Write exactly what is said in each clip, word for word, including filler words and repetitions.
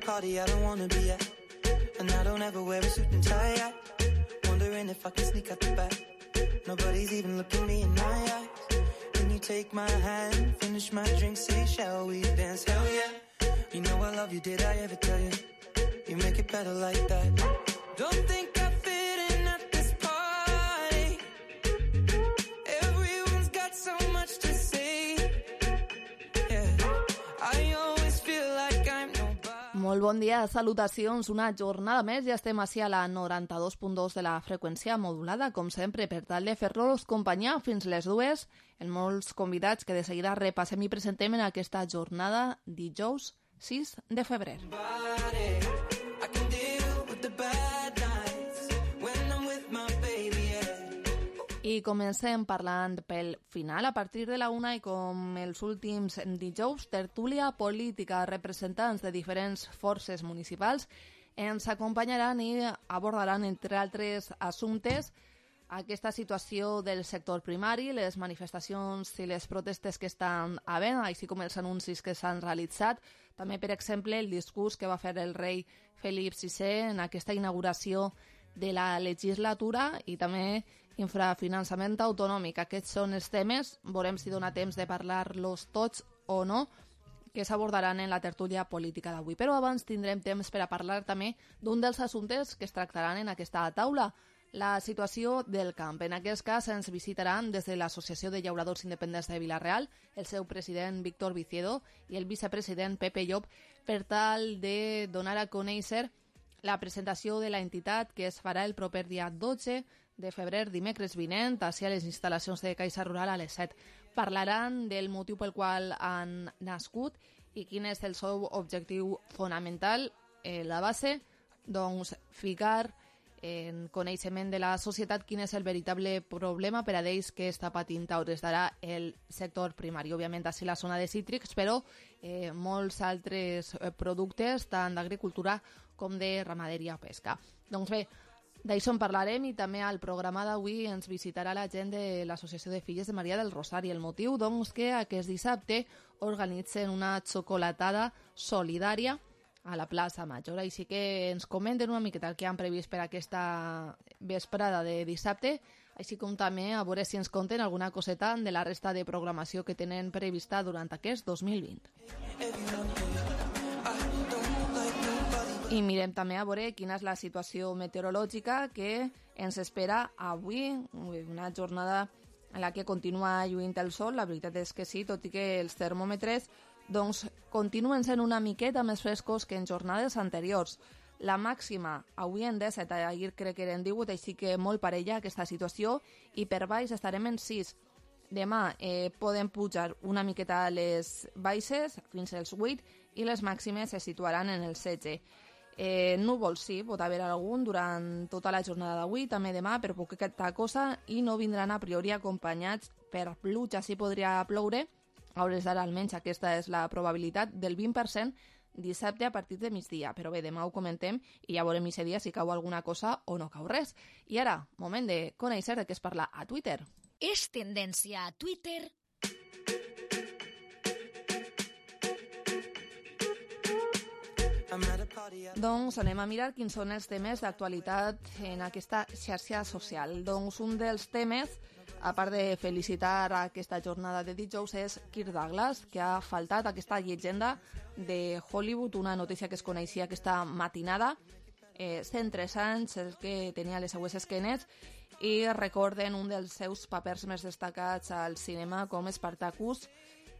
party I don't wanna be at, and I don't ever wear a suit and tie yet. Wondering if I can sneak out the back. Nobody's even looking me in my eyes. Can you take my hand, finish my drink, say shall we dance? Hell yeah. You know I love you, did I ever tell you? You make it better like that. Don't think I fit in at this party. Everyone's got so much to say. Yeah, I always feel like I'm nobody. Molt bon dia, salutacions, una jornada més, ja estem així a la noranta-dos punt dos de la freqüència modulada, com sempre, per tal de fer-los companyia fins les dues, en molts convidats que de seguida repassem i presentem en aquesta jornada dijous sis de febrer. I comencem parlant pel final. A partir de la una i com els últims dijous, tertúlia política, representants de diferents forces municipals ens acompanyaran i abordaran, entre altres assumptes, aquesta situació del sector primari, les manifestacions i les protestes que estan havent, així com els anuncis que s'han realitzat. També, per exemple, el discurs que va fer el rei Felip sisè en aquesta inauguració de la legislatura i també infrafinançament autonòmic. Aquests són els temes, veurem si dona temps de parlar-los tots o no, que s'abordaran en la tertúlia política d'avui. Però abans tindrem temps per a parlar també d'un dels assumptes que es tractaran en aquesta taula, la situació del camp. En aquest cas ens visitaran des de l'Associació de Llauradors Independents de Vila-real el seu president Víctor Viciedo i el vicepresident Pepe Llop per tal de donar a conèixer la presentació de la entitat que es farà el proper dia dotze de febrer, dimecres vinent, a les instal·lacions de Caixa Rural a les set. Parlaran del motiu pel qual han nascut i quin és el seu objectiu fonamental. Eh, la base, doncs, ficar en coneixement de la societat quin és el veritable problema per a ells que està patint a hores d'ara el sector primari. Òbviament, així la zona de cítrics, però eh, molts altres productes, tant d'agricultura com de ramaderia o pesca. Doncs bé, d'això en parlarem i també al programa d'avui ens visitarà la gent de l'Associació de Filles de Maria del Rosari. El motiu, doncs, que aquest dissabte organitzen una xocolatada solidària a la plaça Major. Així que ens comenten una miqueta el que han previst per aquesta vesprada de dissabte, així com també a veure si ens conten alguna coseta de la resta de programació que tenen prevista durant aquest dos mil vint. I mirem també a veure quina és la situació meteorològica que ens espera avui, una jornada en la que continua lluint el sol. La veritat és que sí, tot i que els termòmetres doncs continuen sent una miqueta més frescos que en jornades anteriors. La màxima avui en disset, ahir crec que eren divuit, així que molt parella aquesta situació, i per baix estarem en sis. Demà eh, podem pujar una miqueta a les baixes fins als vuit i les màximes se situaran en el setze. Eh, núvols sí, pot haver algun durant tota la jornada d'avui, també demà, per poqueta cosa, i no vindran a priori acompanyats per pluja. Sí podria ploure, a hores d'ara almenys aquesta és la probabilitat del vint per cent dissabte a partir de migdia. Però bé, demà ho comentem i ja veurem aquest dia si cau alguna cosa o no cau res. I ara, moment de conèixer de què es parla a Twitter. És tendència a Twitter. Doncs anem a mirar quins són els temes d'actualitat en aquesta xarxa social. Doncs un dels temes, a part de felicitar aquesta jornada de dijous, és Kirk Douglas, que ha faltat aquesta llegenda de Hollywood, una notícia que es coneixia aquesta matinada. Eh, cent tres anys, el que tenia les seues esquenes, i recorden un dels seus papers més destacats al cinema com Spartacus,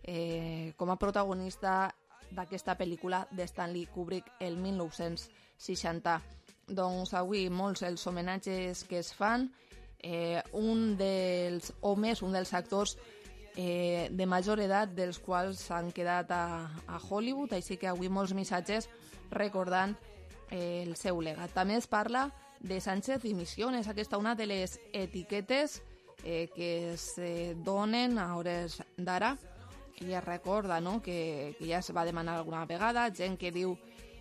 eh, com a protagonista d'aquesta pel·lícula de Stanley Kubrick el mil nou-cents seixanta. Doncs avui molts els homenatges que es fan, eh, un dels homes, un dels actors eh, de major edat dels quals s'han quedat a, a Hollywood, així que avui molts missatges recordant eh, el seu legat. També es parla de Sánchez i Misiones, aquesta una de les etiquetes eh, que es eh, donen a hores d'ara. I es recorda, no?, que, que ja es va demanar alguna vegada, gent que diu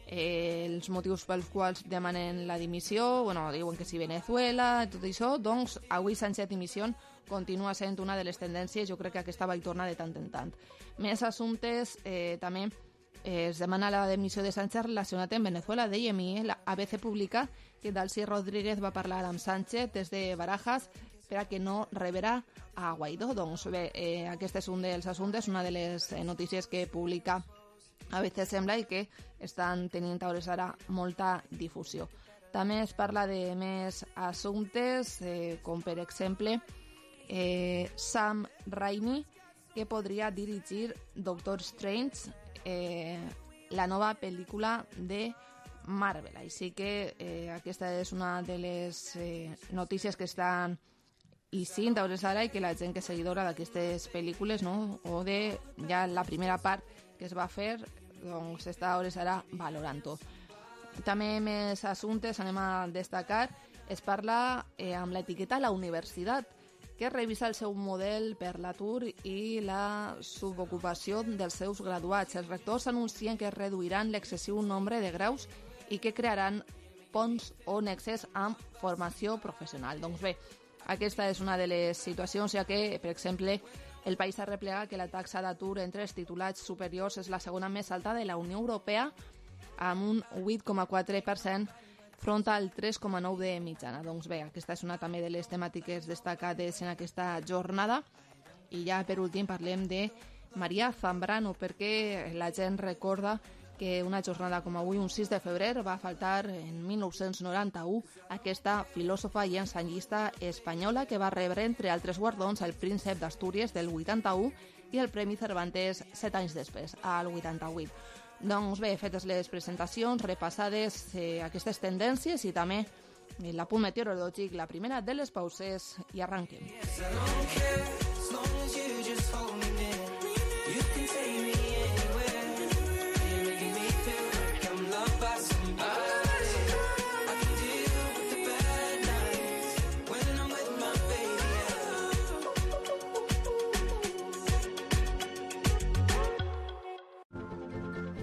eh, els motius pels quals demanen la dimissió, bueno, diuen que si Venezuela, tot això. Doncs avui Sánchez dimissió continua sent una de les tendències, jo crec que aquesta va i torna de tant en tant. Més assumptes, eh, també es demana la demissió de Sánchez relacionat amb Venezuela. Dèiem, i la A B C publica que Dalcy Rodríguez va parlar amb Sánchez des de Barajas per a que no rebrà a Guaidó. Doncs bé, eh, aquest és un dels assumptes, una de les notícies que publica A B C sembla i que estan tenint a hores ara molta difusió. També es parla de més assumptes, eh, com per exemple eh, Sam Raimi, que podria dirigir Doctor Strange, eh, la nova pel·lícula de Marvel. Així que eh, aquesta és una de les eh, notícies que estan ixint a hores ara i que la gent que és seguidora d'aquestes pel·lícules, no? O de ja la primera part que es va fer, doncs està a hores ara valorant-ho. També més assumptes anem a destacar. Es parla eh, amb l'etiqueta La Universitat, que revisa el seu model per l'atur i la subocupació dels seus graduats. Els rectors anuncien que reduiran l'excessiu nombre de graus i que crearan ponts o nexes amb formació professional. Doncs bé, aquesta és una de les situacions, ja que, per exemple, el país arreplega que la taxa d'atur entre els titulats superiors és la segona més alta de la Unió Europea, amb un vuit coma quatre per cent front al tres coma nou de mitjana. Doncs bé, aquesta és una també de les temàtiques destacades en aquesta jornada. I ja per últim parlem de Maria Zambrano, perquè la gent recorda que una jornada com avui, un sis de febrer, va faltar en mil nou-cents noranta-u aquesta filòsofa i ensenyista espanyola que va rebre, entre altres guardons, el Príncep d'Astúries del vuitanta-u i el Premi Cervantes set anys després, al vuitanta-vuit. Doncs bé, fetes les presentacions, repassades eh, aquestes tendències i també l'apunt meteorològic, la primera de les pauses, i arranquem.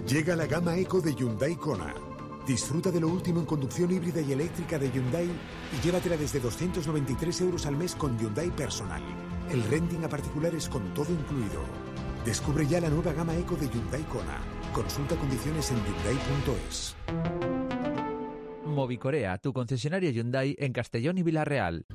Llega la gama Eco de Hyundai Kona. Disfruta de lo último en conducción híbrida y eléctrica de Hyundai y llévatela desde doscientos noventa y tres euros al mes con Hyundai Personal. El renting a particulares con todo incluido. Descubre ya la nueva gama Eco de Hyundai Kona. Consulta condiciones en hyundai punto es. Movicorea, tu concesionario Hyundai en Castellón y Villarreal.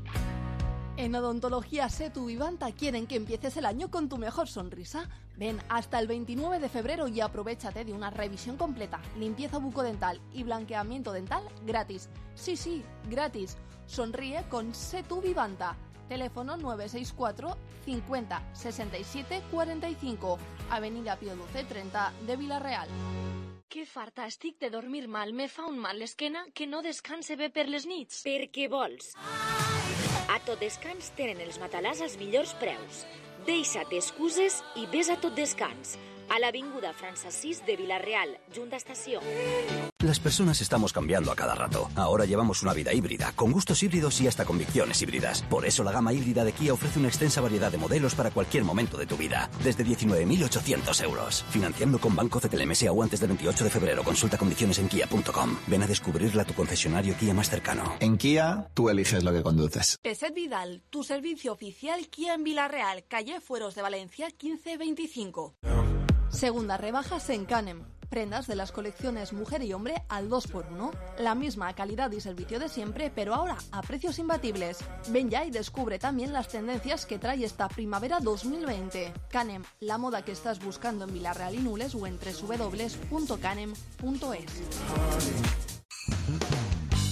En Odontología Setu Vivanta quieren que empieces el año con tu mejor sonrisa. Ven hasta el veintinueve de febrero y aprovéchate de una revisión completa, limpieza bucodental y blanqueamiento dental gratis. Sí, sí, gratis. Sonríe con Setu Vivanta. Teléfono nueve seis cuatro cincuenta sesenta y siete cuarenta y cinco. Avenida Pío doce treinta de Villarreal. Que farta estic de dormir mal. Me fa un mal l'esquena que no descanse bé per les nits. Per què vols? A Tot Descans tenen els matalàs als millors preus. Deixa't excuses i ves a Tot Descans. A l'avinguda França sis de Villarreal, junta estació. Las personas estamos cambiando a cada rato. Ahora llevamos una vida híbrida, con gustos híbridos y hasta convicciones híbridas. Por eso la gama híbrida de Kia ofrece una extensa variedad de modelos para cualquier momento de tu vida. Desde diecinueve mil ochocientos euros. Financiando con Banco C T L M S o antes del veintiocho de febrero. Consulta condiciones en kia punto com. Ven a descubrirla a tu concesionario Kia más cercano. En Kia, tú eliges lo que conduces. Peset Vidal, tu servicio oficial Kia en Villarreal, calle Fueros de Valencia quince veinticinco. Segunda rebajas en Canem. Prendas de las colecciones mujer y hombre al dos por uno. La misma calidad y servicio de siempre, pero ahora a precios imbatibles. Ven ya y descubre también las tendencias que trae esta primavera dos mil veinte. Canem, la moda que estás buscando en Villarreal y Nules o en doble u doble u doble u punto canem punto es.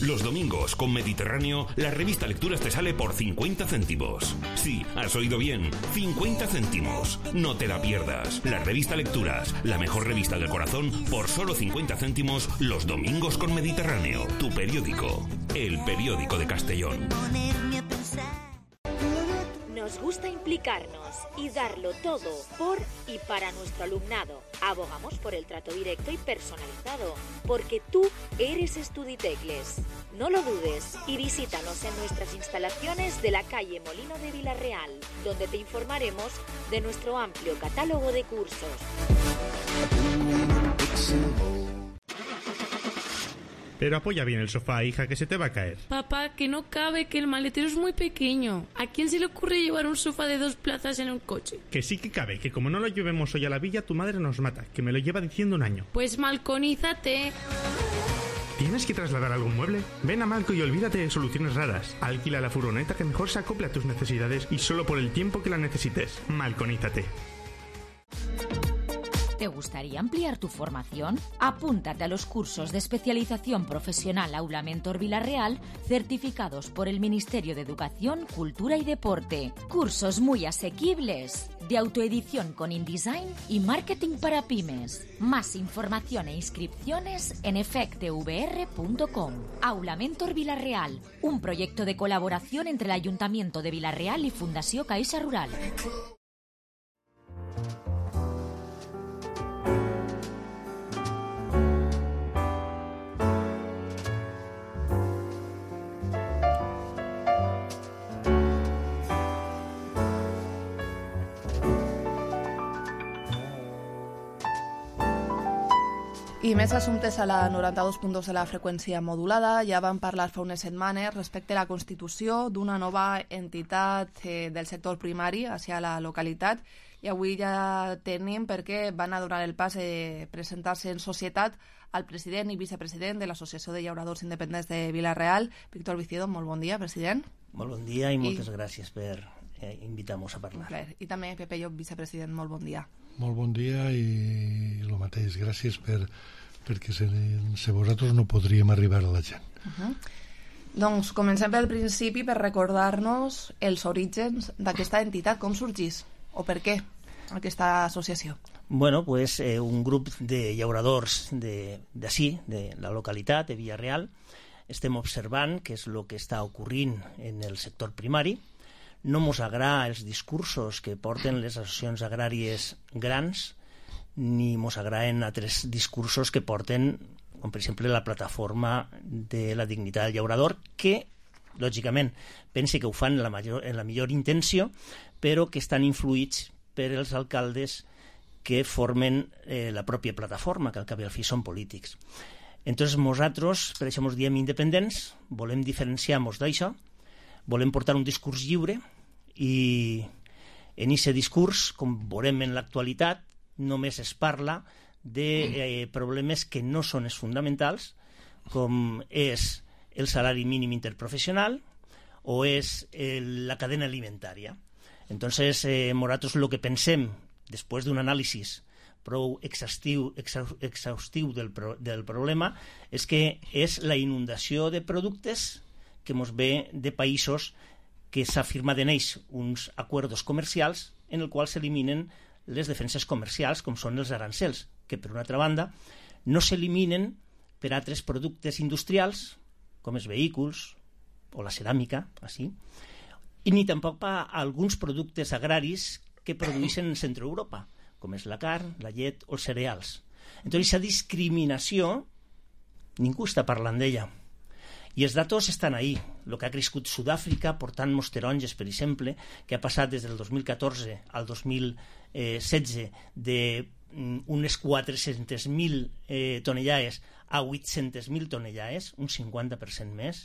Los domingos con Mediterráneo, la revista Lecturas te sale por cincuenta céntimos. Sí, has oído bien, cincuenta céntimos. No te la pierdas. La revista Lecturas, la mejor revista del corazón, por solo cincuenta céntimos los domingos con Mediterráneo. Tu periódico, el periódico de Castellón. Nos gusta implicarnos y darlo todo por y para nuestro alumnado. Abogamos por el trato directo y personalizado, porque tú eres Estuditecles. No lo dudes y visítanos en nuestras instalaciones de la calle Molino de Villarreal, donde te informaremos de nuestro amplio catálogo de cursos. Pero apoya bien el sofá, hija, que se te va a caer. Papá, que no cabe, que el maletero es muy pequeño. ¿A quién se le ocurre llevar un sofá de dos plazas en un coche? Que sí que cabe, que como no lo llevemos hoy a la villa, tu madre nos mata, que me lo lleva diciendo un año. Pues malconízate. ¿Tienes que trasladar algún mueble? Ven a Malco y olvídate de soluciones raras. Alquila la furgoneta que mejor se acople a tus necesidades y solo por el tiempo que la necesites. Malconízate. ¿Te gustaría ampliar tu formación? Apúntate a los cursos de especialización profesional Aula Mentor Villarreal, certificados por el Ministerio de Educación, Cultura y Deporte. Cursos muy asequibles, de autoedición con InDesign y marketing para pymes. Más información e inscripciones en efectvr punto com. Aula Mentor Villarreal, un proyecto de colaboración entre el Ayuntamiento de Villarreal y Fundació Caixa Rural. I més assumptes a la noranta-dos punt dos de la freqüència modulada. Ja vam parlar fa unes setmanes respecte a la constitució d'una nova entitat eh, del sector primari hacia la localitat, i avui ja tenim perquè van a donar el pas de presentar-se en societat al president i vicepresident de l'Associació de Llauradors Independents de Vila-real, Víctor Vicido. Molt bon dia, president. Molt bon dia i moltes I... gràcies per eh, invitar-nos a parlar. I també Pepe Llop, vicepresident, molt bon dia. Molt bon dia i el mateix, gràcies per, perquè sense vosaltres no podríem arribar a la gent. Uh-huh. Doncs comencem pel principi per recordar-nos els orígens d'aquesta entitat, com sorgís o per què aquesta associació. Bueno, pues eh, un grup de llauradors d'ací, de, de la localitat de Villarreal, estem observant què és el que està ocorrint en el sector primari. No mos agrada els discursos que porten les associacions agràries grans, ni mos agraden altres discursos que porten, com per exemple la plataforma de la dignitat del llaurador, que, lògicament, pense que ho fan en la, major, en la millor intenció, però que estan influïts per els alcaldes que formen eh, la pròpia plataforma, que al cap i al fi són polítics. Entonces, nosaltres, per això ens diem independents, volem diferenciar-nos d'això, volem portar un discurs lliure i en aquest discurs, com veurem en l'actualitat, només es parla de eh, problemes que no són els fonamentals, com és el salari mínim interprofessional o és el, la cadena alimentària. Entonces, eh, nosaltres el que pensem, després d'un anàlisi prou exhaustiu, exhaustiu del, pro, del problema, és que és la inundació de productes que ens ve de països que s'ha firmat en ells uns acords comercials en els quals s'eliminen les defenses comercials, com són els arancels, que, per una altra banda, no s'eliminen per altres productes industrials, com els vehicles o la ceràmica, així, i ni tampoc per alguns productes agraris que produeixen en Centre Europa, com és la carn, la llet o els cereals. Entonces, aquesta discriminació, ningú està parlant d'ella. I els datos estan ahí. El que ha crescut Sud-àfrica, portant mos taronges, per exemple, que ha passat des del dos mil catorze al dos mil setze d'unes quatre-centes mil eh, tonellades a vuit-centes mil tonellades, un cinquanta per cent més.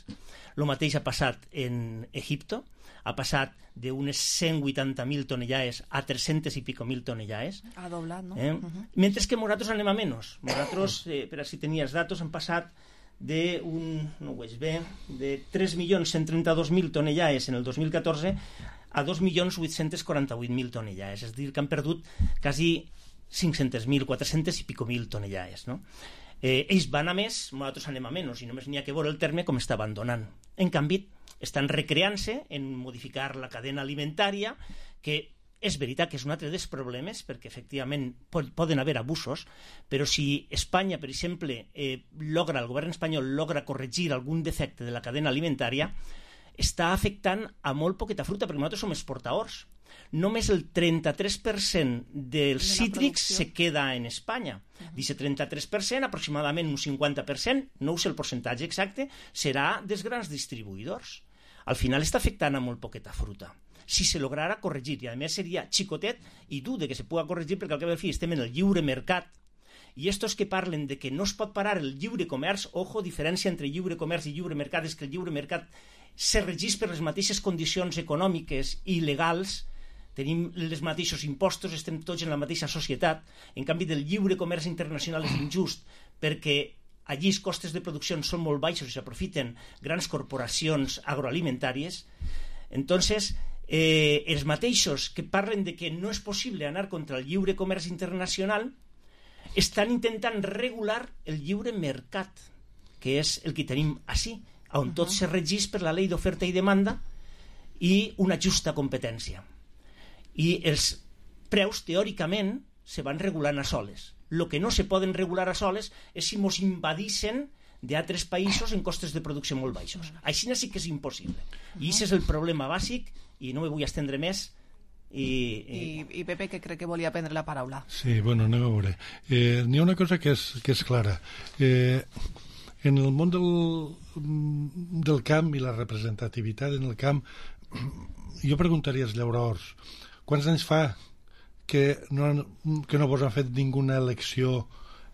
El mateix ha passat en Egipto, ha passat d'unes cent vuitanta mil tonellades a tres-centes i pico mil tonellades. Ha doblat, no? Eh? Uh-huh. Mentre que nosaltres anem a menys. Nosaltres, eh, per si tenia els datos, han passat de un, no ho veig bé, de tres milions cent trenta-dos mil tonellades en el dos mil catorze a dos milions vuit-cents quaranta-vuit mil tonellades. És a dir, que han perdut quasi cinc-centes mil, quatre-centes i pico mil tonellades, no? Eh, ells van a més, nosaltres anem a menys, i només n'hi ha que veure el terme com està abandonant. En canvi, estan recreant-se en modificar la cadena alimentària, que és veritat que és un altre dels problemes, perquè efectivament poden haver abusos, però si Espanya, per exemple, eh, logra, el govern espanyol logra corregir algun defecte de la cadena alimentària, està afectant a molt poqueta fruita, perquè nosaltres som exportadors. Només el trenta-tres per cent dels cítrics se queda en Espanya. D'aquest trenta-tres per cent, aproximadament un cinquanta per cent, no sé el percentatge exacte, serà dels grans distribuïdors. Al final està afectant a molt poqueta fruta. Si se lograra corregir, i a més seria xicotet i dur de que se pugui corregir, perquè al cap i al fi estem en el lliure mercat I estos que parlen de que no es pot parar el lliure comerç, ojo, diferència entre lliure comerç i lliure mercat és que el lliure mercat se regeix per les mateixes condicions econòmiques i legals, tenim els mateixos impostos, estem tots en la mateixa societat. En canvi, del lliure comerç internacional és injust perquè allí els costes de producció són molt baixos i s'aprofiten grans corporacions agroalimentàries. Entonces, eh, els mateixos que parlen de que no és possible anar contra el lliure comerç internacional estan intentant regular el lliure mercat, que és el que tenim així, on tot se regeix per la llei d'oferta i demanda i una justa competència. I els preus, teòricament, se van regulant a soles. El que no se poden regular a soles és si mos invadissin d'altres països en costes de producció molt baixos. Així sí que és impossible. I aquest és el problema bàsic, i no me vull estendre més. I, i... I, i Pepe, que crec que volia prendre la paraula. Sí, bueno, anem a veure. Eh, n'hi ha una cosa que és, que és clara. Eh, en el món del, del camp i la representativitat en el camp, jo preguntaria als llauradors, quants anys fa que no, que no vos han fet ninguna elecció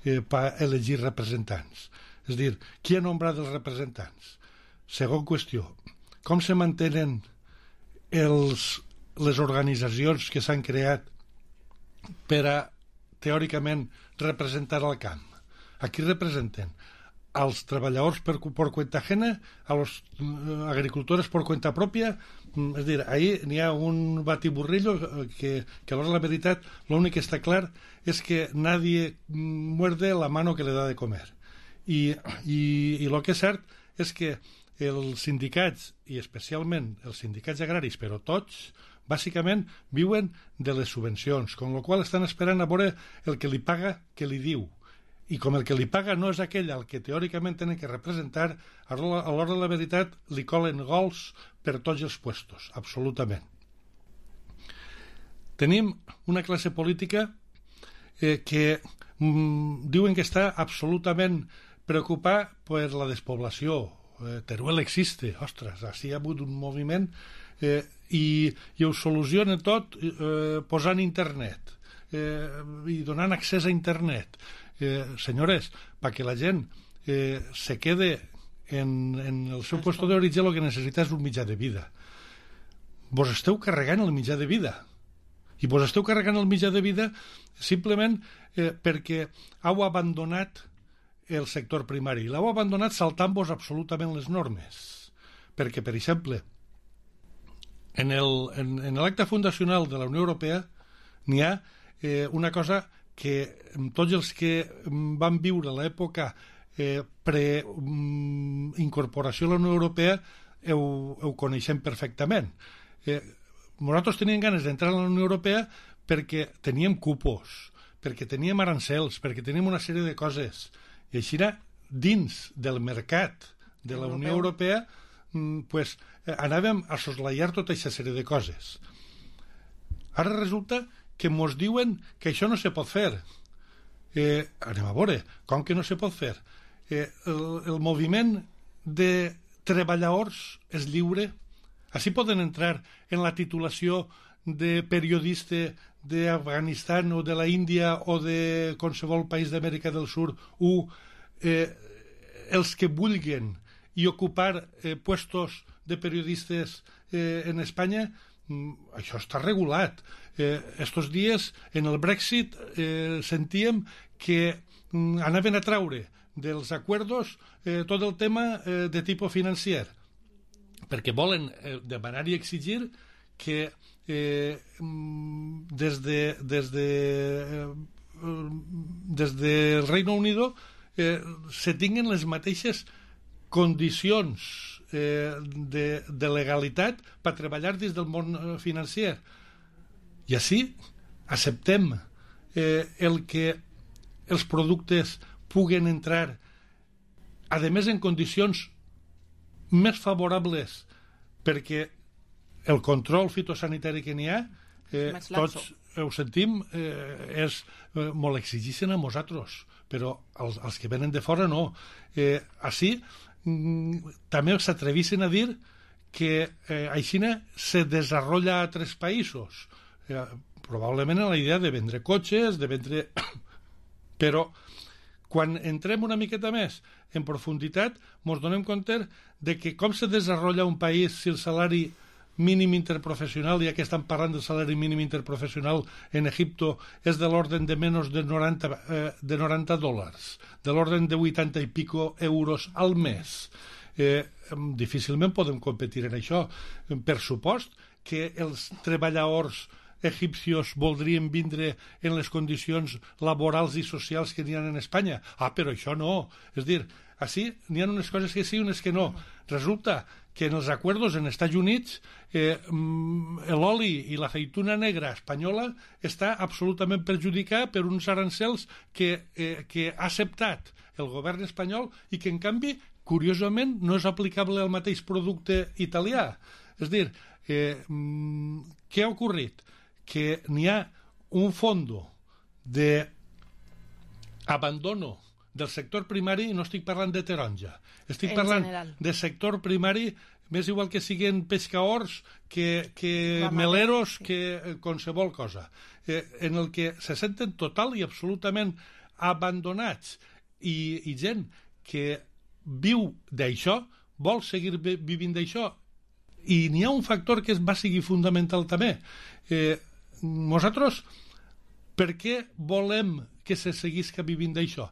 eh, per elegir representants? És a dir, qui ha nombrat els representants? Segon qüestió, com se mantenen els, les organitzacions que s'han creat per a, teòricament, representar el camp? A qui representen? Als treballadors per, por cuenta ajena, a los uh, agricultores por cuenta propia. És dir, ahí n'hi ha un batiburrillo que, que a l'hora de la veritat l'únic que està clar és que nadie muerde la mano que le da de comer. I, i, i el que és cert és que els sindicats, i especialment els sindicats agraris, però tots, bàsicament viuen de les subvencions, amb la qual estan esperant a veure el que li paga que li diu. I com el que li paga no és aquell al que teòricament tenen que representar, a l'hora de la veritat li colen gols per tots els puestos, absolutament. Tenim una classe política eh, que mm, diuen que està absolutament preocupada per la despoblació. Eh, Teruel existe, ostres, així hi ha hagut un moviment eh, i, i ho soluciona tot eh, posant internet eh, i donant accés a internet. Eh, senyores, perquè la gent eh, se quede en, en el seu lloc d'origen, el que necessita és un mitjà de vida. Vos esteu carregant el mitjà de vida. I vos esteu carregant el mitjà de vida simplement eh, perquè heu abandonat el sector primari. L'heu abandonat saltant-vos absolutament les normes. Perquè, per exemple, en l'acte fundacional de la Unió Europea n'hi ha eh, una cosa que tots els que van viure l'època eh, pre-incorporació a la Unió Europea ho, ho coneixem perfectament. Eh, nosaltres teníem ganes d'entrar a la Unió Europea perquè teníem cupos, perquè teníem arancels, perquè teníem una sèrie de coses. I així, dins del mercat de la Unió Europea, pues, anàvem a soslaiar tota aquesta sèrie de coses. Ara resulta que ens diuen que això no se pot fer. Eh, anem a veure, com que no se pot fer? Eh, el, el moviment de treballadors és lliure? Així poden entrar en la titulació de periodista d'Afganistan o de la Índia o de qualsevol país d'Amèrica del Sud o eh, els que vulguin i ocupar eh, puestos de periodistes eh, en Espanya? Mm, això està regulat. Eh, estos dies, en el Brexit, eh, sentíem que mm, anaven a traure dels acuerdos eh, tot el tema eh, de tipus financer, perquè volen eh, demanar i exigir que eh, des de des de eh, des del Reino Unido eh, se tinguen les mateixes condicions eh, de, de legalitat per treballar dins del món financer. I així acceptem eh, el que els productes puguen entrar, a més en condicions més favorables, perquè el control fitosanitari que n'hi ha, eh, tots ho sentim, eh, és eh, molt exigixen a nosaltres, però els, els que venen de fora no. Eh, així mm, també s'atrevissin a dir que eh, Aixina se desenvolupa a altres països. Eh, probablement en la idea de vendre cotxes, de vendre Però quan entrem una miqueta més en profunditat, ens donem compte de que com se desenvolupa un país si el salari mínim interprofessional, ja que estan parlant del salari mínim interprofessional en Egipto, és de l'orden de menys de noranta, eh, de noranta dòlars, de l'orden de vuitanta i pico euros al mes. Eh, difícilment podem competir en això. Per supost que els treballadors egipcios voldrien vindre en les condicions laborals i socials que n'hi ha en Espanya. Ah, però això no. És dir, així n'hi ha unes coses que sí i unes que no. Resulta que en els acords en Estats Units eh, l'oli i l'aceituna negra espanyola està absolutament perjudicat per uns arancels que, eh, que ha acceptat el govern espanyol i que, en canvi, curiosament, no és aplicable al mateix producte italià. És dir, eh, què ha ocorrit? Que n'hi ha un fondo d'abandono del sector primari, i no estic parlant de taronja, estic en parlant general. de sector primari, més igual que siguin pescaors, que, que meleros, que eh, qualsevol cosa, eh, en el que se senten total i absolutament abandonats, i, i gent que viu d'això, vol seguir vivint d'això, i n'hi ha un factor que va seguir fundamental també. Eh, nosaltres, per què volem que se seguisca vivint d'això?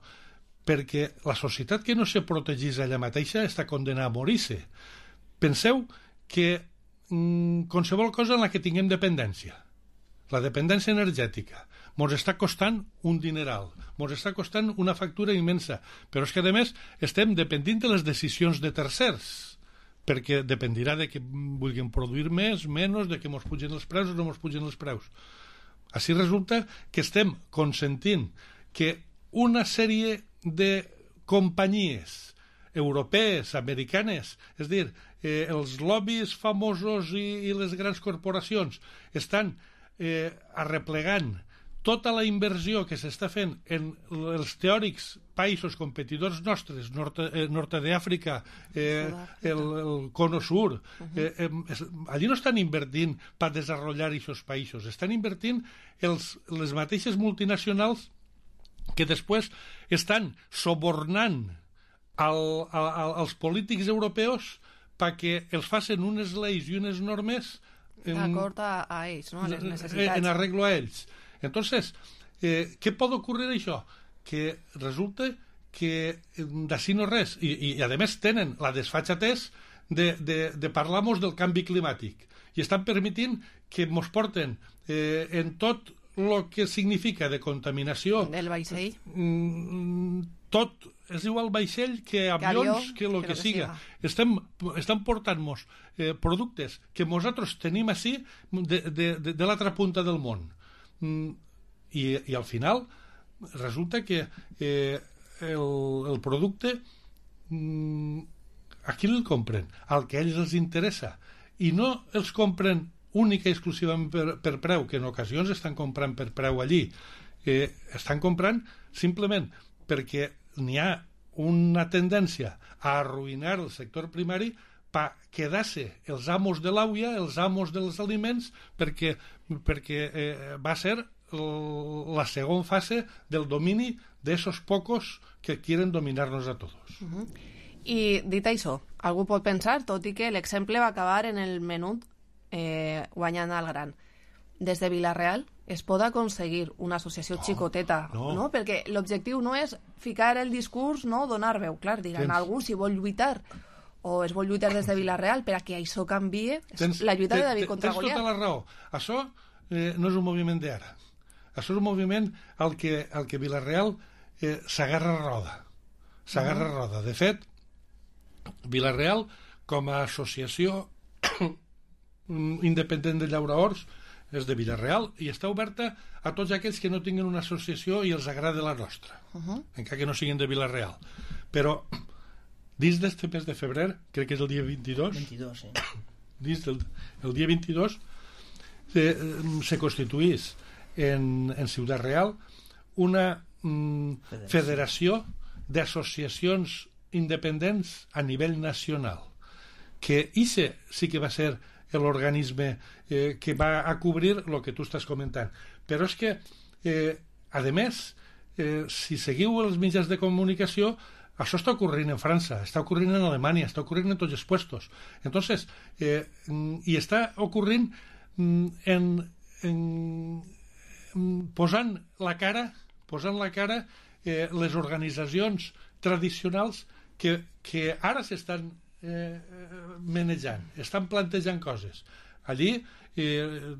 Perquè la societat que no se protegís ella mateixa està condenada a morir-se. Penseu que mm, qualsevol cosa en la que tinguem dependència, la dependència energètica, ens està costant un dineral, ens està costant una factura immensa, però és que, a més, estem dependint de les decisions de tercers, perquè dependirà de que vulguin produir més, menys, de que ens pugen els preus o no ens pugen els preus. Així resulta que estem consentint que una sèrie de companyies europees, americanes, és dir, eh, els lobbies famosos i, i les grans corporacions estan eh, arreplegant tota la inversió que s'està fent en els teòrics països competidors nostres, nord, eh, nord d'Àfrica, eh, el, el Cono Sur, eh, eh, allí no estan invertint per desenvolupar aquests països, estan invertint els, les mateixes multinacionals que després estan subornant al, al, als polítics europeus perquè els facin unes lleis i unes normes d'acord a, a ells, no? A les necessitats. En arreglo a ells. Entonces, eh, què pot ocórrer això? Que resulta que d'ací no res, i, i a més tenen la desfatxatès de, de, de parlar-nos del canvi climàtic, i estan permitint que ens porten eh, en tot el que significa de contaminació del vaixell, mm, tot, és igual vaixell que avions, que el que, que siga, que estem, estan portant-nos eh, productes que nosaltres tenim així de, de, de, de l'altra punta del món. Mm, i, i al final resulta que eh, el, el producte mm, a qui el compren? Al que a ells els interessa, i no els compren única i exclusivament per, per preu, que en ocasions estan comprant per preu allí, eh, estan comprant simplement perquè n'hi ha una tendència a arruïnar el sector primari per quedar-se els amos de l'auia, els amos dels aliments, perquè, perquè eh, va ser la segona fase del domini d'esos pocos que quieren dominar-nos a tots. Uh-huh. I dit això, algú pot pensar, tot i que l'exemple va acabar en el menut eh, guanyant al gran. Des de Vila-real es pot aconseguir una associació no, xicoteta, no. no? Perquè l'objectiu no és ficar el discurs, no, donar veu. Clar, diran, tens... algú si vol lluitar o es vol lluitar des de Vila-real per a que això canvie, tens, la lluita de David contra Goliat. Tens tota la raó. Això eh, no és un moviment d'ara. Això és un moviment al que, al que Vila-real eh, s'agarra roda. S'agarra uh-huh. roda. De fet, Vila-real, com a associació independent de llauradors, és de Vila-real i està oberta a tots aquells que no tinguin una associació i els agrada la nostra, uh-huh. encara que no siguin de Vila-real. Però dins d'este mes de febrer, crec que és el dia vint-i-dos, vint-i-dos sí. dins del el dia vint-i-dos se, se constituís en, en Ciutat Real una mm, federació d'associacions independents a nivell nacional, que ixe sí que va ser l'organisme eh, que va a cobrir el que tu estàs comentant. Però és que, eh, a més, eh, si seguiu els mitjans de comunicació, això està ocorrint en França, està ocorrint en Alemanya, està ocorrint en tots els puestos. Entonces, eh, i està ocorrint en, en, en posant la cara, posant la cara eh, les organitzacions tradicionals que, que ara s'estan eh, manejant, estan plantejant coses. Allí eh,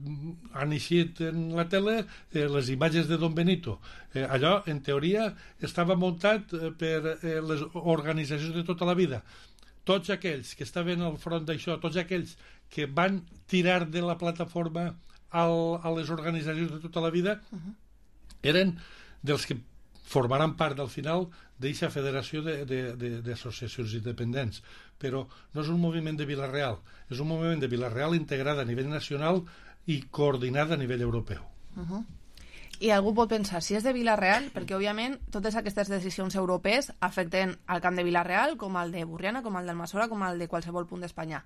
han eixit en la tele eh, les imatges de Don Benito. Eh, allò, en teoria, estava muntat eh, per eh, les organitzacions de tota la vida. Tots aquells que estaven al front d'això, tots aquells que van tirar de la plataforma al, a les organitzacions de tota la vida, uh-huh. eren dels que formaran part al final d'aquesta federació d'associacions independents. Però no és un moviment de Vila-real, és un moviment de Vila-real integrat a nivell nacional i coordinat a nivell europeu. Uh-huh. I algú pot pensar, si és de Vila-real, perquè òbviament totes aquestes decisions europees afecten al camp de Vila-real, com el de Burriana, com el d'Almassora, com el de qualsevol punt d'Espanya.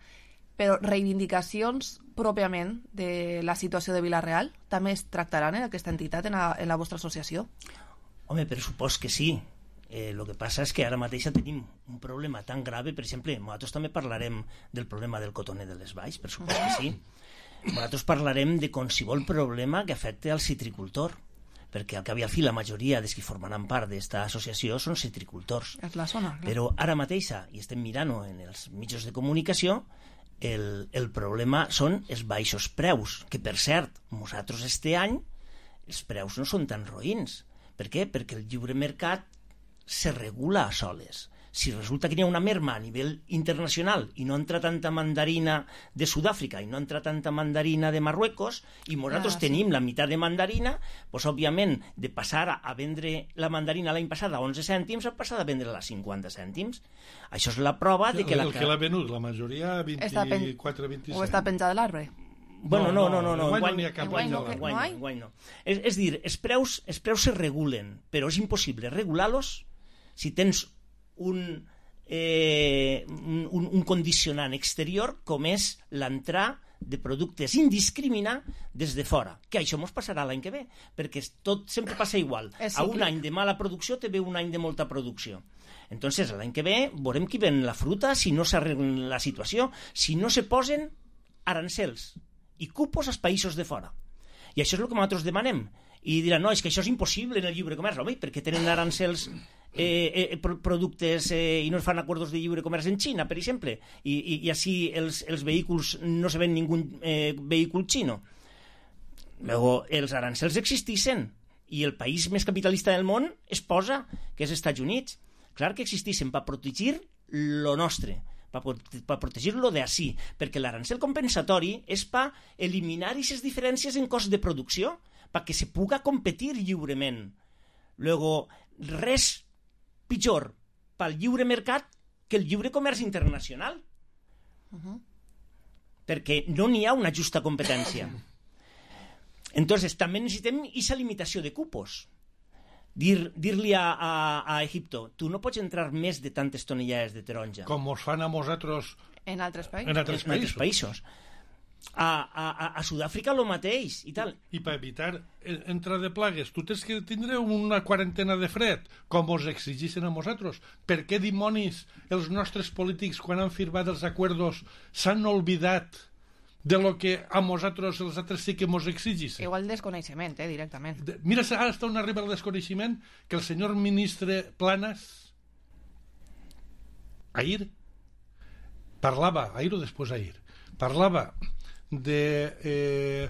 Però reivindicacions pròpiament de la situació de Vila-real també es tractaran en aquesta entitat, en la, en la vostra associació? Home, per supòs que sí. Eh, lo que passa és que ara mateix tenim un problema tan grave, per exemple, nosaltres també parlarem del problema del cotoner de les valls, per supòs que sí. Nosaltres parlarem de qualsevol problema que afecte al citricultor, perquè al cap i al fi la majoria dels que formaran part d'aquesta associació són citricultors. És la zona, clar. Però ara mateix, i estem mirant en els mitjans de comunicació, el, el problema són els baixos preus, que per cert, nosaltres este any els preus no són tan roïns. Per què? Perquè el lliure mercat se regula a soles. Si resulta que hi ha una merma a nivell internacional i no entra tanta mandarina de Sud-àfrica i no entra tanta mandarina de Marruecos i nosaltres ah, sí. tenim la meitat de mandarina, doncs òbviament de passar a vendre la mandarina l'any passat a onze cèntims a passar a vendre-la a cinquanta cèntims. Això és la prova de que... El, la... el que l'ha venut, la majoria a vint-i-quatre vint-i-cinc. O està penjat de l'arbre? Bueno, no, no, no, no, enguany no hi ha cap enguany no, enguany no, enguany no. És, és dir, els preus, els preus se regulen, però és impossible regular-los si tens un, eh, un, un condicionant exterior com és l'entrar de productes indiscriminat des de fora, que això ens passarà l'any que ve, perquè tot sempre passa igual. A un any de mala producció te ve un any de molta producció. Entonces, l'any que ve veurem qui ven la fruta si no s'arregla la situació, si no se posen arancels i cupos als països de fora. I això és el que nosaltres demanem. I diran, no, és que això és impossible en el lliure comerç. Home, perquè tenen arancels eh, eh, productes eh, i no es fan acords de lliure comerç en Xina, per exemple, i, i, i així els, els vehicles no se ven ningú eh, vehicle xino. Luego, els arancels existissin i el país més capitalista del món es posa, que és Estats Units. Clar que existissin per protegir lo nostre, per protegir-lo d'ací, perquè l'arancel compensatori és per eliminar aquestes diferències en cost de producció, perquè se puga competir lliurement. Luego, res pitjor pel lliure mercat que el lliure comerç internacional, uh-huh. perquè no n'hi ha una justa competència. Entonces, també necessitem aquesta limitació de cupos. Dir, dir-li a, a, a Egipto, tu no pots entrar més de tantes tonellades de taronja. Com us fan a nosaltres en altres països. En altres en, països. En països. A, a, a Sud-àfrica el mateix i tal. I, i per evitar entrar de plagues, tu tens que tindre una quarantena de fred, com us exigeixen a nosaltres. Per què dimonis els nostres polítics, quan han firmat els acords, s'han oblidat de lo que a nosaltres els altres sí que mos exigeixen? Igual desconeixement, eh, directament. De, mira, ara està on arriba el desconeixement, que el senyor ministre Planas ahir parlava, ahir o després ahir, parlava de eh,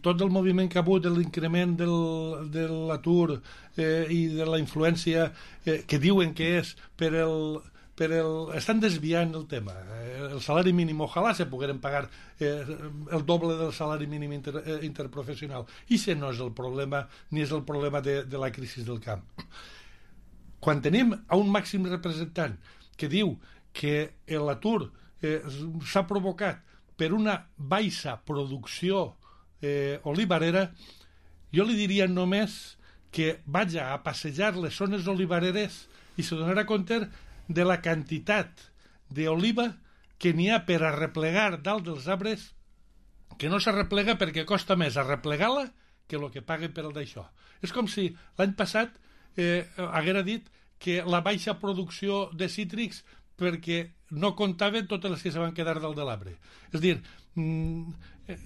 tot el moviment que ha hagut, de l'increment del, de l'atur eh, i de la influència eh, que diuen que és per el... per el, estan desviant el tema. El salari mínim, ojalà se pogueren pagar eh, el doble del salari mínim inter, eh, interprofessional. I això no és el problema, ni és el problema de, de la crisi del camp. Quan tenim a un màxim representant que diu que l'atur eh, s'ha provocat per una baixa producció eh, olivarera, jo li diria només que vaja a passejar les zones olivareres i se donarà compte de la quantitat d'oliva que n'hi ha per arreplegar dalt dels arbres, que no s'arreplega perquè costa més arreplegar-la que el que paguen per el d'això. És com si l'any passat eh, haguera dit que la baixa producció de cítrics perquè no comptaven totes les que se van quedar dalt de l'arbre. És a dir, eh,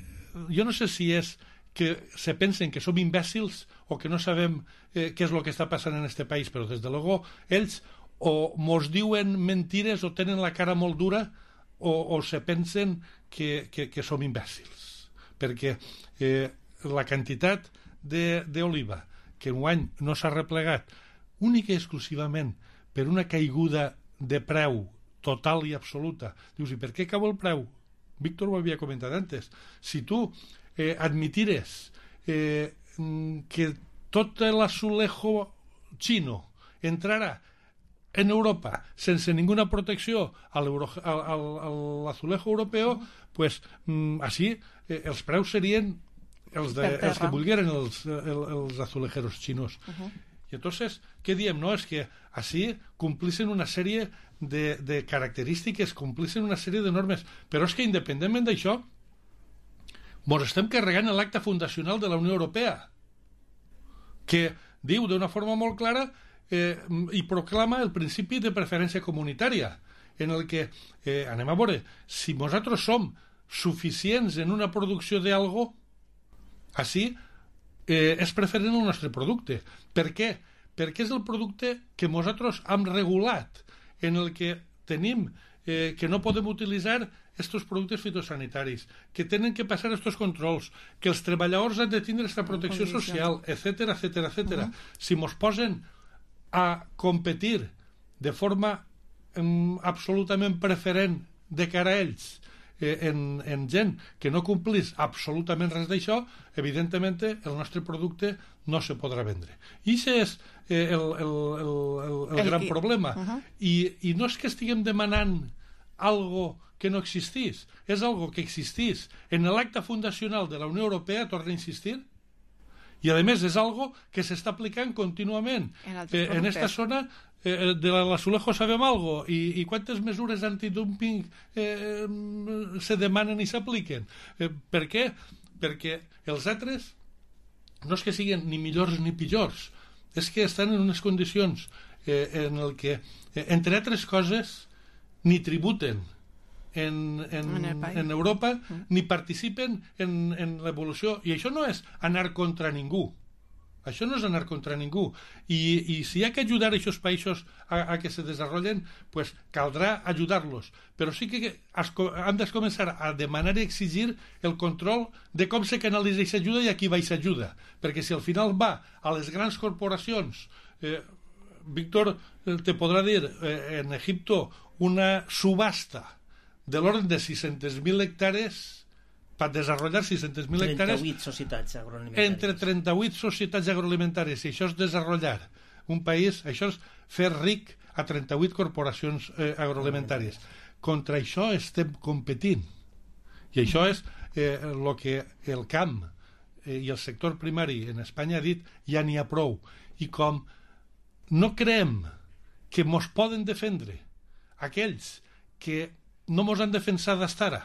jo no sé si és que se pensen que som imbècils o que no sabem eh, què és el que està passant en este país, però des de luego ells o mos diuen mentires o tenen la cara molt dura o, o se pensen que, que, que som imbècils, perquè eh, la quantitat d'oliva que enguany no s'ha replegat única i exclusivament per una caiguda de preu total i absoluta. Dius, i per què cau el preu? Víctor ho havia comentat antes. Si tu eh, admitires eh, que tot l'azulejo xino entrarà en Europa sense ninguna protecció a l'azulejo europeu, pues mm, així eh, els preus serien els, de, els que volgueren els, els, els azulejeros xinos. Uh-huh. I entonces, què diem? No, és que així complixen una sèrie de, de característiques, complixen una sèrie de normes, però és que independentment d'això ens estem carregant l'acte fundacional de la Unió Europea, que diu d'una forma molt clara eh, i proclama el principi de preferència comunitària, en el que, eh, anem a veure, si nosaltres som suficients en una producció d'algo, així eh, és preferent el nostre producte. Per què? Perquè és el producte que nosaltres hem regulat, en el que tenim eh, que no podem utilitzar estos productes fitosanitaris, que tenen que passar estos controls, que els treballadors han de tindre aquesta protecció social, etcètera, etcètera, etcètera. Uh-huh. Si mos posen a competir de forma um, absolutament preferent de cara a ells, En, en gent que no complís absolutament res d'això, evidentment el nostre producte no se podrà vendre. I això és eh, el, el, el, el, el, el gran problema. Uh-huh. I, I no és que estiguem demanant algo que no existís, és algo que existís en l'acte fundacional de la Unió Europea, torna a insistir, i a més és algo que s'està aplicant contínuament. En, eh, en esta zona eh, de l'azulejo sabem algo, i, i quantes mesures antidumping eh, se demanen i s'apliquen. Eh, per què? Perquè els altres no és que siguin ni millors ni pitjors, és que estan en unes condicions eh, en el que, eh, entre altres coses, ni tributen en, en, en, en Europa, mm. ni participen en, en l'evolució, i això no és anar contra ningú. Això no és anar contra ningú. I, i si hi ha que ajudar a aquests països a, a que se desenvolupen, pues caldrà ajudar-los. Però sí que es, han de començar a demanar i exigir el control de com se canalitza aquesta ajuda i a qui va aquesta ajuda. Perquè si al final va a les grans corporacions, eh, Víctor te podrà dir, eh, en Egipto, una subhasta de l'ordre de sis-centes mil hectàrees per desenvolupar sis-centes mil hectàrees trenta-vuit societats agroalimentàries. Entre trenta-vuit societats agroalimentàries, i això és desenvolupar un país, això és fer ric a trenta-vuit corporacions eh, agroalimentàries. Contra això estem competint, i això és eh, el que el camp eh, i el sector primari en Espanya ha dit, ja n'hi ha prou. I com no creiem que mos poden defendre aquells que no mos han defensat d'estar ara,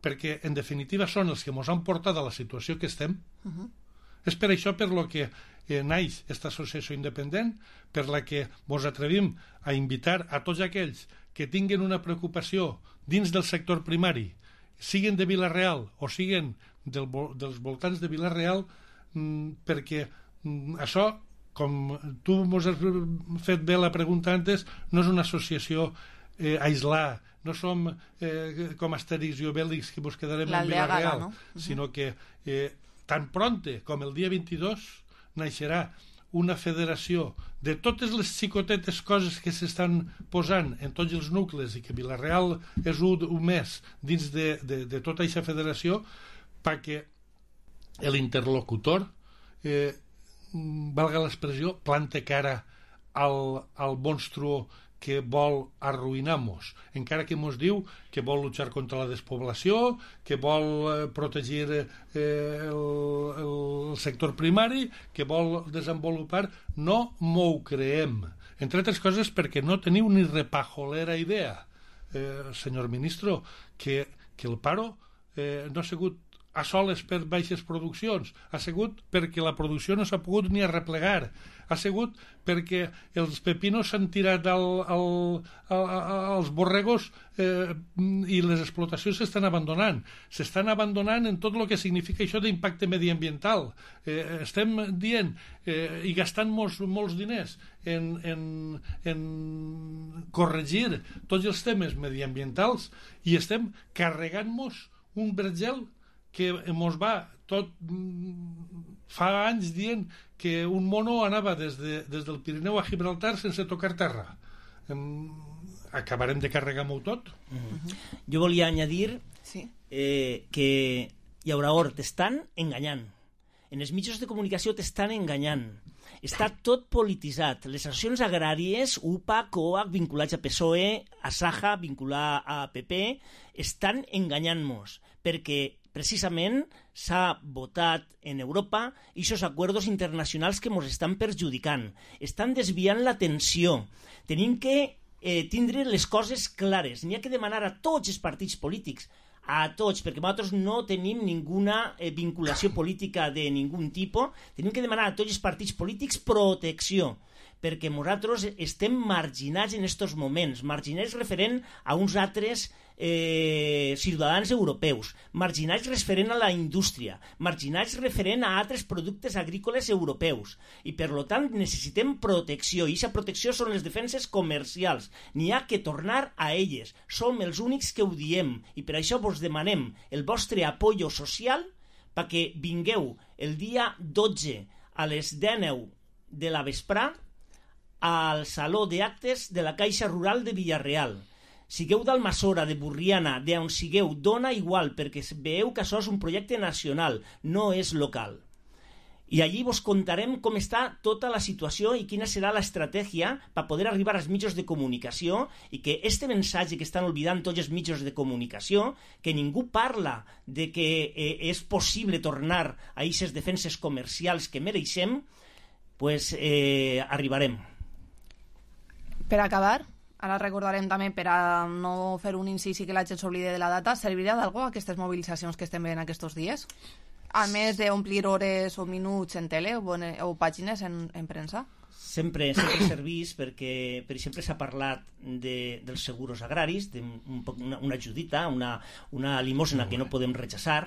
perquè en definitiva són els que mos han portat a la situació que estem. Uh-huh. És per això per lo que eh, naix aquesta associació independent, per la que mos atrevim a invitar a tots aquells que tinguen una preocupació dins del sector primari, siguin de Vila-real o siguin del, dels voltants de Vila-real, mm, perquè mm, això, com tu mos has fet bé la pregunta antes, no és una associació eh, aïslada, no som eh, com Astèrix i Obèlix que ens quedarem en Vila-real, no? Uh-huh. Sinó que eh, tan pronte com el dia vint-i-dos naixerà una federació de totes les xicotetes coses que s'estan posant en tots els nuclis, i que Vila-real és un, un mes dins de, de, de tota aquesta federació, perquè l'interlocutor, eh, valga l'expressió, plante cara al, al monstruo que vol arruïnar-nos, encara que mos diu que vol luchar contra la despoblació, que vol eh, protegir eh, el, el sector primari, que vol desenvolupar. No m'ho creem, entre altres coses perquè no teniu ni repajolera idea, eh, senyor ministro, que, que el paro eh, no ha sigut a soles per baixes produccions, ha sigut perquè la producció no s'ha pogut ni arreplegar, ha sigut perquè els pepinos s'han tirat al, al, al, als borregos eh, i les explotacions s'estan abandonant. S'estan abandonant en tot el que significa això d'impacte mediambiental. Eh, estem dient eh, i gastant molts, molts diners en, en, en corregir tots els temes mediambientals i estem carregant-nos un vergel que mos va tot fa anys dient que un mono anava des, de, des del Pirineu a Gibraltar sense tocar terra. Um, acabarem de carregar-m'ho tot? Uh-huh. Jo volia añadir sí. eh, que Llauraor t'estan enganyant. En els mitjans de comunicació t'estan enganyant. Està tot polititzat. Les associacions agràries, U P A, COAC, vinculats a P S O E, a Saja, vincular a P P, estan enganyant-nos, perquè precisament s'ha votat en Europa i aquests acords internacionals que ens estan perjudicant. Estan desviant l'atenció. Tenim que eh, tindre les coses clares. N'hi ha que demanar a tots els partits polítics, a tots, perquè nosaltres no tenim ninguna eh, vinculació política de ningun tipus, tenim que demanar a tots els partits polítics protecció, perquè nosaltres estem marginats en aquests moments, marginats referent a uns altres eh, ciutadans europeus, marginats referent a la indústria, marginats referent a altres productes agrícoles europeus, i per tant necessitem protecció, i aquesta protecció són les defenses comercials, n'hi ha que tornar a elles, som els únics que ho diem, i per això vos demanem el vostre apoyo social perquè vingueu el dia dotze a les deu de la vesprà al Saló d'Actes de la Caixa Rural de Villarreal. Sigueu d'Almassora, de Burriana, d'on sigueu, dona igual, perquè veieu que això és un projecte nacional, no és local. I allí vos contarem com està tota la situació i quina serà l'estratègia per poder arribar als mitjans de comunicació i que este missatge que estan oblidant tots els mitjans de comunicació, que ningú parla de que eh, és possible tornar a aquestes defenses comercials que mereixem, pues eh, arribarem. Per acabar, ara recordarem també, per a no fer un incís i que la gent s'oblide de la data, servirà d'algú aquestes mobilitzacions que estem veient aquests dies? A més d'omplir hores o minuts en tele o, en, o pàgines en, en premsa? Sempre, sempre servís perquè, per exemple, s'ha parlat de, dels seguros agraris, d'una una ajudita, una, una limosna que no podem rechaçar.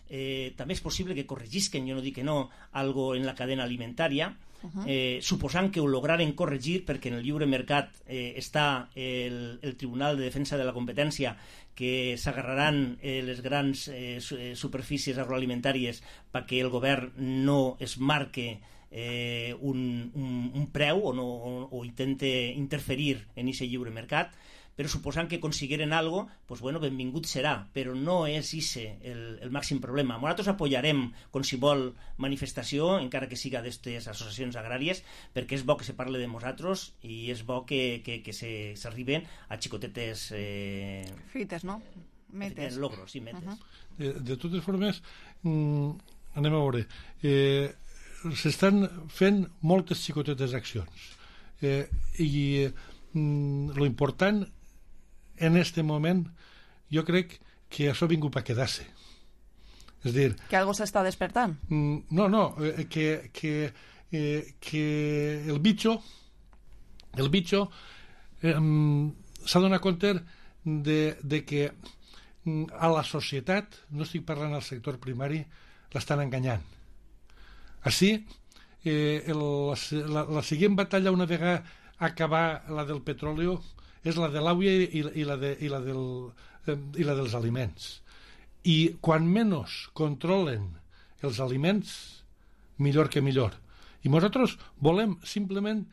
Eh, també és possible que corregisquen, jo no dic que no, algo en la cadena alimentària, Uh-huh. eh, suposant que ho lograren corregir, perquè en el lliure mercat eh, està el, el Tribunal de Defensa de la Competència, que s'agarraran eh, les grans eh, superfícies agroalimentàries perquè el govern no es marque eh, un, un, un preu o, no, o, o intente interferir en aquest lliure mercat, però suposant que aconseguiren algo, pues bueno, benvingut serà, però no és ese el, el màxim problema. Nosaltres apoyarem qualsevol manifestació, encara que siga d'aquestes associacions agràries, perquè és bo que se parle de nosaltres i és bo que, que, que se, s'arriben a xicotetes... Eh... Fites, no? Metes. Logros, sí, metes. Uh-huh. De, de totes formes, mm, anem a veure, eh, s'estan fent moltes xicotetes accions eh, i mm, lo important en este moment jo crec que això ha vingut per quedar-se. És dir... Que algo s'està despertant? No, no, eh, que, que, eh, que el bitxo el bitxo eh, s'ha donat compte de, de que a la societat, no estic parlant al sector primari, l'estan enganyant. Així, eh, el, la, la següent batalla una vegada acabar la del petroli és la de l'aigua i, i, la de, i, la del, eh, i la dels aliments. I quan menys controlen els aliments, millor que millor. I nosaltres volem simplement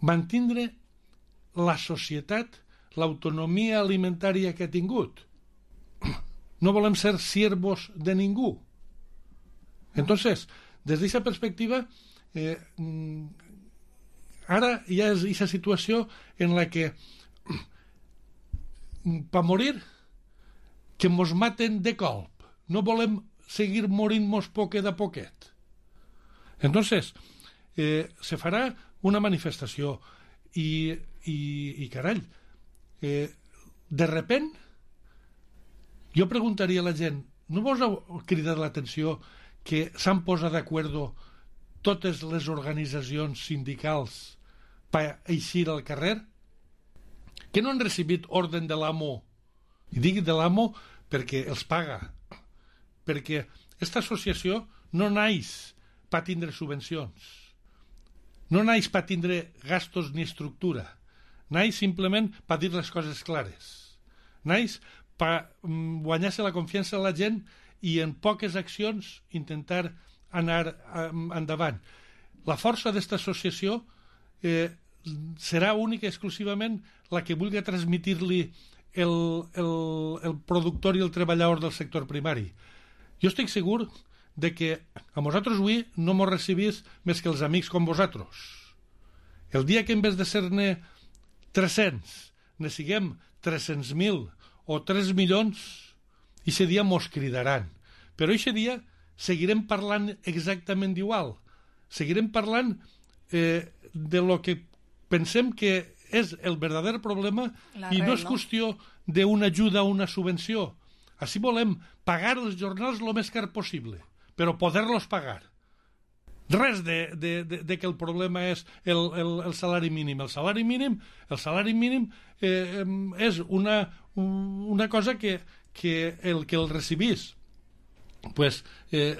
mantindre la societat, l'autonomia alimentària que ha tingut. No volem ser siervos de ningú. Entonces, des d'aquesta perspectiva, eh, ara hi ha aquesta situació en la que per morir que mos maten de colp, no volem seguir morint-nos poquet a poquet. Entonces eh, se farà una manifestació i, i, i carall eh, de repent jo preguntaria a la gent no vos ha cridat l'atenció que s'han posat d'acord totes les organitzacions sindicals per eixir al carrer? Que no han recibit ordre de l'amo? I dic de l'amo perquè els paga. Perquè aquesta associació no naix per tindre subvencions. No naix per tindre gastos ni estructura. Naix simplement per dir les coses clares. Naix per guanyar-se la confiança de la gent i en poques accions intentar anar endavant. La força d'esta associació eh, serà única i exclusivament la que vulgui transmitir-li el, el, el productor i el treballador del sector primari. Jo estic segur de que a vosaltres avui no mos recibís més que els amics com vosaltres. El dia que en vez de ser-ne tres-cents, ne siguem tres-cents mil o tres milions, ixe dia mos cridaran. Però ixe dia seguirem parlant exactament d'igual. Seguirem parlant eh, de lo que pensem que és el verdader problema i no és qüestió d'una ajuda o una subvenció. Així volem pagar els jornals el més car possible, però poder-los pagar. Res de, de, de, de que el problema és el, el, el salari mínim. El salari mínim, el salari mínim eh, és una, una cosa que, que el que el recibís pues, eh,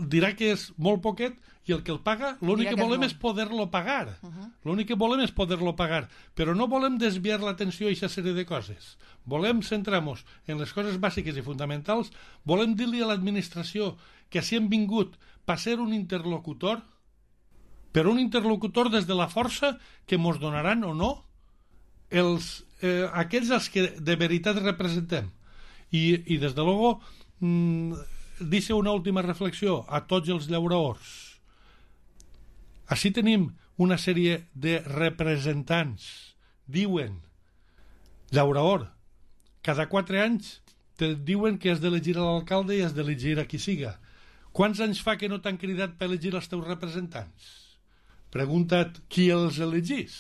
dirà que és molt poquet i el que el paga, l'únic que, que volem és, és poder-lo pagar. Uh-huh. L'únic que volem és poder-lo pagar. Però no volem desviar l'atenció a aquesta sèrie de coses. Volem centrar-nos en les coses bàsiques i fonamentals. Volem dir-li a l'administració que si hem vingut per ser un interlocutor, però un interlocutor des de la força que mos donaran o no els, eh, aquells els que de veritat representem. I, i des de luego mmm, deixo una última reflexió a tots els llauradors. Així tenim una sèrie de representants. Diuen, llaurador, cada quatre anys te diuen que has d'elegir a l'alcalde i has d'elegir a qui siga. Quants anys fa que no t'han cridat per elegir els teus representants? Pregunta't qui els elegís.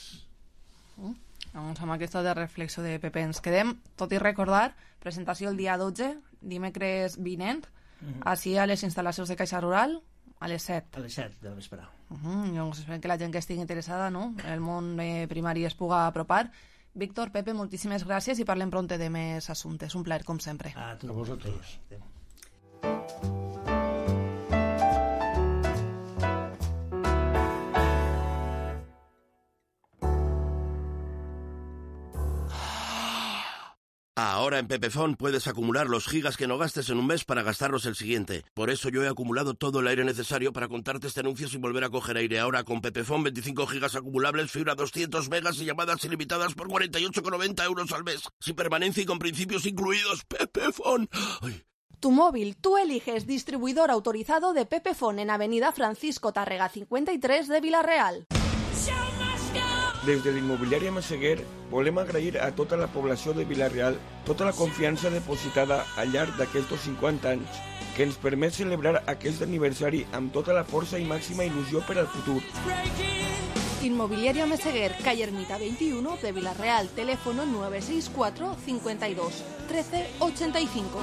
Mm. Doncs amb aquesta de reflexió de Pepe ens quedem, tot i recordar, presentació el dia dotze, dimecres vinent, mm-hmm. així a les instal·lacions de Caixa Rural, a les set. A les set de vespre. Uh-huh. Doncs esperem que la gent que estigui interessada, no?, en el món eh, primari es puga apropar. Víctor, Pepe, moltíssimes gràcies i parlem pronte de més assumptes. Un plaer, com sempre. A tu. A vosaltres. Ahora en Pepefon puedes acumular los gigas que no gastes en un mes para gastarlos el siguiente. Por eso yo he acumulado todo el aire necesario para contarte este anuncio sin volver a coger aire. Ahora con Pepefon, veinticinco gigas acumulables, fibra doscientos megas y llamadas ilimitadas por cuarenta y ocho con noventa euros al mes. Sin permanencia y con principios incluidos. Pepefon. Ay. Tu móvil, tú eliges distribuidor autorizado de Pepefon en Avenida Francisco Tárrega cincuenta y tres de Vila-real. Des de l'immobiliària Massaguer volem agrair a tota la població de Vila-real tota la confiança depositada al llarg d'aquests cinquanta anys que ens permet celebrar aquest aniversari amb tota la força i màxima il·lusió per al futur. Inmobiliaria Meseguer, calle Ermita veintiuno de Vila-real, teléfono nueve seis cuatro, cincuenta y dos, trece ochenta y cinco.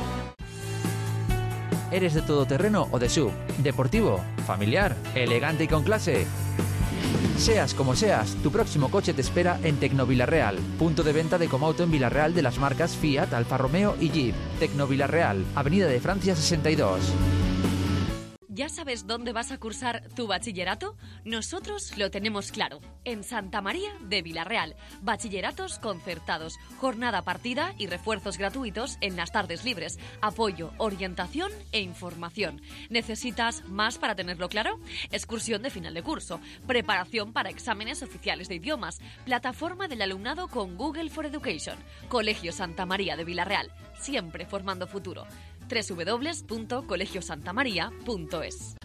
¿Eres de todoterreno o de sub? ¿Deportivo? ¿Familiar? ¿Elegante y con clase? Seas como seas, tu próximo coche te espera en Tecno Vila-real, punto de venta de Comauto en Vila-real de las marcas Fiat, Alfa Romeo y Jeep. Tecno Vila-real, Avenida de Francia sesenta y dos. ¿Ya sabes dónde vas a cursar tu bachillerato? Nosotros lo tenemos claro. En Santa María de Vila-real. Bachilleratos concertados, jornada partida y refuerzos gratuitos en las tardes libres. Apoyo, orientación e información. ¿Necesitas más para tenerlo claro? Excursión de final de curso. Preparación para exámenes oficiales de idiomas. Plataforma del alumnado con Google for Education. Colegio Santa María de Vila-real. Siempre formando futuro. doble u doble u doble u punto colegio santa maría punto es.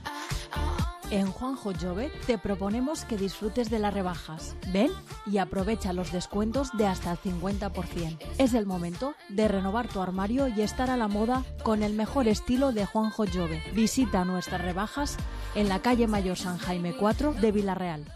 En Juanjo Jove te proponemos que disfrutes de las rebajas. Ven y aprovecha los descuentos de hasta el cincuenta por ciento. Es el momento de renovar tu armario y estar a la moda con el mejor estilo de Juanjo Jove. Visita nuestras rebajas en la calle Mayor San Jaime cuatro de Vila-real.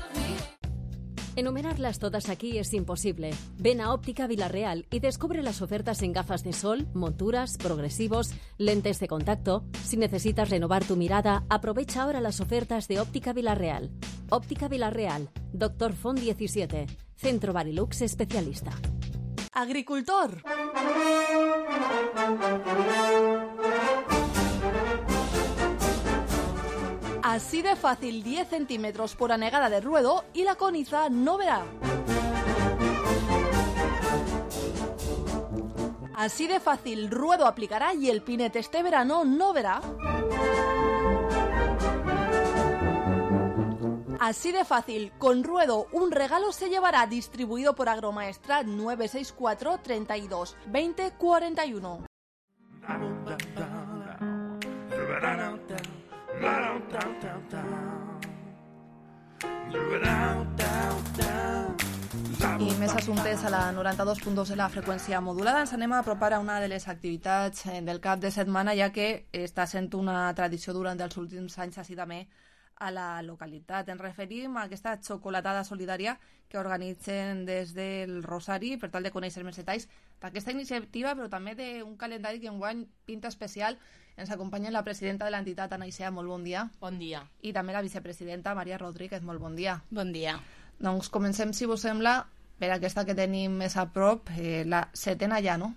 Enumerarlas todas aquí es imposible. Ven a Óptica Villarreal y descubre las ofertas en gafas de sol, monturas, progresivos, lentes de contacto. Si necesitas renovar tu mirada, aprovecha ahora las ofertas de Óptica Villarreal. Óptica Villarreal, Doctor Font diecisiete, Centro Barilux especialista. Agricultor. Así de fácil, diez centímetros por anegada de ruedo y la coniza no verá. Así de fácil, ruedo aplicará y el pinete este verano no verá. Así de fácil, con ruedo un regalo se llevará, distribuido por Agromaestrat nueve seis cuatro, treinta y dos, veinte, cuarenta y uno. I més assumptes a la noranta-dos punt dos de la freqüència modulada. Ens anem a apropar a una de les activitats del cap de setmana, ja que està sent una tradició durant els últims anys així també a la localitat. Ens referim a aquesta xocolatada solidària que organitzen des del Rosari per tal de conèixer més detalls d'aquesta iniciativa, però també d'un calendari que enguany pinta especial. Ens acompanya la presidenta de l'entitat, Ana Isea, molt bon dia. Bon dia. I també la vicepresidenta, Maria Rodríguez, molt bon dia. Bon dia. Doncs comencem, si vos sembla, per aquesta que tenim més a prop, eh, la setena ja, no?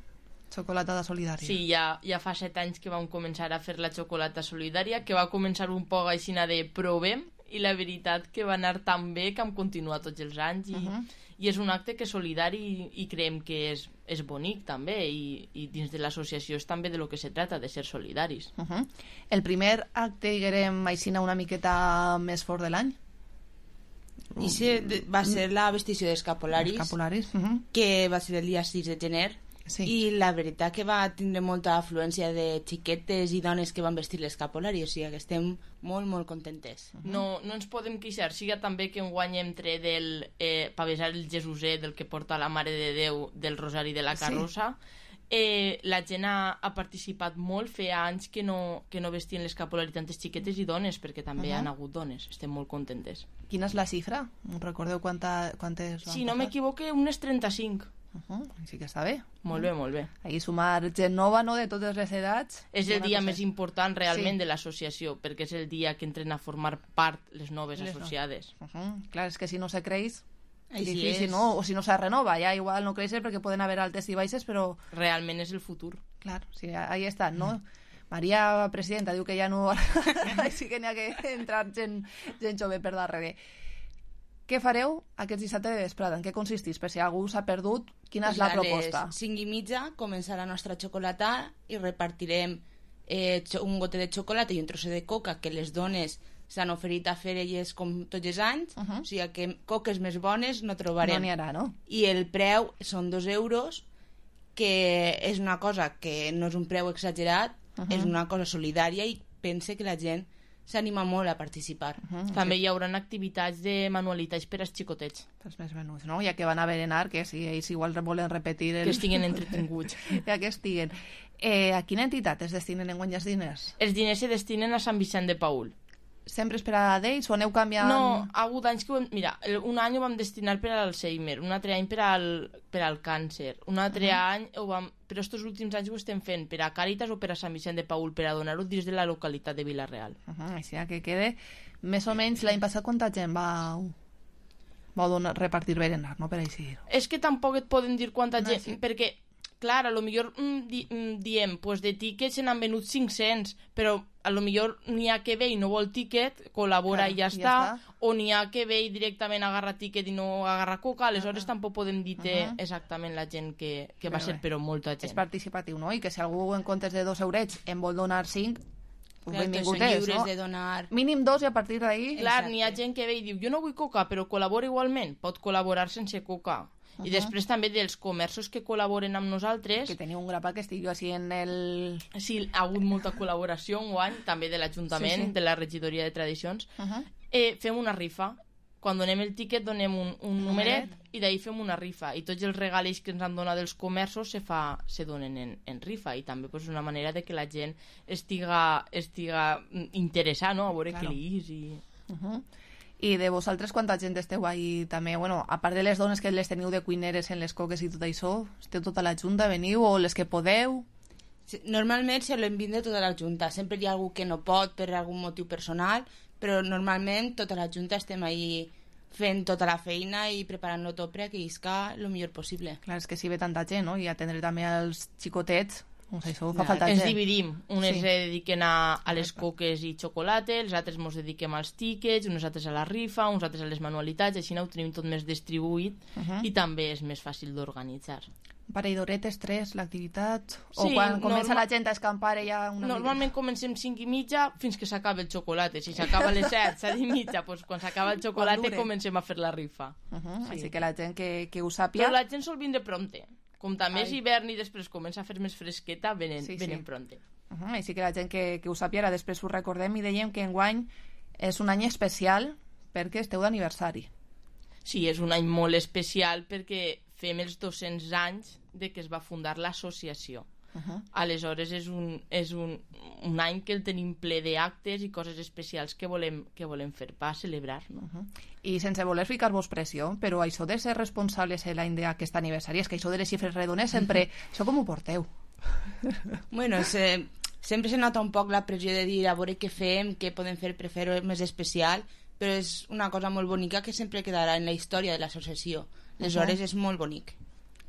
Xocolatada solidària. Sí, ja, ja fa set anys que vam començar a fer la xocolata solidària, que va començar un poc així de provem, i la veritat que va anar tan bé que hem continuat tots els anys, i, uh -huh. i és un acte que és solidari i, i creiem que és, és bonic també, i, i dins de l'associació és també de lo que se trata, de ser solidaris. Uh -huh. El primer acte, diguem, així una miqueta més fort de l'any? I se, va ser la vestició d'escapularis, escapularis, uh -huh. que va ser el dia sis de gener. Sí. I la veritat que va tindre molta afluència de xiquetes i dones que van vestir l'escapulari, o sigui que estem molt, molt contentes. Uh -huh. no, no ens podem queixar, siga també que enguany hem tret del eh, pavesar el Jesuser, del que porta la Mare de Déu del Rosari de la Carrossa. Sí. Eh, la gent ha, ha participat molt, feia anys que no, que no vestien l'escapulari tantes xiquetes i dones, perquè també uh -huh. han hagut dones, estem molt contentes. Quina és la xifra? Recordeu quanta, quantes van Si no m'equivoque, unes trenta-cinc. Uh -huh. Sí que està bé. Molt bé, molt bé. Ahí sumar gent nova, no?, de totes les edats. És el dia més important realment sí. de l'associació, perquè és el dia que entren a formar part les noves les associades. No. Uh -huh. Clar, és que si no se creix, Així difícil, és. no? O si no se renova, ja igual no creixer perquè poden haver altes i baixes, però... Realment és el futur. Clar, sí, ahí està, no? Mm. Maria, presidenta, diu que ja no... sí que n'hi ha que entrar gent, gent jove per darrere. Què fareu aquest dissabte de vesprada? En què consistís? Per si algú s'ha perdut, quina pues és la a proposta? A les cinc i mitja començarà la nostra xocolata i repartirem eh, un gote de xocolata i un trosset de coca que les dones s'han oferit a fer elles com tots els anys, uh -huh. o sigui que coques més bones no trobarem. No n'hi haurà, no? I el preu són dos euros, que és una cosa que no és un preu exagerat, uh -huh. és una cosa solidària i pense que la gent s'anima molt a participar. Uh -huh. També hi haurà activitats de manualitats per als xicotets. Pels més menuts, no? Ja que van a berenar, que si ells igual volen repetir... El... Que estiguen entretinguts. Ja que estiguen. Eh, a quina entitat es destinen enguany els diners? Els diners se destinen a Sant Vicent de Paül. Sempre és per a d'ells o aneu canviant? No, ha hagut anys que... Ho hem... Mira, un any ho vam destinar per al Alzheimer, un altre any per al, per al càncer, un altre uh -huh. any ho vam... Però estos últims anys ho estem fent per a Càritas o per a Sant Vicent de Paül, per a donar-ho dins de la localitat de Vila-real. Uh -huh, així que quede... Més o menys l'any passat quanta gent va... va donar, repartir berenar, no? Per així. És que tampoc et poden dir quanta no, gent, sí. perquè... Clar, a lo millor mm, di, mm, diem, pues de tíquets se n'han venut cinc-cents, però a lo millor n'hi ha que ve i no vol tíquet, col·labora clar, i ja, ja està, està, o n'hi ha que ve i directament agarra tíquet i no agarra coca, aleshores uh -huh. tampoc podem dir uh -huh. exactament la gent que, que va ser, però molta gent. És participatiu, no? I que si algú en comptes de dos eurets en vol donar cinc, pues clar, benvingut és, no? De donar... Mínim dos i a partir d'ahir... Clar, n'hi ha gent que ve i diu, jo no vull coca, però col·labora igualment, pot col·laborar sense coca. Uh -huh. I després també dels comerços que col·laboren amb nosaltres... Que teniu un grapat que estic jo així en el... Sí, ha hagut molta col·laboració enguany, també de l'Ajuntament, sí, sí. de la Regidoria de Tradicions. Uh -huh. eh, fem una rifa. Quan donem el tiquet donem un, un numeret i d'ahir fem una rifa. I tots els regalls que ens han donat dels comerços se, fa, se donen en, en rifa. I també pues, una manera de que la gent estiga, estiga interessada, no? A veure claro. què li és i... Uh -huh. I de vosaltres, quanta gent esteu ahí també? Bueno, a part de les dones que les teniu de cuineres en les coques i tot això, esteu tota la junta, veniu, o les que podeu? Sí, normalment solem vindre tota la junta. Sempre hi ha algú que no pot per algun motiu personal, però normalment tota la junta estem ahí fent tota la feina i preparant-lo tot perquè isca el millor possible. Clar, és que si ve tanta gent, no? I atendre també els xicotets, doncs això fa falta ens gent. dividim, unes Sí. se dediquen a, a les coques i xocolata, els altres ens dediquem als tíquets, uns altres a la rifa, uns altres a les manualitats, així ho tenim tot més distribuït Uh -huh. i també és més fàcil d'organitzar. Parell d'horetes, tres, l'activitat? O Sí, quan comença norma- la gent a escampar ja una Normalment comencem cinc i mitja fins que s'acaba el xocolata. Si s'acaba a les set, set i mitja, doncs quan s'acaba el xocolata dure. comencem a fer la rifa. Uh -huh. Sí. Així que la gent que, que ho sàpiga... Però la gent sol vindre prompte. Com també és Ai. hivern i després comença a fer més fresqueta, venen, Sí, sí. venen prompte. Uh -huh. Així que la gent que, que ho sàpiga, ara després ho recordem i dèiem que enguany és un any especial perquè esteu d'aniversari. Sí, és un any molt especial perquè fem els dos-cents anys de que es va fundar l'associació. Uh -huh. Aleshores és, un, és un, un any que el tenim ple d'actes i coses especials que volem, que volem fer per celebrar, no? Uh -huh. I sense voler ficar-vos pressió, però això de ser responsables l'any d'aquest aniversari, és que això de les xifres redones sempre... Això com ho porteu? Bueno, se, sempre se nota un poc la pressió de dir a veure què fem, què podem fer per fer-ho més especial, però és una cosa molt bonica que sempre quedarà en la història de l'associació. Aleshores Uh-huh. és molt bonic.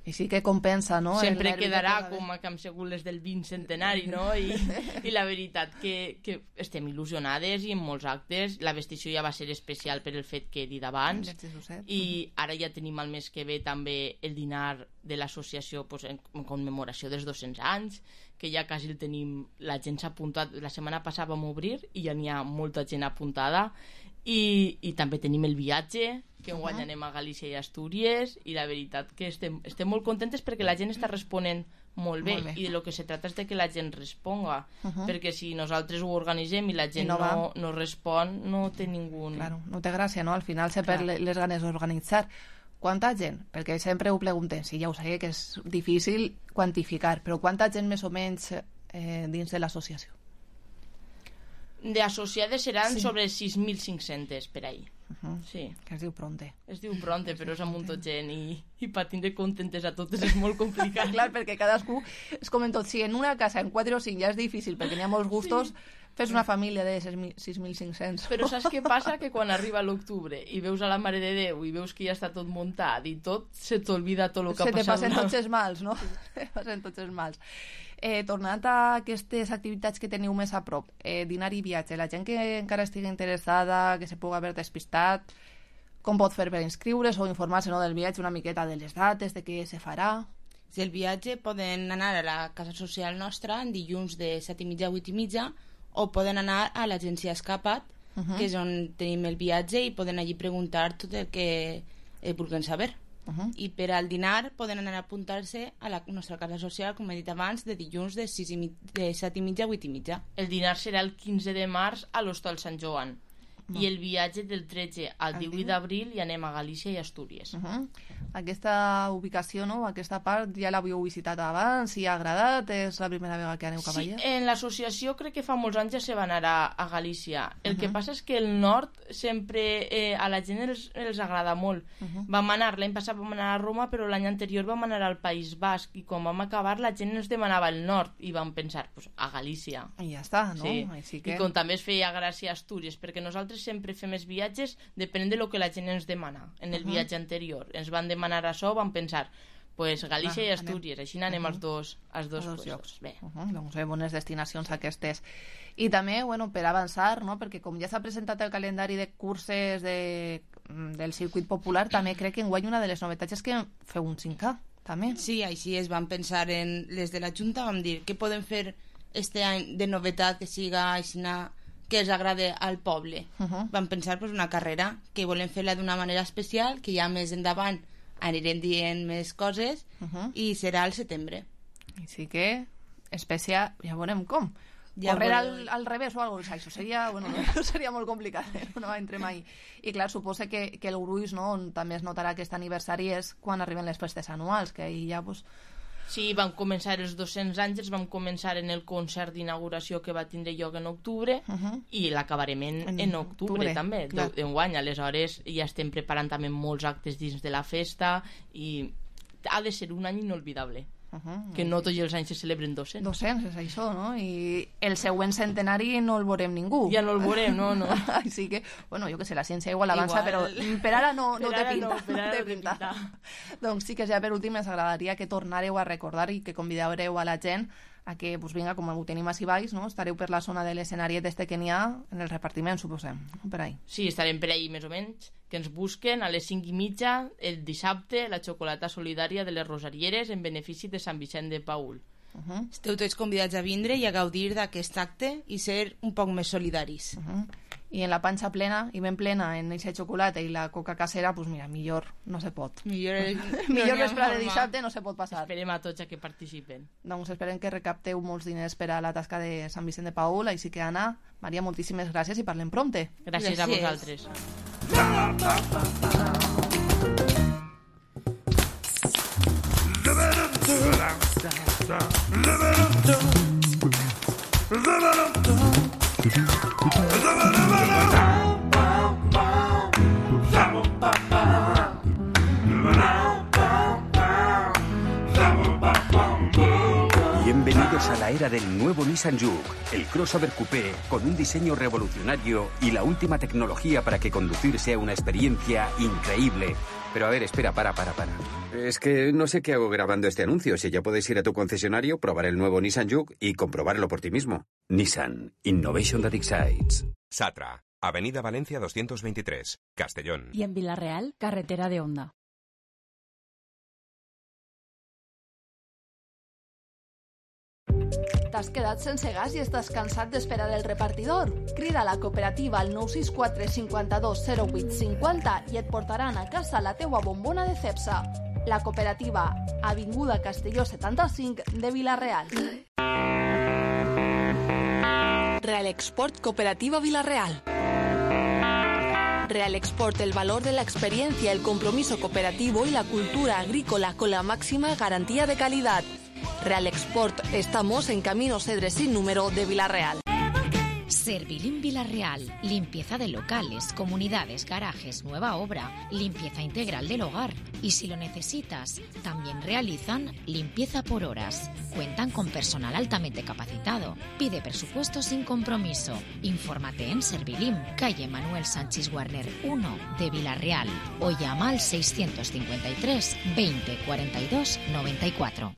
I sí que compensa, no? Sempre El nervi quedarà que com a que hem sigut les del vint centenari, no? I, i la veritat que, que estem il·lusionades i en molts actes. La vestició ja va ser especial per el fet que he dit abans i ara ja tenim el mes que ve també el dinar de l'associació pues, en, en commemoració dels dos-cents anys, que ja quasi el tenim, la gent s'ha apuntat, la setmana passada vam obrir i ja n'hi ha molta gent apuntada. I, i també tenim el viatge que enguany Uh-huh. anem a Galícia i Astúries i la veritat que estem, estem molt contentes perquè la gent està responent molt bé, Molt bé. i de lo que se trata és de que la gent responga Uh-huh. perquè si nosaltres ho organitzem i la gent I no no, va. no respon no té ningú... Claro, no té gràcia, no? Al final se perd Clar. le- les ganes d'organitzar. Quanta gent? Perquè sempre ho preguntem, sí, ja ho sé que és difícil quantificar, però quanta gent més o menys eh, dins de l'associació? D'associades seran Sí. sobre sis mil cinc-cents per ahí. Uh-huh. Sí. Que es diu pronte. Es diu pronte, però és amb un tot gent i, i per tindre contentes a totes és molt complicat. Clar, perquè cadascú és com en tot. Si en una casa en quatre o cinc ja és difícil perquè n'hi ha molts gustos, sí. Fes una família de sis mil cinc-cents. Però saps què passa? Que quan arriba l'octubre i veus a la Mare de Déu i veus que ja està tot muntat i tot, se t'olvida tot el que Se ha te passat. passen tots els mals, no? Se te passen tots els mals. Eh, tornant a aquestes activitats que teniu més a prop, eh, dinar i viatge, la gent que encara estigui interessada, que se pugui haver despistat, com pot fer per inscriure's o informar-se, no, del viatge, una miqueta de les dates, de què se farà? Si el viatge poden anar a la casa social nostra en dilluns de set i mitja a vuit i mitja o poden anar a l'agència Escapat, Uh -huh. que és on tenim el viatge i poden allí preguntar tot el que eh, vulguin saber. Uh -huh. I per al dinar poden anar a apuntar-se a la nostra casa social, com he dit abans, de dilluns de, sis i mig, de set i mitja a vuit i mitja. El dinar serà el quinze de març a l'Hostal Sant Joan. I el viatge del tretze al divuit d'abril i anem a Galícia i Astúries. Uh -huh. Aquesta ubicació, no? Aquesta part ja l'havíeu visitat abans i ha agradat? És la primera vegada que aneu cap Sí, allà? en l'associació crec que fa molts anys ja se va anar a, a Galícia. El Uh -huh. que passa és que el nord sempre eh, a la gent els, els agrada molt. Uh -huh. Vam anar, l'any passat vam anar a Roma, però l'any anterior vam anar al País Basc i quan vam acabar la gent ens demanava el nord i vam pensar, pues, a Galícia. I ja està, no? Sí. Així que... I com també es feia gràcia a Astúries, perquè nosaltres sempre fem els viatges depenent de lo que la gent ens demana. En el Uh -huh. viatge anterior ens van demanar això, vam pensar, pues Galícia Va, i Astúries, anem. així anem Uh -huh. als dos, als dos, A dos puestos. llocs. Bé. Uh -huh. Doncs bé, bones destinacions aquestes. I també, bueno, per avançar, no? Perquè com ja s'ha presentat el calendari de curses de, del circuit popular, també crec que enguany una de les novetats és que feu un cinc K, també. Sí, així es van pensar en les de la Junta, vam dir què podem fer este any de novetat que siga aixina, que els agrade al poble. Uh -huh. Vam pensar pues, una carrera que volem fer-la d'una manera especial, que ja més endavant anirem dient més coses, Uh -huh. i serà al setembre. Així que, especial, ja veurem com. Ja Correr al, veurem. al revés o alguna cosa, això seria, bueno, no, seria molt complicat, eh? No entrem ahí. I clar, suposa que, que el gruix, no, on també es notarà aquest aniversari és quan arriben les festes anuals, que ahir ja, pues, Sí, vam començar els dos-cents anys, vam començar en el concert d'inauguració que va tindre lloc en octubre uh -huh. i l'acabarem en, en, en octubre, octubre també, d'enguany. Aleshores ja estem preparant també molts actes dins de la festa i ha de ser un any inolvidable. Uh -huh. Que no tots els anys se celebren dos-cents. dos-cents, és això, no? I el següent centenari no el veurem ningú. Ja no el veurem, no, no. Així que, bueno, jo que sé, la ciència igual avança, igual. Però per ara no, no per té ara pinta. No, per ara no té pinta. pinta. Doncs sí que ja per últim ens agradaria que tornareu a recordar i que convideu a la gent a que, pues, vinga, com ho tenim així baix, no? Estareu per la zona de l'escenari este que n'hi ha en el repartiment, suposem, no? Per ahí. Sí, estarem per ahí més o menys, que ens busquen a les cinc i mitja el dissabte la xocolata solidària de les Rosarieres en benefici de Sant Vicent de Paül. Uh -huh. Esteu tots convidats a vindre i a gaudir d'aquest acte i ser un poc més solidaris. Uh -huh. I en la panxa plena i ben plena en eixa xocolata i la coca casera, pues mira, millor no se pot. Millor, el... millor no vespre de dissabte no se pot passar. Esperem a tots a que participen. Doncs esperem que recapteu molts diners per a la tasca de Sant Vicent de Paül, així que Anna, Maria, moltíssimes gràcies i parlem prompte. Gràcies, gràcies. a vosaltres. Bienvenidos a la era del nuevo Nissan Juke, el crossover coupé con un diseño revolucionario y la última tecnología para que conducir sea una experiencia increíble. Pero a ver, espera, para, para, para. Es que no sé qué hago grabando este anuncio. Si ya puedes ir a tu concesionario, probar el nuevo Nissan Juke y comprobarlo por ti mismo. Nissan. Innovation that excites. Satra, Avenida Valencia doscientos veintitrés, Castellón. Y en Villarreal, carretera de Onda. T'has quedat sense gas i estàs cansat d'esperar el repartidor? Crida a la cooperativa al nou sis quatre cinquanta-dos zero vuit cinquanta i et portaran a casa la teua bombona de Cepsa. La cooperativa, Avinguda Castelló setanta-cinc de Vila-real. Real Export Cooperativa Vila-real. Real Export, el valor de la experiencia, el compromiso cooperativo y la cultura agrícola con la máxima garantía de calidad. Real Export, estamos en Camino Cedre sin número de Vila-real. Servilim Vila-real, limpieza de locales, comunidades, garajes, nueva obra, limpieza integral del hogar. Y si lo necesitas, también realizan limpieza por horas. Cuentan con personal altamente capacitado. Pide presupuesto sin compromiso. Infórmate en Servilim, calle Manuel Sánchez Warner uno de Vila-real o llama al seiscientos cincuenta y tres veinte cuarenta y dos noventa y cuatro.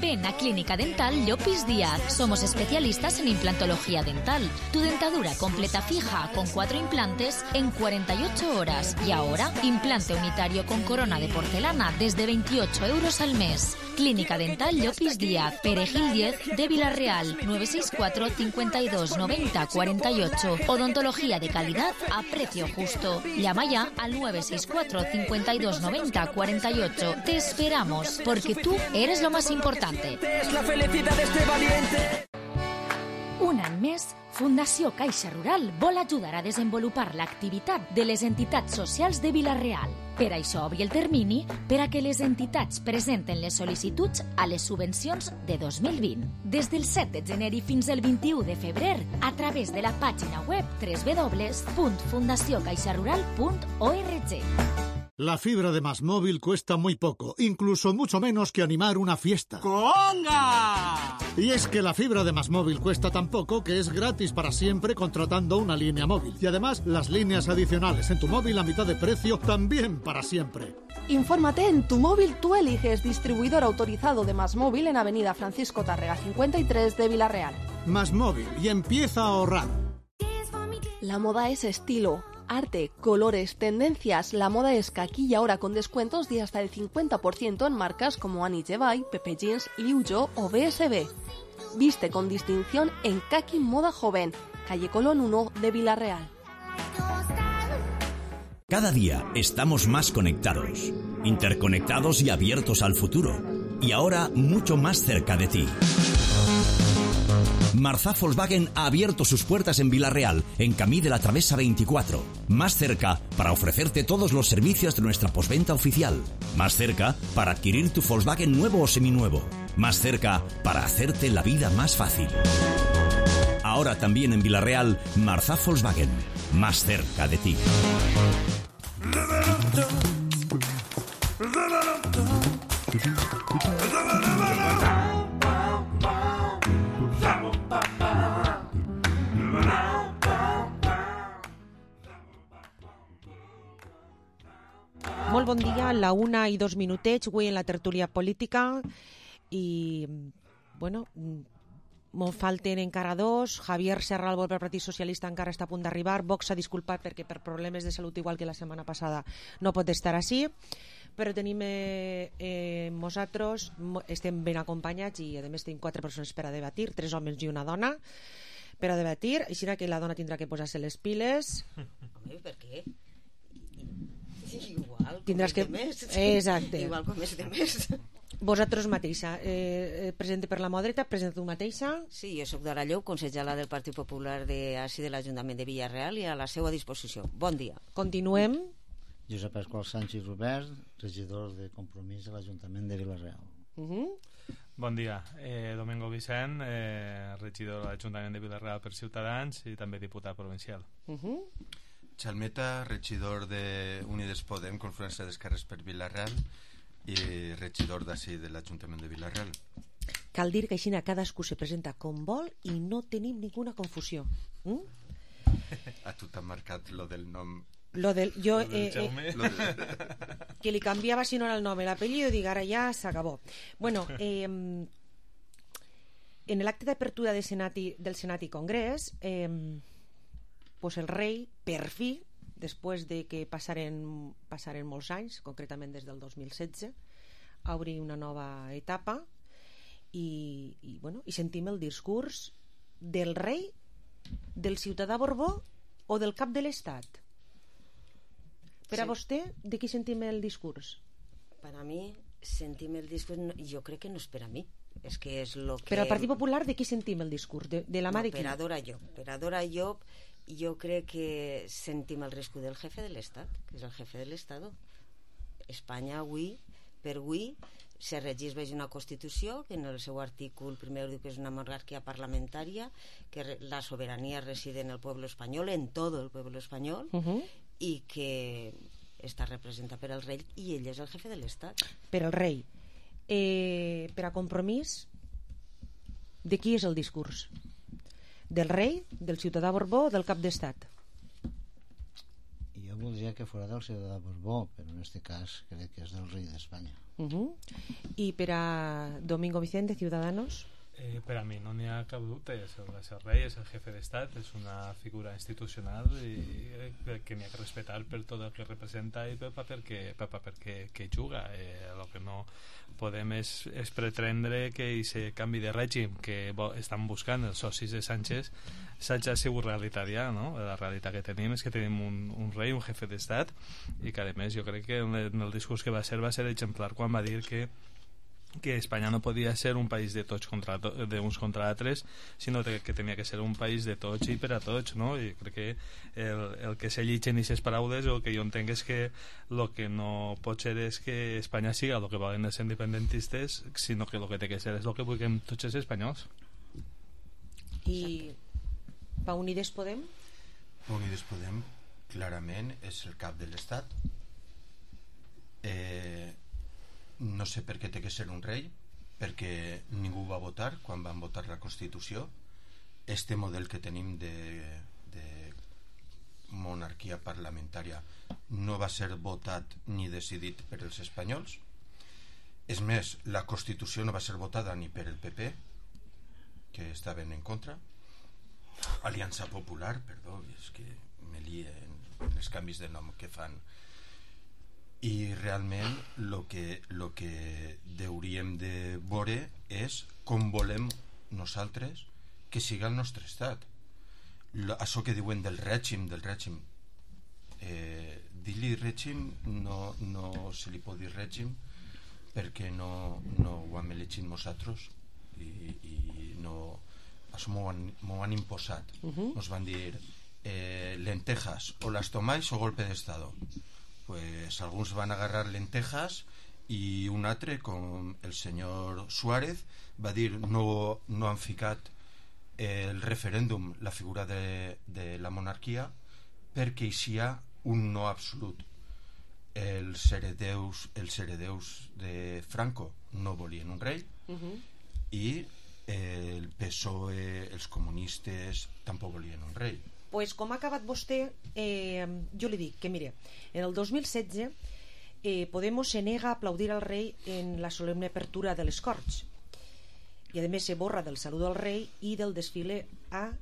Ven a Clínica Dental Llopis Díaz. Somos especialistas en implantología dental. Tu dentadura completa fija con cuatro implantes en cuarenta y ocho horas. Y ahora, implante unitario con corona de porcelana desde veintiocho euros al mes. Clínica Dental Llopis Díaz, Perejil diez de Vila-real, nueve seis cuatro cincuenta y dos noventa cuarenta y ocho. Odontología de calidad a precio justo. Llama ya al nueve seis cuatro cincuenta y dos noventa cuarenta y ocho. Te esperamos, porque tú eres lo más importante. Es la felicidad de este valiente. Un any més, Fundació Caixa Rural vol ajudar a desenvolupar l'activitat de les entitats socials de Vila-real. Per això obri el termini per a que les entitats presenten les sol·licituds a les subvencions de dos mil vint. Des del set de gener i fins al vint-i-u de febrer, a través de la pàgina web doble u doble u doble u punt fundació caixa rural punt org. La fibra de Más Móvil cuesta muy poco, incluso mucho menos que animar una fiesta. ¡Conga! Y es que la fibra de Más Móvil cuesta tan poco que es gratis para siempre contratando una línea móvil. Y además, las líneas adicionales en tu móvil a mitad de precio también para siempre. Infórmate en Tu Móvil Tú Eliges, distribuidor autorizado de Más Móvil en Avenida Francisco Tárrega cincuenta y tres de Vila-real. Más Móvil, y empieza a ahorrar. La moda es estilo, arte, colores, tendencias. La moda es aquí y ahora con descuentos de hasta el cincuenta por ciento en marcas como Annie Jevay, Pepe Jeans, Liu Yo o B S B. Viste con distinción en Kaki Moda Joven, calle Colón uno de Vila-real. Cada día estamos más conectados, interconectados y abiertos al futuro. Y ahora mucho más cerca de ti. Marzá Volkswagen ha abierto sus puertas en Villarreal, en Camí de la Travesa veinticuatro. Más cerca para ofrecerte todos los servicios de nuestra postventa oficial. Más cerca para adquirir tu Volkswagen nuevo o seminuevo. Más cerca para hacerte la vida más fácil. Ahora también en Villarreal, Marzá Volkswagen. Más cerca de ti. Molt bon dia, a la una i dos minutets, avui en la tertúlia política, i, bueno, me'n falten encara dos. Javier Serra, el del Partit Socialista, encara està a punt d'arribar. Vox s'ha disculpat perquè per problemes de salut, igual que la setmana passada, no pot estar així, però tenim eh, eh, nosaltres, estem ben acompanyats i a més tenim quatre persones per a debatir, tres homes i una dona per a debatir, així que la dona tindrà que posar-se les piles. Home, per què? Igual, tindràs que... més. Exacte. Igual com és de més. Vosaltres mateixa, eh, presente per la mà dreta, presenta tu mateixa. Sí, jo soc Dara Llop, consellera del Partit Popular de, així de l'Ajuntament de Villarreal, i a la seva disposició. Bon dia. Continuem. Josep Pasqual Sánchez Robert, regidor de Compromís a l'Ajuntament de Villarreal. Uh -huh. Bon dia, eh, Domingo Vicent, eh, regidor de l'Ajuntament de Villarreal per Ciutadans i també diputat provincial. Uh -huh. Chalmeta, regidor de Unides Podem, Confluència d'Esquerres per Villarreal, i regidor d'ací de l'Ajuntament de Villarreal. Cal dir que així cadascú se presenta com vol i no tenim ninguna confusió. Mm? A tu t'ha marcat lo del nom. Lo del, jo, lo del eh, eh, lo de... que li canviava si no era el nom, l'apellido, i dic, ara ja s'acabó. Bueno, eh, en l'acte d'apertura de Senat i, del Senat i Congrés, eh, pues el rei, per fi, després de que passaren, passaren molts anys, concretament des del dos mil setze, a obrir una nova etapa, i, i, bueno, i sentim el discurs del rei, del ciutadà Borbó o del cap de l'Estat. Per sí. A vostè, de qui sentim el discurs? Per a mi, sentim el discurs, no, jo crec que no és per a mi. És que és lo que... Però al Partit Popular, de qui sentim el discurs? De, de la mà no, de qui? Per a Dora Llop. Per a Dora Llop, jo crec que sentim el risc del jefe de l'Estat, que és el jefe de l'Estado. Espanya avui, per avui, se regeix una Constitució que en el seu artícul primer diu que és una monarquia parlamentària, que la sobirania reside en el pueblo espanyol, en todo el pueblo espanyol, uh -huh. i que està representat per el rei, i ell és el jefe de l'Estat. Per el rei. Eh, per a Compromís, de qui és el discurs? Del rei, del ciutadà Borbó o del cap d'estat? Jo voldria que fos del ciutadà Borbó, però en aquest cas crec que és del rei d'Espanya. Uh -huh. I per a Domingo Vicente, Ciudadanos? Eh, per a mi no n'hi ha cap dubte, és el, és el rei, és el jefe d'estat, és una figura institucional i, i que n'hi ha que respectar per tot el que representa i pel paper que, pel paper que, que juga. Eh, el que no podem és, és pretendre que aquest canvi de règim que bo, estan buscant els socis de Sánchez s'hagi sigut realitat ja, no? La realitat que tenim és que tenim un, un rei, un jefe d'estat, i que a més jo crec que en el, en el discurs que va ser va ser exemplar quan va dir que que Espanya no podia ser un país de tots contra to d'uns contra altres, sinó que tenia que ser un país de tots i per a tots, no? I crec que el, el que se llitgen aquestes paraules, el que jo entenc és que el que no pot ser és que Espanya siga el que volen els independentistes, sinó que el que té que ser és el que vulguem tots els espanyols. I pa Unides Podem? Unides Podem clarament és el cap de l'Estat. eh No sé per què té que ser un rei, perquè ningú va votar quan van votar la Constitució. Este model que tenim de, de monarquia parlamentària no va ser votat ni decidit per els espanyols. És més, la Constitució no va ser votada ni per el P P, que estaven en contra. Aliança Popular, perdó, és que me lien els canvis de nom que fan. I realment el que, lo que hauríem de veure és com volem nosaltres que siga el nostre estat. Lo, això que diuen del règim, del règim, eh, dir-li règim no, no se li pot dir règim perquè no, no ho hem elegit nosaltres i, i no això m'ho han, m'ho han imposat. Uh-huh. Nos van dir eh, lentejas, o las tomáis o golpe de estado. Pues alguns van agarrar lentejas i un altre, com el senyor Suárez, va dir no, no han ficat el referèndum, la figura de, de la monarquia, perquè hi ha un no absolut. Els heredeus, els heredeus de Franco no volien un rei, Uh-huh. i el P S O E, els comunistes, tampoc volien un rei. Pues com ha acabat vostè, eh, jo li dic que, mire, en el dos mil setze eh, Podemos se nega a aplaudir al rei en la solemne apertura de les Corts, i a més se borra del saludo al rei i del desfile a,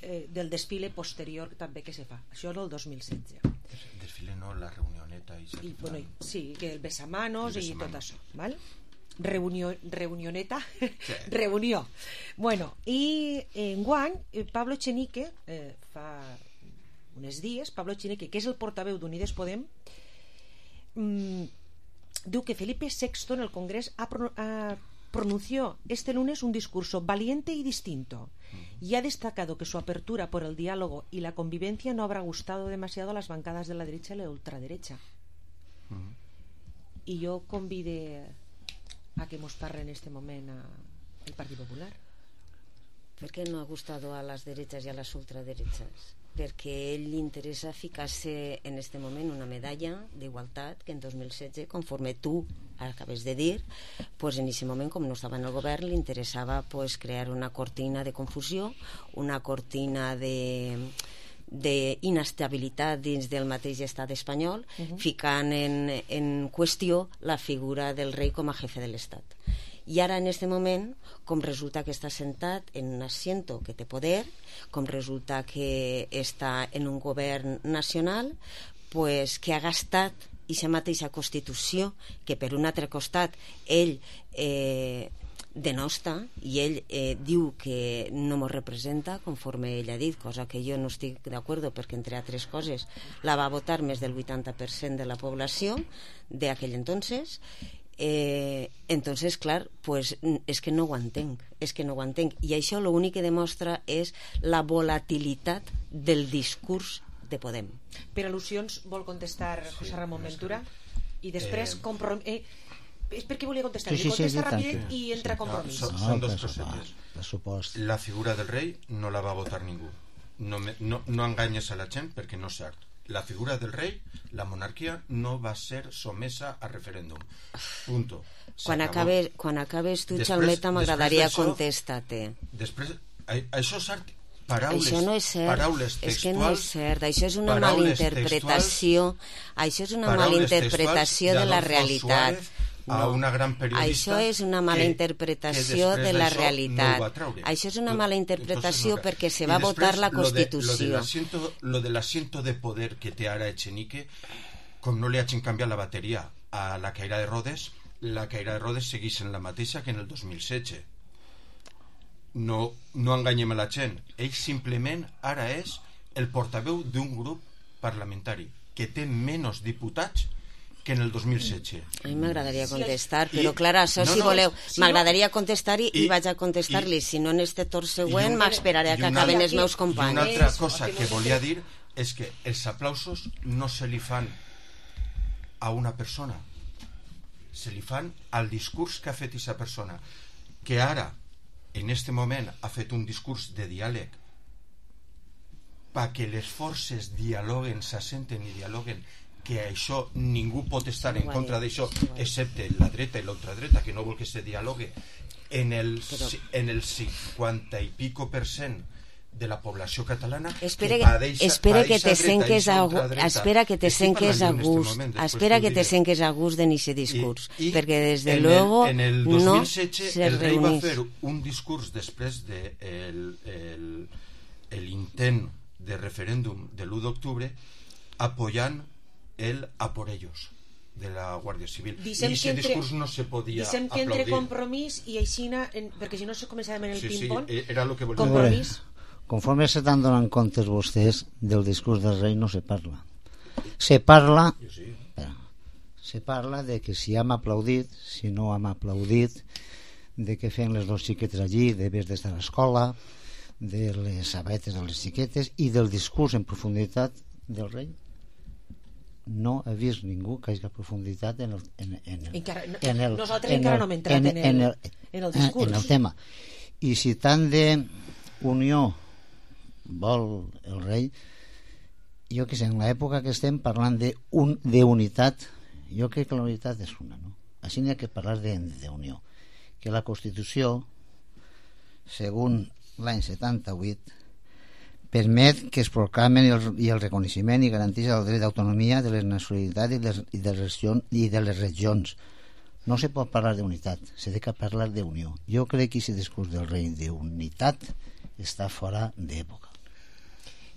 eh, del desfile posterior també que se fa. Això és el dos mil setze. El desfile no, la reunioneta i, I, bueno, i, sí, que el besamanos, el i besamanos. tot això, val? Reunió, reunioneta sí. reunió. Bueno, i enguany Pablo Echenique eh, fa uns dies, Pablo Echenique, que és el portaveu d'Unides Podem, mmm, diu que Felipe sexto en el Congrés ha, pro, ha pronunció este lunes un discurso valiente y distinto, y ha destacado que su apertura por el diálogo y la convivencia no habrá gustado demasiado a las bancadas de la derecha y la ultraderecha. Mm. I jo convide a que mos parle en este moment a el Partit Popular. ¿Por qué no ha gustado a las derechas y a las ultraderechas? Perquè ell li interessa ficar-se en este moment una medalla d'igualtat que en dos mil setze, conforme tu acabes de dir, pues en aquest moment, com no estava en el govern, li interessava pues, crear una cortina de confusió, una cortina de d'inestabilitat dins del mateix estat espanyol, uh-huh. ficant en, en qüestió la figura del rei com a jefe de l'estat. I ara en este moment, com resulta que està sentat en un asiento que té poder, com resulta que està en un govern nacional, pues que ha gastat aquesta mateixa Constitució que per un altre costat ell eh, denosta, i ell eh, diu que no mos representa conforme ell ha dit, cosa que jo no estic d'acord, perquè entre altres coses la va votar més del vuitanta per cent de la població d'aquell entonces. Eh, entonces, clar, pues, és que no ho entenc, és que no ho entenc, i això l'únic que demostra és la volatilitat del discurs de Podem. Per al·lusions vol contestar José Ramon Ventura i després Eh, comprom... Eh, és perquè volia contestar, Sí, sí, sí, contesta sí, ràpid tant que- i entra sí. compromís. Són, No, són dos pressupost, cosetes. pressupost. La figura del rei no la va votar ningú. No, me, no, no enganyes a la gent perquè no és cert. La figura del rei, la monarquia, no va ser somesa a referèndum. Punto. Quan acabes, quan acabes tu, Xalmeta, m'agradaria contestar-te. Després, a, això és cert. Paraules, això no és cert, paraules és que no és cert, això és una paraules malinterpretació, això és una malinterpretació de la realitat. A una gran periodista això és una mala que, interpretació que de la no realitat. No això és una mala interpretació no, perquè se i va després, votar la Constitució. Lo de, Constitució. lo del asiento de poder que té ara Echenique, com no li hagin canviat la bateria a la Caira de Rodes, la Caira de Rodes segueix en la mateixa que en el dos mil setze. No, no enganyem a la gent. Ell simplement ara és el portaveu d'un grup parlamentari que té menys diputats que en el dos mil setze. A mi m'agradaria contestar, I, però clar, això no, si no, voleu, si m'agradaria contestar i, i, i vaig a contestar-li, si no en este torn següent un- m'esperaré a que i una- acaben els meus I companys. una altra cosa que volia dir és que els aplausos no se li fan a una persona, se li fan al discurs que ha fet aquesta persona, que ara, en este moment, ha fet un discurs de diàleg perquè les forces dialoguen, s'assenten i dialoguen, que això ningú pot estar en contra d'això, excepte la dreta i l'ultradreta, que no vol que se dialogue. En el, Però- en el cinquanta i pico per cent de la població catalana Espera que que, padeix, espera que padeix te a dreta senques i a, ultradreta. espera que te Estic senques a parlant jo en este gust, moment, després espera t'ho que te diré. senques a gust en ese discurs, I, perquè des de en luego el, en el no dos mil setze se el rei va reunís. fer un discurs després de el, el, el intent de referèndum de l'u d'octubre apoyant el a por ellos de la Guàrdia Civil. Dissem I que aquest entre- discurs no se podia Dissem que entre aplaudir. compromís i aixina, en, perquè si no se començàvem en el Sí, sí, ping-pong, era lo que volia compromís. Conforme se t'han donat comptes vostès del discurs del rei no se parla. Se parla espera, se parla de que si hem aplaudit, si no hem aplaudit, de què feien les dos xiquetes allí, debes d'estar a l'escola, de les sabates de les xiquetes i del discurs en profunditat del rei, no he vist ningú que hagi profunditat en el, en, en el, encara, no, en el, nosaltres en encara el, no hem entrat en, en, el, en, el, en el discurs, en el tema. I si tant de unió vol el rei, jo que sé, en l'època que estem parlant d'unitat, jo crec que la unitat és una, no? Així n'hi ha que parlar d'unió, que la Constitució, segons l'any setanta-vuit, permet que es proclamen el, i el reconeixement i garanteix el dret d'autonomia de les nacionalitats i, les, i, de les regions, i de les regions. No se pot parlar d'unitat, s'ha de parlar d'unió. Jo crec que aquest discurs del rei d'unitat està fora d'època.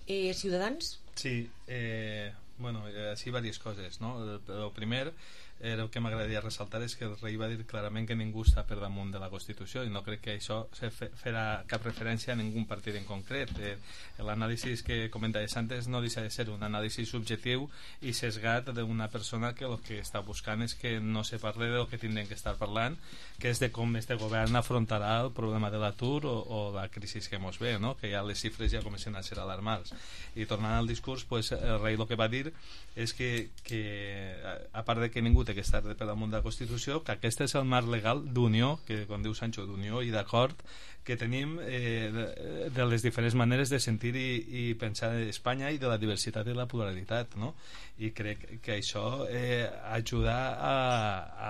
Eh, Ciutadans? Sí, eh, bueno, així diverses coses, no? El, el primer, eh, el que m'agradaria ressaltar és que el rei va dir clarament que ningú està per damunt de la Constitució i no crec que això se fe, farà cap referència a ningú partit en concret. Eh, L'anàlisi que comentaves antes no deixa de ser un anàlisi subjectiu i sesgat d'una persona que el que està buscant és que no se parli del que tindrem que estar parlant, que és de com este govern afrontarà el problema de l'atur o, o la crisi que ens ve, no? Que ja les xifres ja comencen a ser alarmants. I tornant al discurs, pues, el rei el que va dir és que, que a part de que ningú té que estar per damunt de la Constitució, que aquest és el marc legal d'unió, que quan diu Sancho, d'unió i d'acord que tenim eh, de, de les diferents maneres de sentir i, i pensar d'Espanya i de la diversitat i la pluralitat, no? I crec que això eh, ajuda a,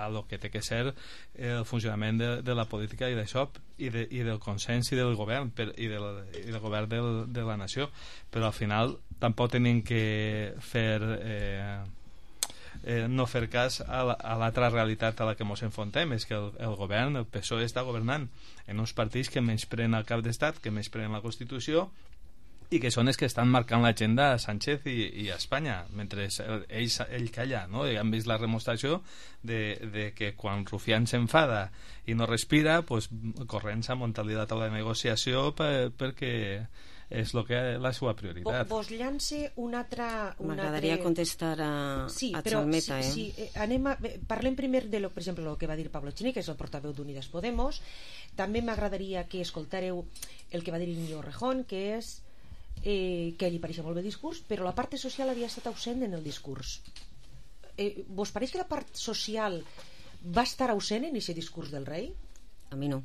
a lo que té que ser el funcionament de, de la política i d'això i, de, i del consens i del govern per, i, del, i del govern del, de la nació, però al final tampoc tenim que fer eh, eh, no fer cas a l'altra realitat a la que ens enfrontem, és que el, el govern, el P S O E, està governant en uns partits que menyspreen el cap d'estat, que menyspreen la Constitució i que són els que estan marcant l'agenda a Sánchez i, i a Espanya, mentre ell, ell calla, no? I han vist la demostració de, de que quan Rufián s'enfada i no respira, pues, corrents a muntar la taula de negociació per, perquè és lo que és la seva prioritat. Vos llance un altre... M'agradaria altre... contestar a, sí, a però, Chalmeta. Sí, eh? sí, anem a, parlem primer de, lo, per exemple, el que va dir Pablo Chini, que és el portaveu d'Unides Podemos. També m'agradaria que escoltareu el que va dir Íñigo Rejón, que és eh, que ell hi pareix molt bé el discurs, però la part social havia estat ausent en el discurs. Eh, vos pareix que la part social va estar ausent en aquest discurs del rei? A mi no.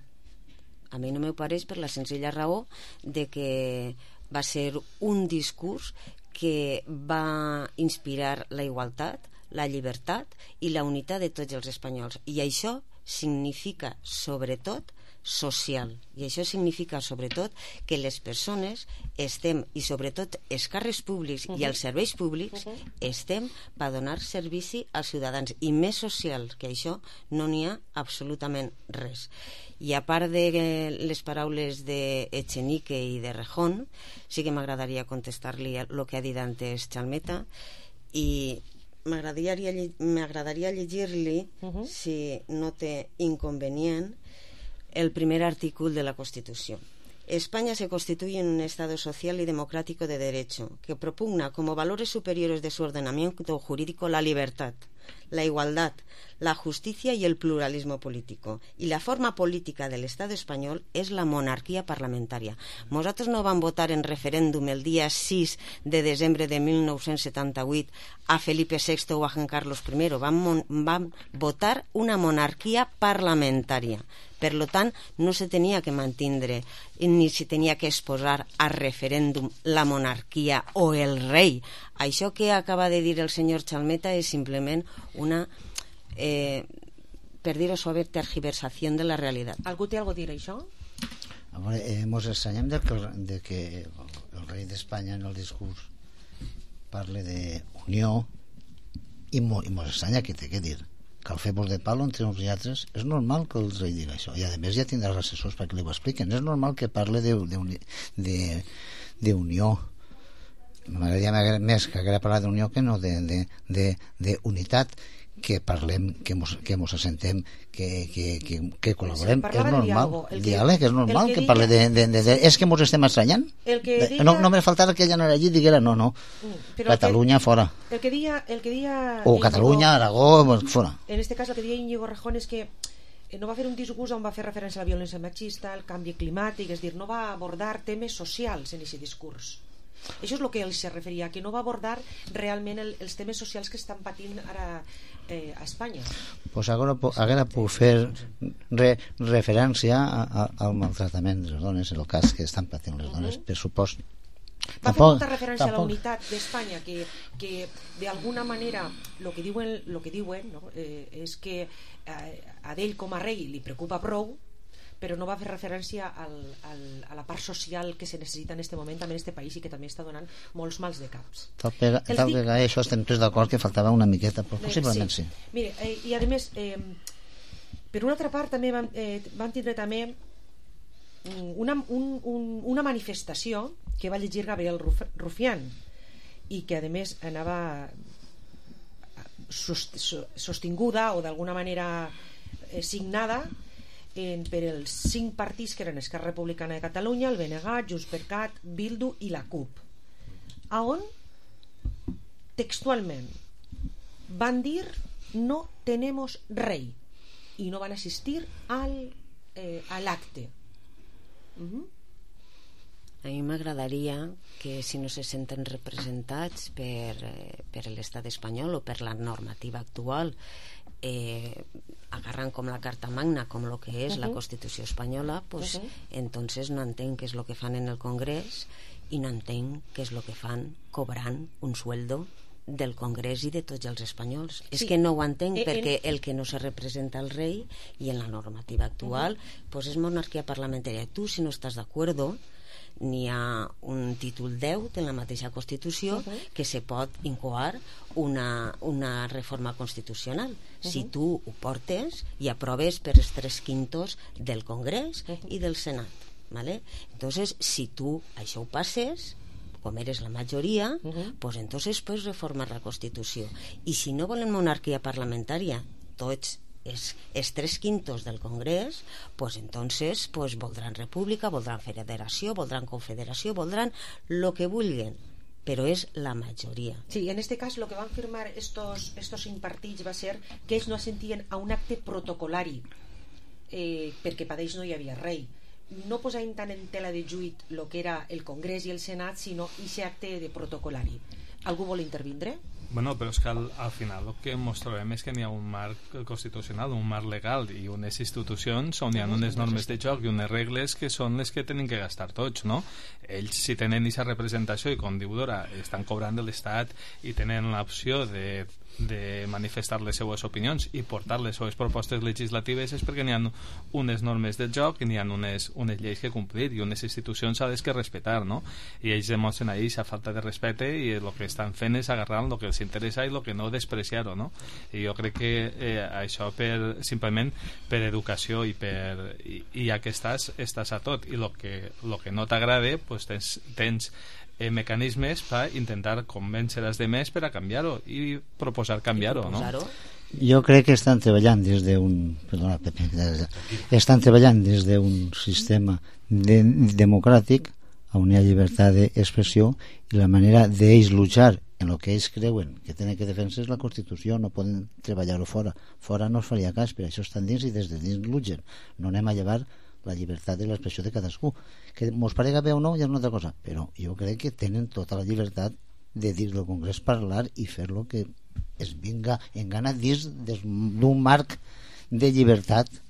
A mi no m'ho pareix per la senzilla raó de que va ser un discurs que va inspirar la igualtat, la llibertat i la unitat de tots els espanyols. I això significa, sobretot, social. I això significa, sobretot, que les persones estem, i sobretot els càrrecs públics uh-huh. i els serveis públics, uh-huh. estem per donar servici als ciutadans. I més social que això no n'hi ha absolutament res. I a part de les paraules d'Echenique i de Rejón, sí que m'agradaria contestar-li el que ha dit antes Chalmeta, i m'agradaria, m'agradaria llegir-li, uh-huh. si no té inconvenient, el primer artículo de la Constitución. España se constituye en un Estado social y democrático de derecho, que propugna como valores superiores de su ordenamiento jurídico la libertad, la igualdad, la justicia y el pluralismo político. Y la forma política del Estado español es la monarquía parlamentaria. Nosaltres no vam votar en referéndum el dia sis de desembre de mil nou-cents setanta-vuit a Felipe sexto o a Juan Carlos primero. Vam, vam votar una monarquia parlamentària. Per lo tant, no se tenia que mantindre ni se tenia que exposar a referèndum la monarquia o el rei. Això que acaba de dir el senyor Chalmeta és simplement una, eh, per dir-ho suave, tergiversació de la realitat. Algú té alguna cosa a dir això? A veure, eh, mos estranyem de que, de que el, el rei d'Espanya en el discurs parle d'unió i, mo, i mos estranya que té que dir que el fem de palo entre uns i altres. És normal que el rei digui això, i a més ja tindrà els assessors perquè li ho expliquen. És normal que parle d'unió. M'agradaria més que haguera parlat d'unió que no d'unitat, que parlem, que mos, que mos assentem, que, que, que, que col·laborem. És normal. El diàleg, és normal que, que parle de, de, de, de... És que mos estem estranyant. Diga... No, no me faltava que ella anara allí i diguera no, no. Però Catalunya, que, fora. El que dia, el que dia o Catalunya, Aragó, fora. En este cas, el que dia Íñigo Rejón és que no va fer un discurs on va fer referència a la violència machista, el canvi climàtic, és dir, no va abordar temes socials en aquest discurs. Això és el que ell se referia, que no va abordar realment el, els temes socials que estan patint ara eh, a Espanya. Pues ara, ara puc fer re, referència a, a, al maltractament de les dones, en el cas que estan patint les dones, per supost. Va fer molta referència tampoc. A la unitat d'Espanya, que, que d'alguna manera el que diuen, lo que diuen no? eh, és que eh, a ell com a rei li preocupa prou, però no va fer referència al, al, a la part social que se necessita en aquest moment també en aquest país i que també està donant molts mals de caps. Tal que, tal dic... que això estem tots d'acord que faltava una miqueta, però possiblement sí. sí. Mire, eh, i a més, eh, per una altra part també van, eh, van tindre també una, un, un, una manifestació que va llegir Gabriel Rufián i que a més anava sostinguda o d'alguna manera eh, signada en, per els cinc partits que eren Esquerra Republicana de Catalunya, el B N G, Junts per Cat, Bildu i la CUP, a on textualment van dir no tenemos rei i no van assistir al, eh, a l'acte. Uh-huh. A mi m'agradaria que si no se senten representats per, eh, per l'estat espanyol o per la normativa actual, eh, agarran com la carta magna, com el que és uh-huh. la Constitució espanyola, pues, uh-huh. entonces no entenc què és el que fan en el Congrés i no entenc què és el que fan cobrant un sueldo del Congrés i de tots els espanyols. Sí. És que no ho entenc eh, perquè el que no se representa el rei i en la normativa actual uh-huh. pues és monarquia parlamentària. Tu, si no estàs d'acord, n'hi ha un títol deu de la mateixa Constitució uh-huh. que se pot incoar una, una reforma constitucional. Uh-huh. Si tu ho portes i aproves per els tres quintos del Congrés uh-huh. i del Senat. ¿Vale? Entonces, si tu això ho passes, com eres la majoria, uh-huh. pues entonces puedes reformar la Constitució. I si no volen monarquia parlamentària, tots es, es tres quintos del Congrés, pues entonces pues voldran república, voldran federació, voldran confederació, voldran lo que vulguen, però és la majoria. Sí, en este cas lo que van firmar estos, estos cinc partits va ser que ells no assentien a un acte protocolari, eh, perquè per ells no hi havia rei. No posàvem tant en tela de juit el que era el Congrés i el Senat, sinó aquest acte de protocolari. Algú vol intervindre? Bueno, però és que al, al final el que ens trobem és que n'hi ha un marc constitucional, un marc legal i unes institucions on hi ha unes normes de joc i unes regles que són les que tenen que gastar tots, no? Ells, si tenen aquesta representació i, com diu Dora, estan cobrant de l'Estat i tenen l'opció de, de manifestar les seues opinions i portar les seues propostes legislatives, és perquè n'hi ha unes normes de joc i n'hi ha unes, unes lleis que complir i unes institucions s'ha que respectar, no? I ells demostren ahí aquesta falta de respecte i el que estan fent és agarrar el que els interessa i el que no despreciar-ho, no? I jo crec que eh, això per, simplement per educació i, per, i, i ja que estàs, estàs a tot i el que, lo que no t'agrada pues tens, tens eh, mecanismes per intentar convèncer els demés per a canviar-ho i proposar canviar-ho, no? Jo crec que estan treballant des d'un perdona, Pepe, estan treballant des d'un sistema de, democràtic on hi ha llibertat d'expressió i la manera d'ells luchar en el que ells creuen que tenen que defensar és la Constitució, no poden treballar-ho fora. Fora no es faria cas, per això estan dins i des de dins luchen. No anem a llevar la llibertat de l'expressió de cadascú. Que mos parega bé o no, ja és una altra cosa, però jo crec que tenen tota la llibertat de dins del Congrés parlar i fer lo que es vinga en gana dins d'un marc de llibertat.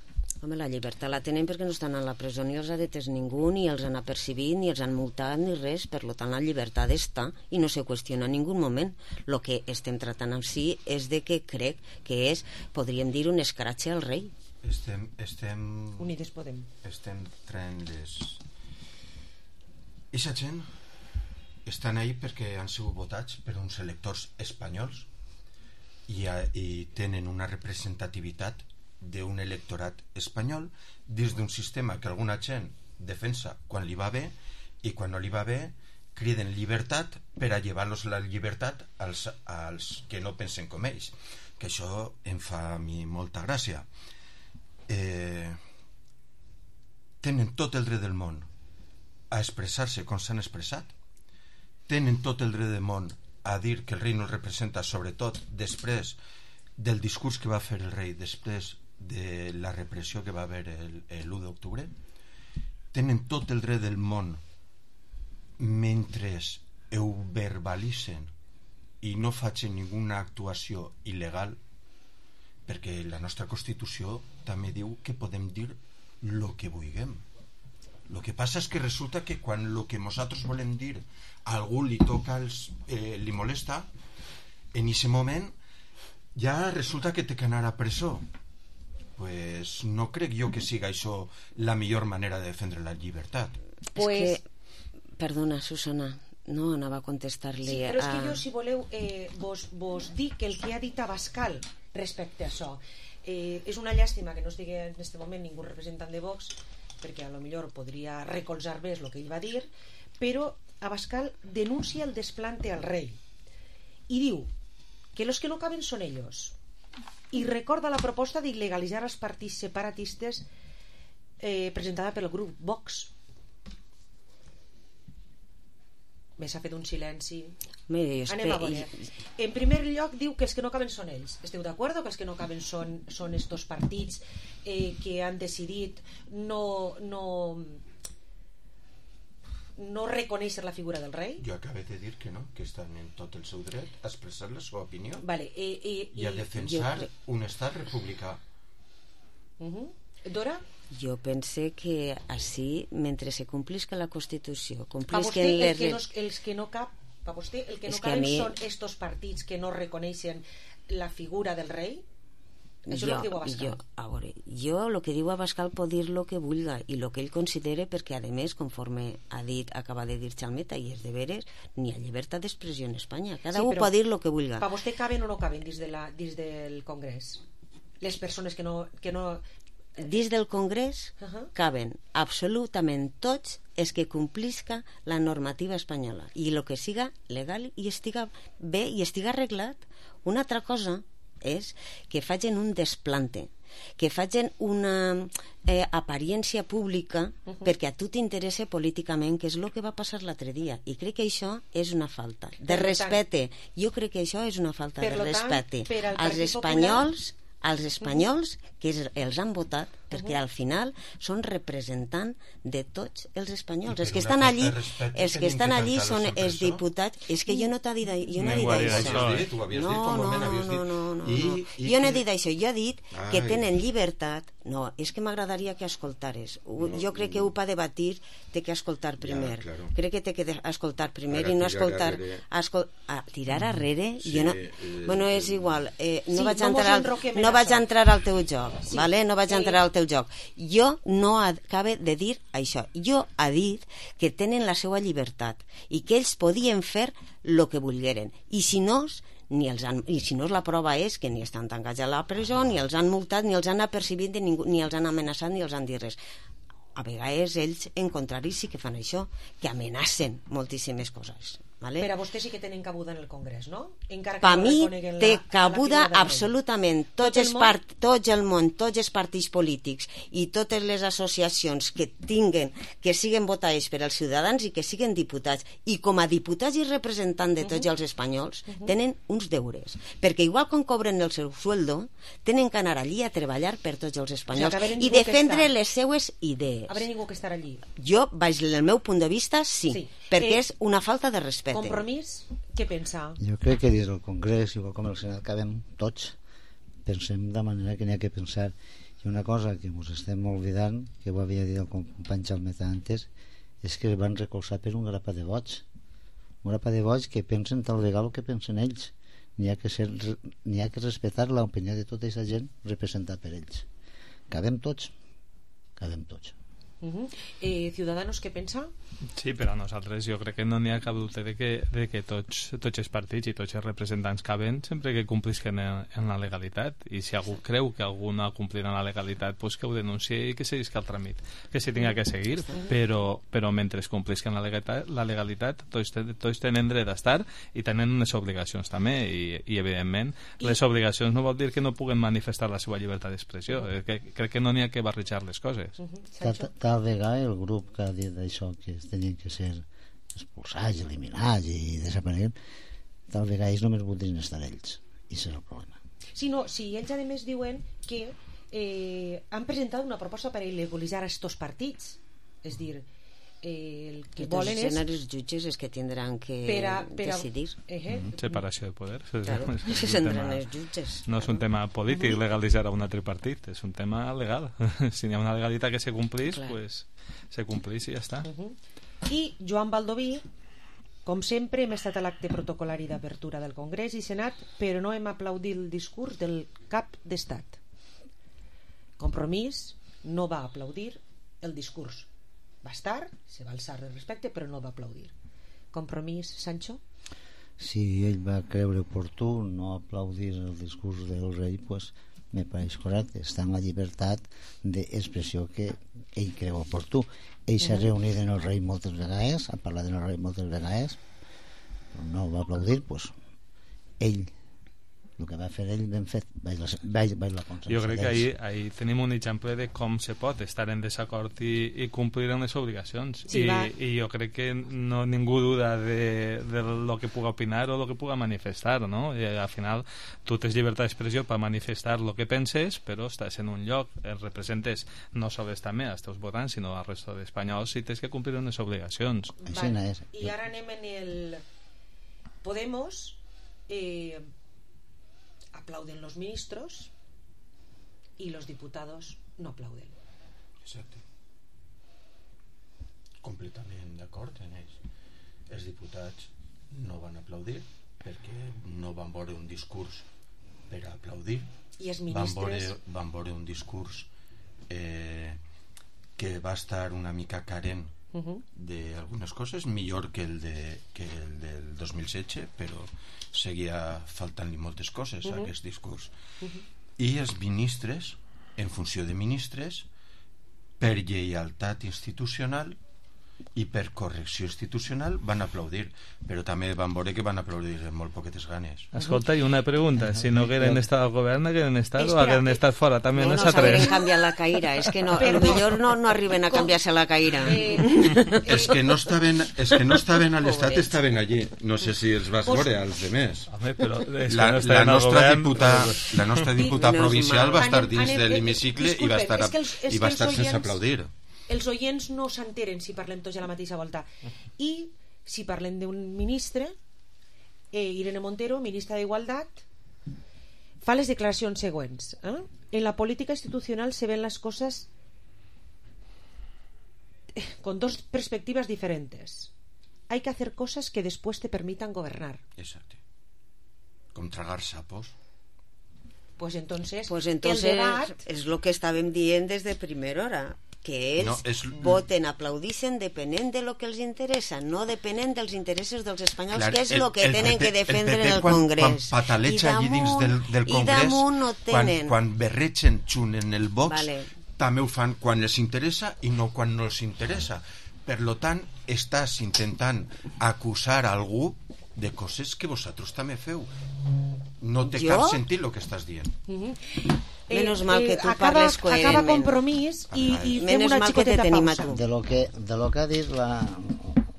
Home, la llibertat la tenen perquè no estan a la presó ni els ha detès ningú, ni els han apercibit, ni els han multat, ni res. Per tant, la llibertat està i no se qüestiona en ningú moment. El que estem tratant en si és de que crec que és, podríem dir, un escratxe al rei. Estem... estem Unides Podem. Estem traient les... Eixa gent estan ahí perquè han sigut votats per uns electors espanyols i, a, i tenen una representativitat d'un electorat espanyol dins d'un sistema que alguna gent defensa quan li va bé i quan no li va bé criden llibertat per a llevar-los la llibertat als, als que no pensen com ells, que això em fa a mi molta gràcia. Eh, tenen tot el dret del món a expressar-se com s'han expressat, tenen tot el dret del món a dir que el rei no els representa, sobretot després del discurs que va fer el rei després de la repressió que va haver l'u d'octubre, tenen tot el dret del món, mentre ho verbalitzen i no facin ninguna actuació il·legal, perquè la nostra Constitució també diu que podem dir el que vulguem. El que passa és que resulta que quan el que nosaltres volem dir a algú li toca els, eh, li molesta, en aquest moment ja resulta que té que anar a presó. Pues no crec jo que siga això la millor manera de defendre la llibertat. Pues... És que, perdona, Susana, no anava a contestar-li. Sí, però és que a... jo, si voleu, eh, vos, vos dic que el que ha dit Abascal respecte a això, eh, és una llàstima que no estigui en aquest moment ningú representant de Vox, perquè a lo millor podria recolzar més el que ell va dir, però Abascal denuncia el desplante al rei i diu que los que no caben són ellos, i recorda la proposta d'il·legalitzar els partits separatistes eh, presentada pel grup Vox. Me s'ha fet un silenci. Mira, Anem a veure. En primer lloc diu que els que no caben són ells. Esteu d'acord que els que no caben són, són estos partits eh, que han decidit no no no reconèixer la figura del rei? Jo acabo de dir que no, que estan en tot el seu dret a expressar la seva opinió, vale, eh, eh, i a defensar jo... un estat republicà. Uh-huh. Dora? Jo pense que així, mentre se complisca la Constitució, Pa complisca vostè, les... els que no, els que no cap, pa vostè, el que no És que a caben mi- són estos partits que no reconeixen la figura del rei? Això és el que diu Abascal. jo, a veure, jo el que diu Abascal pot dir el que vulga i el que ell considere, perquè a més, conforme ha dit, acaba de dir Chalmeta, i és de veres, ni ha llibertat d'expressió en Espanya. Cada Sí, un però pot dir el que vulga. Pa vostè caben o no caben dins, de la, dins del Congrés? Les persones que no... Que no... Dins del Congrés Uh -huh. caben absolutament tots els que complisca la normativa espanyola i el que siga legal i estiga bé i estiga arreglat. Una altra cosa és que facin un desplante, que facin una eh, apariència pública Uh -huh. perquè a tu t'interessa políticament, que és el que va passar l'altre dia, i crec que això és una falta de Per respecte. Jo crec que això és una falta Per de lo tant, respecte per al als Partit espanyols, als espanyols que es, els han votat, perquè Uh-huh. al final són representant de tots els espanyols. I Els per que una estan falta allí, de respecte els que tenim estan que allí tancar són la els sorpresa. diputats. És que jo no t'ha dit, jo no he dit Ningú ha dit això. això, eh? Tu ho havies No, dit, fa un no, moment no, havies dit. no, no, I, no. i Jo no he que- dit això, jo he dit que Ai. tenen llibertat. No, és que m'agradaria que escoltares. Ho- Jo crec que ho pa debatir té que escoltar primer. claro. Crec que té que de- escoltar primer Ara i no tirar escoltar... arrere. Escol... Ah, tirar arrere? Sí, jo no... eh, bueno, és igual. Eh, no Sí, vaig no mos entrar al... enroquem en no vaig això. entrar al teu joc, Sí. vale? No vaig Eh, entrar al teu joc. Jo no acabe de dir això. Jo ha dit que tenen la seva llibertat i que ells podien fer el que volgueren. I si no, ni els han, i si no la prova és que ni estan tancats a la presó, ni els han multat, ni els han apercibit, ni, ningú, ni els han amenaçat, ni els han dit res. A vegades ells, en contrari, sí que fan això, que amenacen moltíssimes coses. Vale? Per a vostè sí que tenen cabuda en el Congrés, no? Encara que Per no mi reconeguen té la- la cabuda figura del rei. absolutament tots, Tot el els món? part, tots el món, tots els partits polítics i totes les associacions que tinguen, que siguen votades per als ciutadans i que siguen diputats, i com a diputats i representants de tots Mhm. els espanyols Mhm. tenen uns deures, perquè igual com cobren el seu sueldo tenen que anar allí a treballar per tots els espanyols que haver i ningú que defendre està- les seues idees. Habrà ningú que estar allí. Jo, baix el meu punt de vista, sí, Sí. perquè Eh, és una falta de respecte. Compromís? Què pensa? Jo crec que des del Congrés, igual com el Senat, cabem tots, pensem de manera que n'hi ha que pensar. I una cosa que ens estem oblidant, que ho havia dit el company Chalmeta antes, és que van recolzar per un grapa de vots. Un grapa de vots que pensen tal vegada el que pensen ells. N'hi ha que ser, n'hi ha que respectar l'opinió de tota aquesta gent representada per ells. Cabem tots, cabem tots. Uh -huh. eh, Ciudadanos, què pensa? Sí, però a nosaltres jo crec que no n'hi ha cap dubte de que, de que tots, tots els partits i tots els representants caben sempre que complisquen en, en la legalitat, i si algú creu que algú no ha complit en la legalitat, pues que ho denunciï i que seguisca el tràmit que s'hi tinga que seguir, però, però mentre es complisquen la legalitat, la legalitat tots, tots tenen dret a estar i tenen unes obligacions també, i, i evidentment I... les obligacions no vol dir que no puguen manifestar la seva llibertat d'expressió. Uh -huh. que, crec que no n'hi ha que barrejar les coses. Uh -huh. Tal, tal vegada el grup que ha dit això, que tenien que ser expulsats, eliminats i desapareguem, tal vegada ells només voldrien estar ells, i això és el problema. Sí, no, sí, ells a més diuen que eh, han presentat una proposta per il·legalitzar estos partits. És dir, eh, el que Entonces, volen és... els jutges és que tindran que per a, per a, decidir. Eh, Mm, separació de poder. Claro, és, és se un centren tema- els jutges. No és un tema polític legalitzar a un altre partit, és un tema legal. Si hi ha una legalitat que se complís, Clar. pues, se complís i ja està. Uh -huh. I Joan Baldoví, com sempre, hem estat a l'acte protocolari d'apertura del Congrés i Senat, però no hem aplaudit el discurs del cap d'Estat. Compromís no va aplaudir el discurs. Va estar, se va alçar de respecte, però no va aplaudir. Compromís, Sancho? Si ell va creure oportú no aplaudir el discurs del rei, pues me pareix correcte, està en la llibertat d'expressió que ell creu oportú. Ell s'ha reunit amb el rei moltes vegades, ha parlat amb el rei moltes vegades, però no va aplaudir, pues ell, el que va fer ell ben fet, vaig la, vaig, vaig la consciència Jo crec que d'ells. ahir, ahir tenim un exemple de com se pot estar en desacord i, i complir amb les obligacions. Sí, I, va. I jo crec que no ningú duda de, de lo que puga opinar o lo que puga manifestar, no? I al final tu tens llibertat d'expressió per manifestar lo que penses, però estàs en un lloc, el representes no sols també als teus votants, sinó al resto d'espanyols i tens que complir amb les obligacions. Vale. I ara anem en el Podemos. eh, aplauden los ministros y los diputados no aplauden. Exacte. Completament d'acord en ells. Els diputats no van aplaudir perquè no van veure un discurs per a aplaudir. I els Van ministres... veure, van veure un discurs eh, que va estar una mica carent Uh -huh. d'algunes coses, millor que el, de, que el del dos mil setze, però seguia faltant-li moltes coses Uh -huh. a aquest discurs. Uh -huh. I els ministres, en funció de ministres, per lleialtat institucional i per correcció institucional van aplaudir, però també van veure que van aplaudir amb molt poquetes ganes. Escolta, i una pregunta, si no hagueren estat al govern, hagueren estat o Espera, hagueren estat fora, també no, no, no no s'hagueren canviat la caïra, és que no, Però- potser no, no arriben a canviar-se la caïra. Eh, Els que no estaven, els que no estaven a l'estat estaven allí. No sé si els vas veure, als demés. Home, però és que La, no la, estaven al nostra govern, diputada, però- la nostra diputada Menos provincial mal. va estar Anem- dins anem- de eh, l'hemicicle i va disculpen, estar, és que els- és i va que estar els sense oients- aplaudir. els oients no s'enteren si parlem tots a la mateixa volta. I si parlem d'un ministre, eh, Irene Montero, ministra d'Igualtat, fa les declaracions següents. ¿eh? En la política institucional se ven las cosas con dos perspectivas diferentes. Hay que hacer cosas que después te permitan gobernar. Exacte. Com tragar sapos. Pues entonces, Pues entonces el debat... és el que estàvem dient des de primera hora, que ells No, és- voten, aplaudixen depenent de lo que els interessa, no depenent dels interessos dels espanyols, Clar, que és el- el que el tenen P P que defendre el P P en el quan, Congrés. Quan pataleja allí dins del, del I Congrés, damunt no quan, tenen. quan berretgen xunt en el Vox, Vale. també ho fan quan els interessa i no quan no els interessa. Per lo tant, estàs intentant acusar algú de coses que vosaltres també feu. No té Jo? cap sentit el que estàs dient. Uh -huh. Menos mal que tu acaba, parles acaba coherentment. Compromís i, i fem Menos una mal que te xicoteta tenim a pausa. tu. De lo que, de lo que ha dit la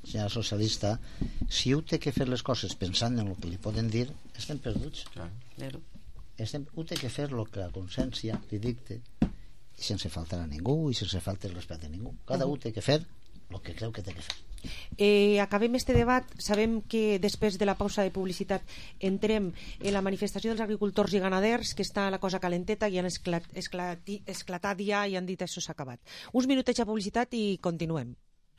senyora socialista, si ho té que fer les coses pensant en el que li poden dir, estem perduts. Claro. Estem, ho té que fer el que la consciència li dicte, i sense faltar a ningú i sense faltar el respecte a ningú. Cada Uh-huh. un té que fer el que creu que té que fer. Eh, acabem este debat. Sabem que després de la pausa de publicitat entrem en la manifestació dels agricultors i ganaders, que està la cosa calenteta i han esclat, esclati, esclatat ja i han dit això s'ha acabat. Uns minutets de publicitat i continuem.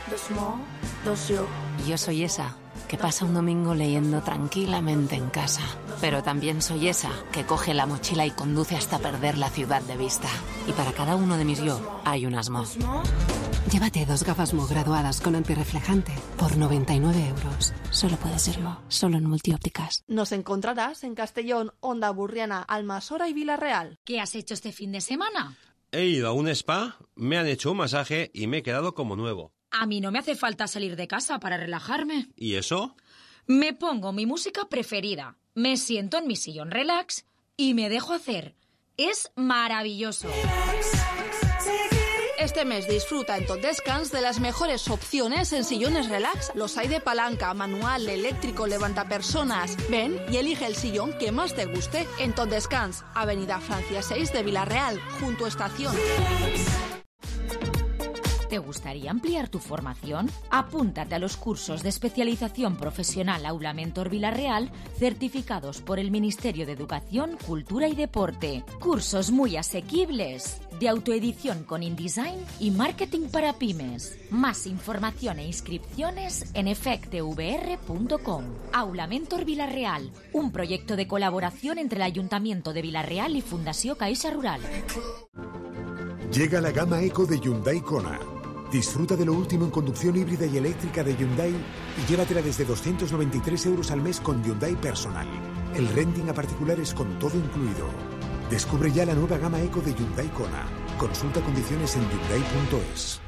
Dos mo, dos yo. Yo soy esa que pasa un domingo leyendo tranquilamente en casa. Pero también soy esa que coge la mochila y conduce hasta perder la ciudad de vista. Y para cada uno de mis yo hay un asmo. Llévate dos gafas Mo graduadas con antirreflejante por noventa y nueve euros. Solo puede ser Mo, solo en Multiópticas. Nos encontrarás en Castellón, Onda Burriana, Almasora y Villarreal. ¿Qué has hecho este fin de semana? He ido a un spa, me han hecho un masaje y me he quedado como nuevo. A mí no me hace falta salir de casa para relajarme. ¿Y eso? Me pongo mi música preferida, me siento en mi sillón relax y me dejo hacer. Es maravilloso. Este mes disfruta en Tot Descans de las mejores opciones en sillones relax. Los hay de palanca, manual, eléctrico, levantapersonas. Ven y elige el sillón que más te guste en Tot Descans, Avenida Francia seis de Villarreal, junto a Estación. ¿Te gustaría ampliar tu formación? Apúntate a los cursos de especialización profesional Aula Mentor Villarreal, certificados por el Ministerio de Educación, Cultura y Deporte. Cursos muy asequibles, de autoedición con InDesign y marketing para pymes. Más información e inscripciones en efectvr punto com. Aula Mentor Villarreal, un proyecto de colaboración entre el Ayuntamiento de Villarreal y Fundació Caixa Rural. Llega la gama Eco de Hyundai Kona. Disfruta de lo último en conducción híbrida y eléctrica de Hyundai y llévatela desde doscientos noventa y tres euros al mes con Hyundai Personal. El renting a particulares con todo incluido. Descubre ya la nueva gama Eco de Hyundai Kona. Consulta condiciones en hyundai punto es.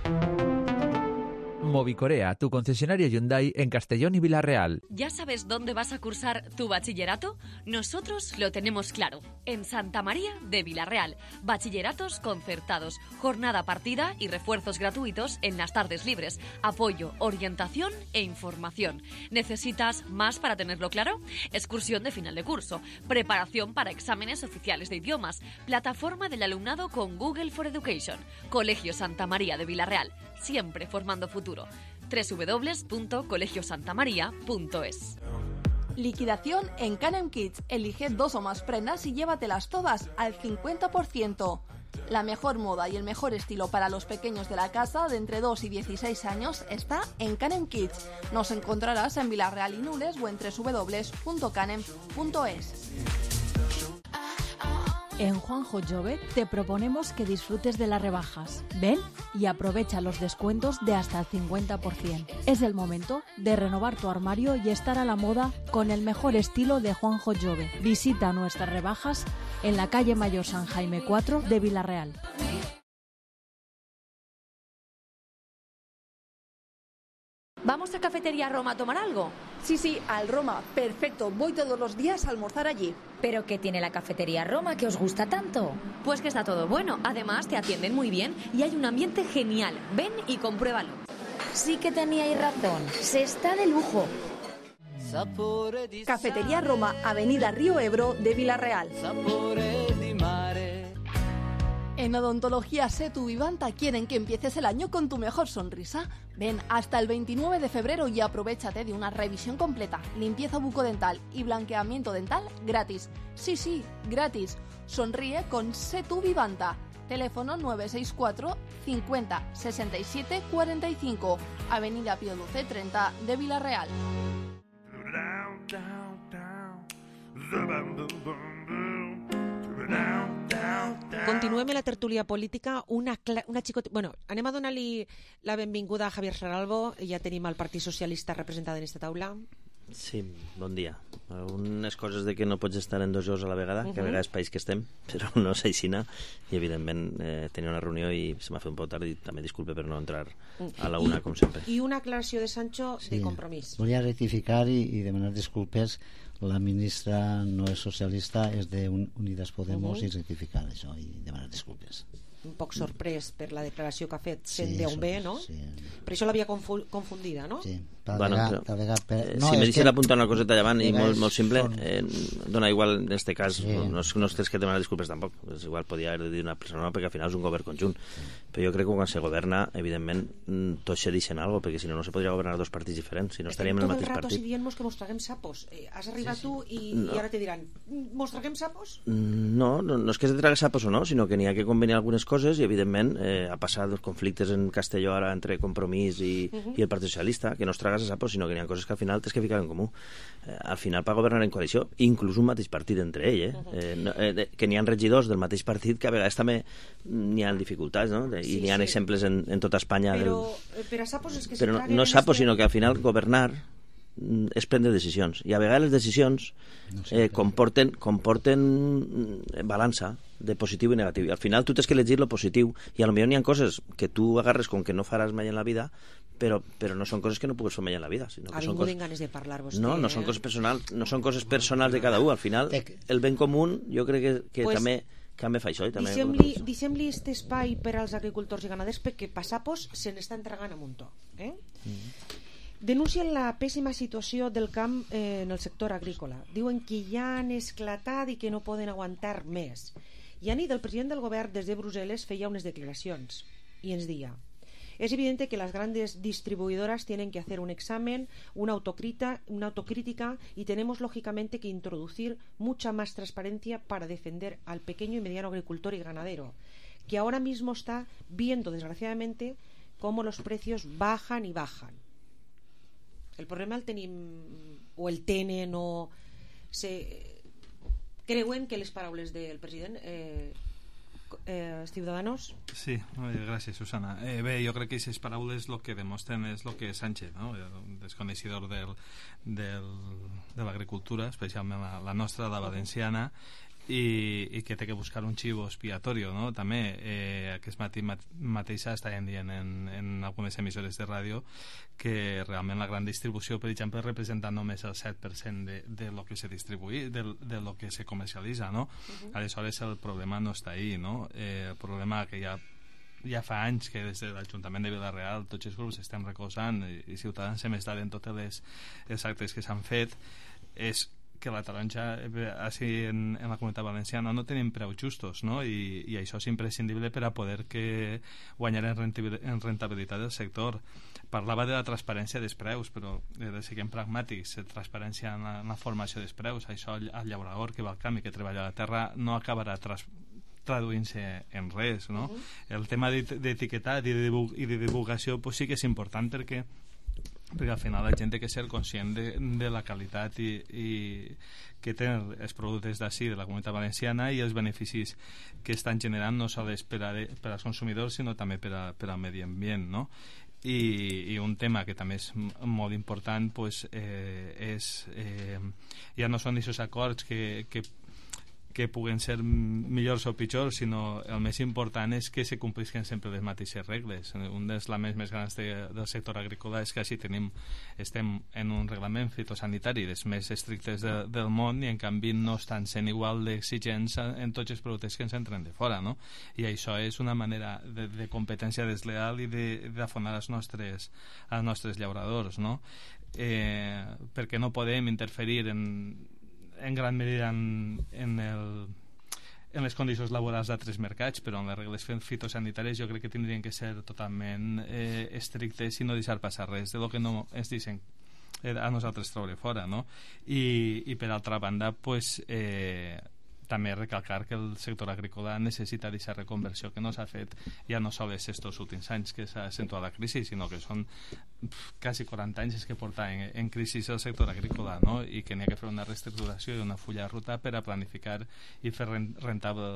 Movicorea, tu concesionario Hyundai en Castellón y Villarreal. ¿Ya sabes dónde vas a cursar tu bachillerato? Nosotros lo tenemos claro. En Santa María de Villarreal. Bachilleratos concertados, jornada partida y refuerzos gratuitos en las tardes libres. Apoyo, orientación e información. ¿Necesitas más para tenerlo claro? Excursión de final de curso. Preparación para exámenes oficiales de idiomas. Plataforma del alumnado con Google for Education. Colegio Santa María de Villarreal. Siempre formando futuro. doble u doble u doble u punto colegio santa maría punto es. Liquidación en Canem Kids. Elige dos o más prendas y llévatelas todas al cincuenta por ciento. La mejor moda y el mejor estilo para los pequeños de la casa de entre dos y dieciséis años está en Canem Kids. Nos encontrarás en Villarreal y Nules o en doble u doble u doble u punto canem punto es. En Juanjo Jove te proponemos que disfrutes de las rebajas. Ven y aprovecha los descuentos de hasta el cincuenta por ciento. Es el momento de renovar tu armario y estar a la moda con el mejor estilo de Juanjo Jove. Visita nuestras rebajas en la calle Mayor San Jaime cuatro de Villarreal. ¿Vamos a Cafetería Roma a tomar algo? Sí, sí, al Roma. Perfecto. Voy todos los días a almorzar allí. ¿Pero qué tiene la Cafetería Roma que os gusta tanto? Pues que está todo bueno. Además, te atienden muy bien y hay un ambiente genial. Ven y compruébalo. Sí que teníais razón. Se está de lujo. Cafetería Roma, Avenida Río Ebro de Villarreal. En Odontología Setu Vivanta quieren que empieces el año con tu mejor sonrisa. Ven hasta el veintinueve de febrero y aprovéchate de una revisión completa, limpieza bucodental y blanqueamiento dental gratis. Sí, sí, gratis. Sonríe con Setu Vivanta. Teléfono nueve seis cuatro cincuenta sesenta y siete cuarenta y cinco. Avenida Pío Luce treinta de Villarreal. Continuem la tertúlia política. Una, cla... una xicot... bueno, anem a donar-li la benvinguda a Javier Saralbo. Ja tenim el Partit Socialista representat en aquesta taula. Sí, bon dia. Algunes coses de que no pots estar en dos llocs a la vegada, uh-huh. que a vegades país que estem, però no és aixina, i evidentment eh, tenia una reunió i se m'ha fet un poc tard i també disculpe per no entrar a la una, I, com sempre. I una aclaració de Sancho sí, de Compromís. Volia rectificar i, i demanar disculpes. La ministra no és socialista, és de Unidas Podemos, uh-huh. i rectificar això i demanar disculpes. Un poc sorprès per la declaració que ha fet sent sí, d'on ve, no? Sí. Per això l'havia confu confundida, no? Sí. Bueno, vegada, però, vegada, per... eh, no, si me deixen que... apuntar una coseta davant i molt, molt simple, són... eh, dona igual en este cas, sí. no, no tens que demanar disculpes tampoc, és igual podia haver de dir una persona no, perquè al final és un govern conjunt, sí. Però jo crec que quan se governa, evidentment tots se deixen alguna cosa, perquè si no no se podria governar dos partits diferents, si no estaríem en el mateix partit. Tot el rato si dient-nos que mos traguem sapos, eh, has arribat sí, sí. tu i, no. i ara te diran mos traguem sapos? No, no, no és que se trague sapos o no, sinó que n'hi ha que convenir algunes coses i evidentment eh, ha passat els conflictes en Castelló ara entre Compromís i, uh-huh. i el Partit Socialista, que no es tragues a sapos, sinó que n'hi ha coses que al final tens que ficar en comú. Eh, al final per governar en coalició, inclús un mateix partit entre ell, eh? Uh-huh. eh, no, eh que n'hi ha regidors del mateix partit que a vegades també n'hi ha dificultats, no? I sí, n'hi ha sí. exemples en, en tota Espanya. Però, del... per a sapos és que però no, no sapos, este... sinó que al final governar és prendre decisions i a vegades les decisions no sé, eh, comporten, comporten balança de positiu i negatiu i al final tu tens que elegir lo positiu i a lo millor n'hi ha coses que tu agarres com que no faràs mai en la vida però, però no són coses que no pugues fer mai en la vida sinó que ha són vingut coses... en ganes de parlar vostè no, no eh? són coses personals no són coses personals de cada un al final el ben comú jo crec que, que pues... també Canve fa això i també... Deixem-li aquest espai per als agricultors i ganaders perquè passapos se n'està entregant a muntó. Eh? Mm. Denuncien la pèssima situació del camp eh, en el sector agrícola. Diuen que ja han esclatat i que no poden aguantar més. I a nit el president del govern des de Brussel·les feia unes declaracions i ens deia: es evidente que las grandes distribuidoras tienen que hacer un examen, una, autocrita, una autocrítica y tenemos lógicamente que introducir mucha más transparencia para defender al pequeño y mediano agricultor y ganadero, que ahora mismo está viendo desgraciadamente cómo los precios bajan y bajan. El problema el tenim, o el tenen, o se... creuen que les paraules del president... Eh, Eh, Ciudadanos? Sí, gràcies, Susana. Eh, bé, jo crec que aquestes paraules el que demostren és el que Sánchez, no? El desconeixedor del, del, de l'agricultura, especialment la, la nostra, la valenciana, i, i que té que buscar un xivo expiatorio, no? També eh, aquest matí mat, mateixa estaven dient en, en algunes emissores de ràdio que realment la gran distribució, per exemple, representa només el set per cent de, de lo que se distribuï, de, de lo que se comercialitza, no? Uh-huh. Aleshores el problema no està ahí, no? Eh, el problema que ja ja fa anys que des de l'Ajuntament de Vila-real tots els grups estem recolzant i, i Ciutadans hem estat en totes les, les actes que s'han fet és que la taronja així en, en la comunitat valenciana no tenim preus justos, no? I, i això és imprescindible per a poder que guanyar en, en rentabilitat del sector. Parlava de la transparència dels preus, però eh, de siguem pragmàtics, transparència en la, en la formació dels preus, això el, el llaurador que va al camp i que treballa a la terra no acabarà tras, traduint-se en res, no? Uh-huh. El tema d'etiquetat i, de divulg, i de divulgació pues, sí que és important perquè perquè al final la gent té que ser conscient de, de la qualitat i, i que tenen els productes d'ací de la comunitat valenciana i els beneficis que estan generant no sols per, a, per als consumidors sinó també per, a, per al medi ambient, no? I, i un tema que també és molt important pues, eh, és eh, ja no són aquests acords que, que que puguen ser millors o pitjors, sinó el més important és que se complisquen sempre les mateixes regles. Un dels laments més grans de, del sector agrícola és que així tenim, estem en un reglament fitosanitari dels més estrictes de, del món i en canvi no estan sent igual d'exigents en tots els productes que ens entren de fora, no? I això és una manera de, de competència desleal i d'afonar els nostres, els nostres llauradors, no? Eh, perquè no podem interferir en en gran medida en, en, el, en les condicions laborals d'altres mercats, però en les regles fitosanitàries jo crec que tindrien que ser totalment eh, estrictes i no deixar passar res de lo que no ens deixen eh, a nosaltres treure fora, no? I, i per altra banda pues, eh, també recalcar que el sector agrícola necessita d'aquesta reconversió que no s'ha fet ja no sols estos últims anys que s'ha accentuat la crisi, sinó que són pf, quasi quaranta anys que porta en, en crisi el sector agrícola, no? I que n'hi ha que fer una reestructuració i una fulla de ruta per a planificar i fer rentable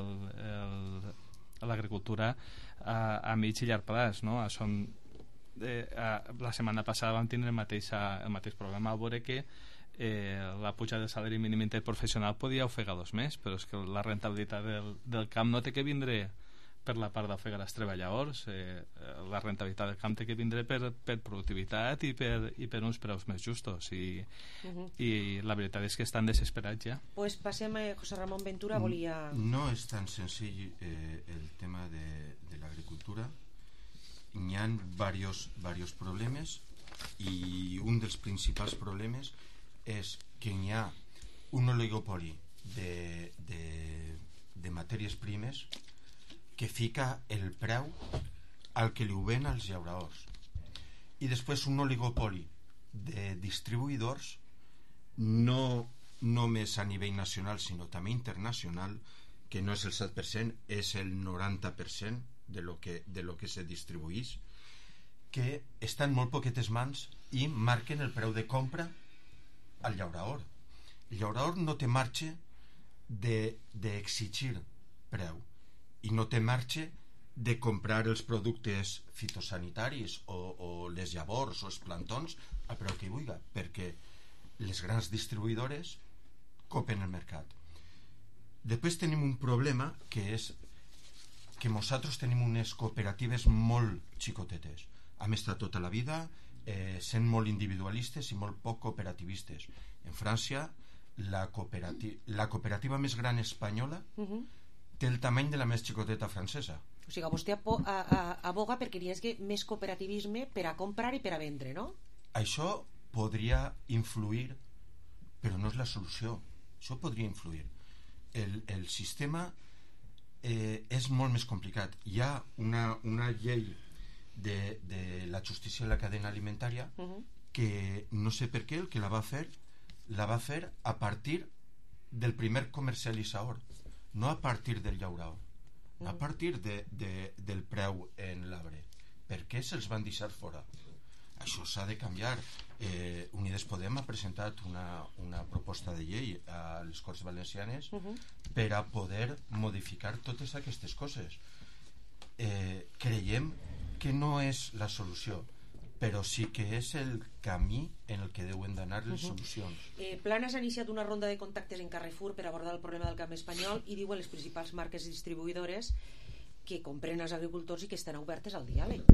l'agricultura a, a mig i llarg plaç, no? Són, eh, a, la setmana passada vam tindre el mateix, el mateix problema al veure que Eh, la puja del salari mínim interprofessional podia ofegar dos més, però és que la rentabilitat del, del camp no té que vindre per la part d'ofegar els treballadors, eh, la rentabilitat del camp té que vindre per, per productivitat i per, i per uns preus més justos i, uh-huh. i la veritat és que estan desesperats ja. Pues passem a José Ramón Ventura, volia... No és tan senzill eh, el tema de, de l'agricultura, hi ha diversos, diversos problemes i un dels principals problemes és que hi ha un oligopoli de, de, de matèries primes que fica el preu al que li ho ven als llauradors i després un oligopoli de distribuïdors no només a nivell nacional sinó també internacional que no és el set per cent, és el noranta per cent de lo que, de lo que se distribuïx que està en molt poquetes mans i marquen el preu de compra al llaurador. El llaurador no té marge d'exigir de, preu i no té marge de comprar els productes fitosanitaris o, o les llavors o els plantons a preu que hi vulgui, perquè les grans distribuïdores copen el mercat. Després tenim un problema que és que nosaltres tenim unes cooperatives molt xicotetes. Hem estat tota la vida Eh, sent molt individualistes i molt poc cooperativistes. En França la cooperativa, la cooperativa més gran espanyola uh-huh. té el tamany de la més xicoteta francesa. O sigui, vostè aboga perquè hi hagi més cooperativisme per a comprar i per a vendre, no? Això podria influir, però no és la solució. Això podria influir. El, el sistema eh, és molt més complicat. Hi ha una, una llei de, de la justícia en la cadena alimentària uh-huh. que no sé per què el que la va fer la va fer a partir del primer comercialitzador, no a partir del llaurador, uh-huh. a partir de, de, del preu en l'arbre. Per què se'ls van deixar fora? Això s'ha de canviar. eh, Unides Podem ha presentat una, una proposta de llei a les Corts Valencianes uh-huh. per a poder modificar totes aquestes coses. eh, creiem que no és la solució, però sí que és el camí en el que deuen d'anar les uh-huh. solucions. eh, Planas ha iniciat una ronda de contactes en Carrefour per abordar el problema del camp espanyol i diuen les principals marques distribuïdores que compren els agricultors i que estan obertes al diàleg,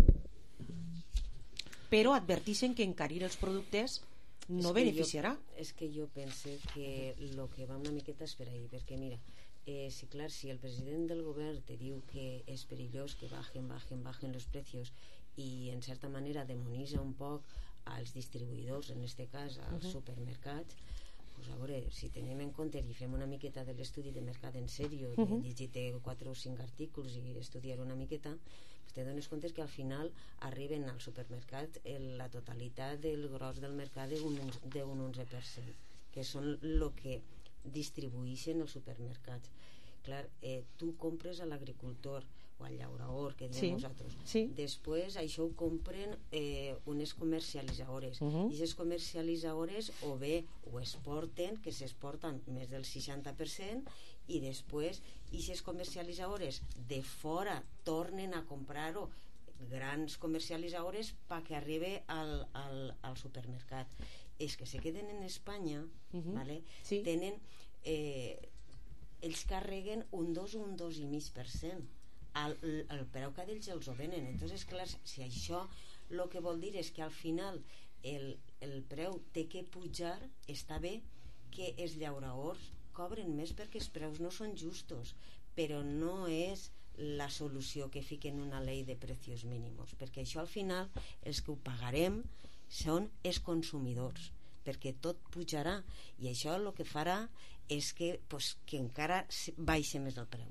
però adverteixen que encarir els productes no beneficiarà. És que jo pense que el que va una miqueta és per ahí, perquè mira, eh, sí, clar, si el president del govern te diu que és perillós que bajen, bajen, bajen los precios i en certa manera demonitza un poc als distribuïdors, en este cas als uh-huh. supermercats, pues a veure, si tenim en compte i fem una miqueta de l'estudi de mercat en sèrio, uh-huh. llegir quatre o cinc articles i estudiar una miqueta, pues te dones compte que al final arriben al supermercat el, la totalitat del gros del mercat d'un onze per cent, que són el que distribueixen els supermercats. Clar, eh, tu compres a l'agricultor o al llaurador, que diem sí, nosaltres. Sí. Després això ho compren eh, unes comercialitzadores. Uh-huh. I aquestes comercialitzadores o bé ho exporten, que s'exporten més del seixanta per cent, i després aquestes comercialitzadores de fora tornen a comprar-ho grans comercialitzadores perquè arribi al, al, al supermercat. És que se queden en Espanya, uh-huh. ¿vale? Sí. Tenen eh, ells carreguen un dos o un dos i mig per cent al, al preu que d'ells els ho venen. Entonces, clar, si això el que vol dir és que al final el, el preu té que pujar, està bé que els llauradors cobren més perquè els preus no són justos, però no és la solució que fiquen una llei de precios mínimos, perquè això al final els que ho pagarem són els consumidors, perquè tot pujarà i això el que farà és que, pues, que encara baixa més el preu.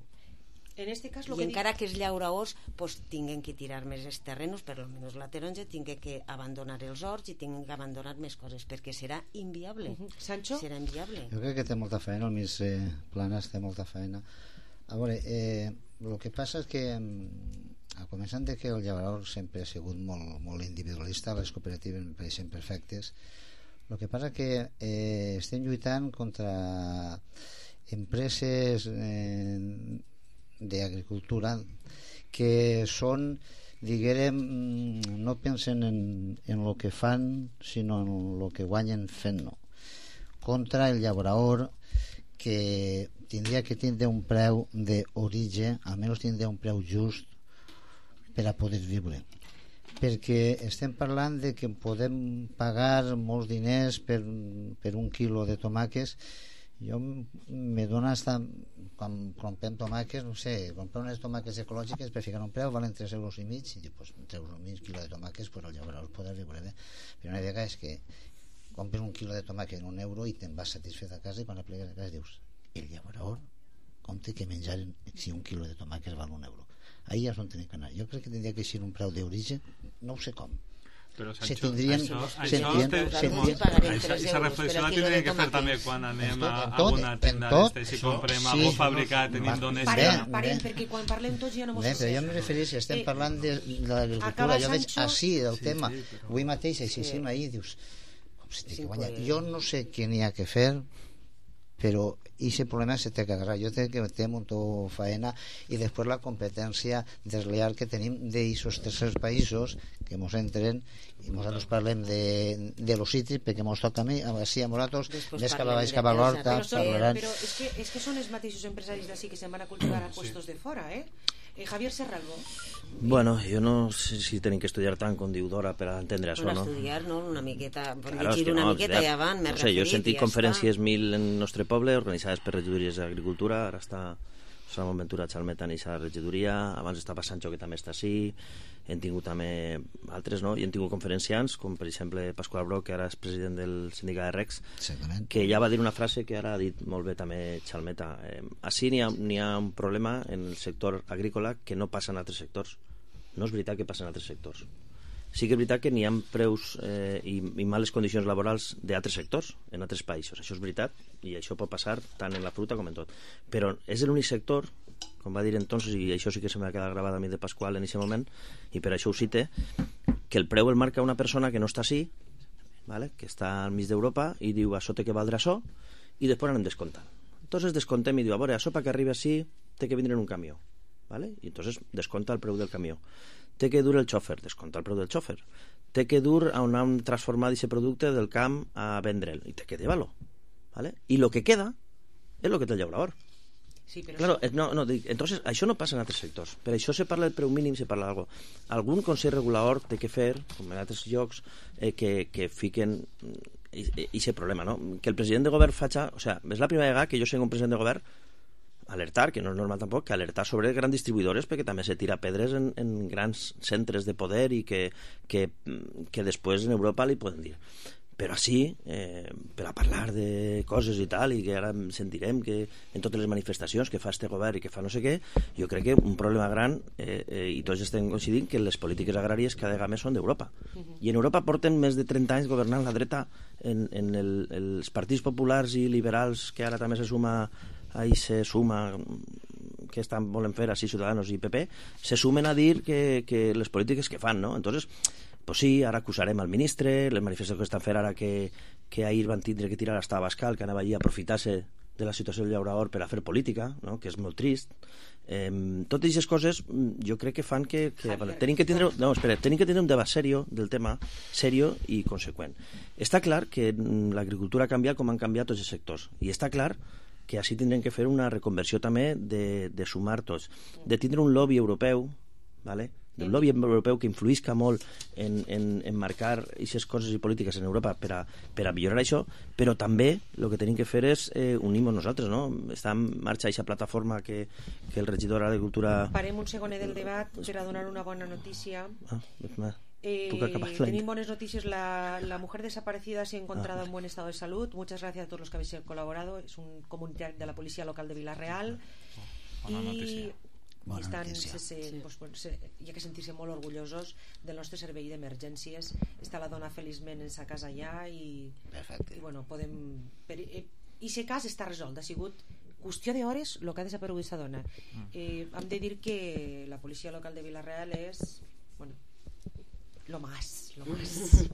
En este cas, I que encara dic... que els llauradors pues, tinguen que tirar més els terrenos, per almenys la taronja, tinguen que abandonar els horts i tinguen que abandonar més coses, perquè serà inviable. Uh-huh. Sancho? Serà inviable. Jo crec que té molta feina, el Miss eh, Planas té molta feina. A veure, eh, el que passa és que a començant de que el llaurador sempre ha sigut molt, molt individualista, les cooperatives em pareixen perfectes. El que passa que eh, estem lluitant contra empreses eh, d'agricultura que són, diguem, no pensen en, en el que fan, sinó en el que guanyen fent-no. Contra el llaurador, que tindria que tindre un preu d'origen, almenys tindre un preu just per a poder viure, perquè estem parlant de que podem pagar molts diners per, per un quilo de tomàquets. Jo me dona hasta, quan comprem tomàquets, no sé, comprar unes tomàquets ecològiques per ficar un preu valen tres euros i mig, i pues, tres euros i mig quilo de tomàquets, pues el llaurador podrà viure bé. Però una vegada és que compres un quilo de tomàquet en un euro i te'n vas satisfet a casa, i quan apliques a casa dius, el llaurador compte que menjar si un quilo de tomàquets val un euro. Ahí ja és on tenim que anar. Jo crec que tindria que ser un preu d'origen, no ho sé com. Però se tindrien, això, se això, tindrien, això, se això, això, aquesta reflexió la tindríem que fer també quan anem a, a una tenda d'estes i comprem sí, algo fabricat en Indonèsia. Parem, parem, perquè quan parlem tots ja no mos però jo em refereixo, estem parlant de, de l'agricultura, jo veig així el sí, tema, sí, però... avui mateix així sí. ahí dius, com se té que guanyar. Jo no sé què n'hi ha que fer, però aquest problema se té que agarrar. Jo crec que té molta feina, i després la competència desleal que tenim d'aquests tercers països que ens entren, i nosaltres parlem de, de los cítrics perquè ens toca a mi, així a nosaltres més cap a baix, cap a l'horta, parlaran. Però és que, és que són els mateixos empresaris d'ací que se'n van a cultivar a puestos de fora, eh? Eh, Javier Serralbo. Bueno, jo no sé si tenim que estudiar tant com diu Dora per a entendre això, no? Per estudiar, no? Una miqueta, per claro, llegir una no, miqueta ja van, m'he no sé, referit. Jo he sentit conferències mil en el nostre poble, organitzades per regidories d'agricultura, ara està Ramon Ventura Chalmeta en aquesta regidoria, abans estava Sancho, que també està així, hem tingut també altres, no? I hem tingut conferenciants, com per exemple Pasqual Broc, que ara és president del sindicat de Recs, que ja va dir una frase que ara ha dit molt bé també Chalmeta. Eh, així n'hi ha, n'hi ha un problema en el sector agrícola que no passa en altres sectors. No és veritat que passa en altres sectors. Sí que és veritat que n'hi ha preus eh, i, i males condicions laborals d'altres sectors, en altres països. Això és veritat, i això pot passar tant en la fruita com en tot. Però és l'únic sector, com va dir entonces, i això sí que se m'ha quedat gravat a mi de Pasqual en aquest moment, i per això ho cite, que el preu el marca una persona que no està així, ¿vale? Que està al mig d'Europa, i diu, això té que valdre això, i després anem descomptant. Entonces descontem i diu, a veure, això perquè arribi així té que vindre en un camió, ¿vale? I entonces desconta el preu del camió. Té que dur el xòfer, descompta el preu del xòfer. Té que dur a on han transformat aquest producte del camp a vendre'l, i té que llevar-lo, ¿vale? I el que queda és el que té el llaurador. Sí, però claro, això... no, no, dic, entonces, això no passa en altres sectors. Per això se parla del preu mínim, se parla d'algo. Algun consell regulador té que fer, com en altres llocs, eh, que, que fiquen aquest problema, no? Que el president de govern faci... O sea, és la primera vegada que jo sé un president de govern alertar, que no és normal tampoc, que alertar sobre grans distribuïdores, perquè també se tira pedres en, en grans centres de poder i que, que, que després en Europa li poden dir. Però així, eh, per a parlar de coses i tal, i que ara sentirem que en totes les manifestacions que fa este govern i que fa no sé què, jo crec que un problema gran, eh, eh, i tots estem coincidint, que les polítiques agràries cada vegada més són d'Europa. Uh-huh. I en Europa porten més de trenta anys governant la dreta en, en el, els partits populars i liberals, que ara també se suma ahí se suma que estan volen fer així Ciudadanos i P P, se sumen a dir que, que les polítiques que fan, no? Entonces, pues sí, ara acusarem al ministre, les manifestacions que estan fent ara que, que ahir van tindre que tirar hasta Abascal, que anava allí a aprofitar-se de la situació del llaurador per a fer política, no? Que és molt trist. Eh, totes aquestes coses jo crec que fan que, que bueno, tenim que tindre, no, espera, tenim que tindre un debat serio del tema, serio i conseqüent. Està clar que l'agricultura ha canviat com han canviat tots els sectors, i està clar que així tindrem que fer una reconversió també de, de sumar tots, de tindre un lobby europeu, ¿vale? Un lobby europeu que influïsca molt en, en, en marcar aquestes coses i polítiques en Europa per a, per a millorar això, però també el que tenim que fer és eh, unir-nos nosaltres, no? Està en marxa aquesta plataforma que, que el regidor d'Agricultura... Parem un segonet del debat per a donar una bona notícia. Ah, més Eh, tenéis buenas noticias. La, la mujer desaparecida se ha encontrado ah, en buen estado de salud. Muchas gracias a todos los que habéis colaborado. Es un comunitario de la Policía Local de Vilareal. Buena noticia. I estan, se, se, sí. pues, pues, se, hi ha que sentir-se molt orgullosos del nostre servei d'emergències. Està la dona feliçment en sa casa allà i, i bueno, podem per, eh, i aquest cas està resolt, ha sigut qüestió d'hores el que ha desaparegut aquesta dona. Eh, hem de dir que la Policia Local de Vilareal és, bueno, lo más, lo más.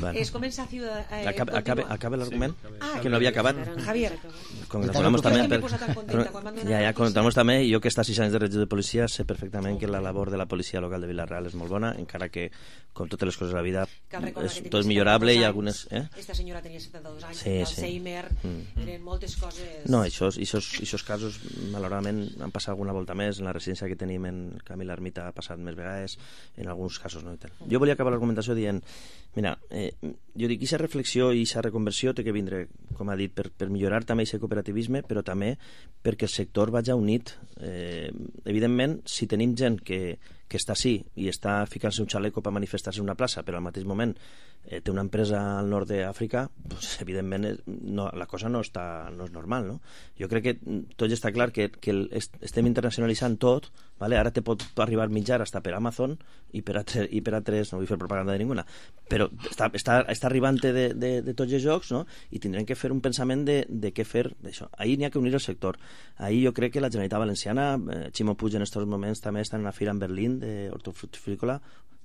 Bueno. Es comença a ciudad, eh, acabe, acabe, acabe l'argument? Sí, ah, que no havia acabat. Javier. Congratulamos també per, ja, ja, congratulamos també, jo que està sis anys de regidor de policia sé perfectament que la labor de la policia local de Vilareal és molt bona, encara que com totes les coses de la vida és, tot és millorable i algunes... Eh? Esta senyora tenia setanta-dos anys, sí, el sí. Alzheimer, mm. eren moltes coses... No, això, aquests casos malauradament han passat alguna volta més, en la residència que tenim en Camil Ermita ha passat més vegades, en alguns casos no. Jo volia acabar l'argumentació dient, mira, eh, jo dic, aquesta reflexió i aquesta reconversió té que vindre, com ha dit, per, per millorar també aquest cooperativisme, però també perquè el sector vagi unit. Eh, evidentment, si tenim gent que, que està així i està ficant-se un xaleco per manifestar-se en una plaça, però al mateix moment eh, té una empresa al nord d'Àfrica, pues, evidentment no, la cosa no, està, no és normal, no? Jo crec que tot està clar que, que el, estem internacionalitzant tot, vale? Ara te pot arribar mitjar hasta per Amazon i per, altres, i per altres, no vull fer propaganda de ninguna, però està, està, està arribant de, de, de tots els jocs, no? I tindrem que fer un pensament de, de què fer d'això. Ahir n'hi ha que unir el sector. Ahir jo crec que la Generalitat Valenciana, eh, Ximo Puig en aquests moments també està en una fira en Berlín d'hortofrutícola,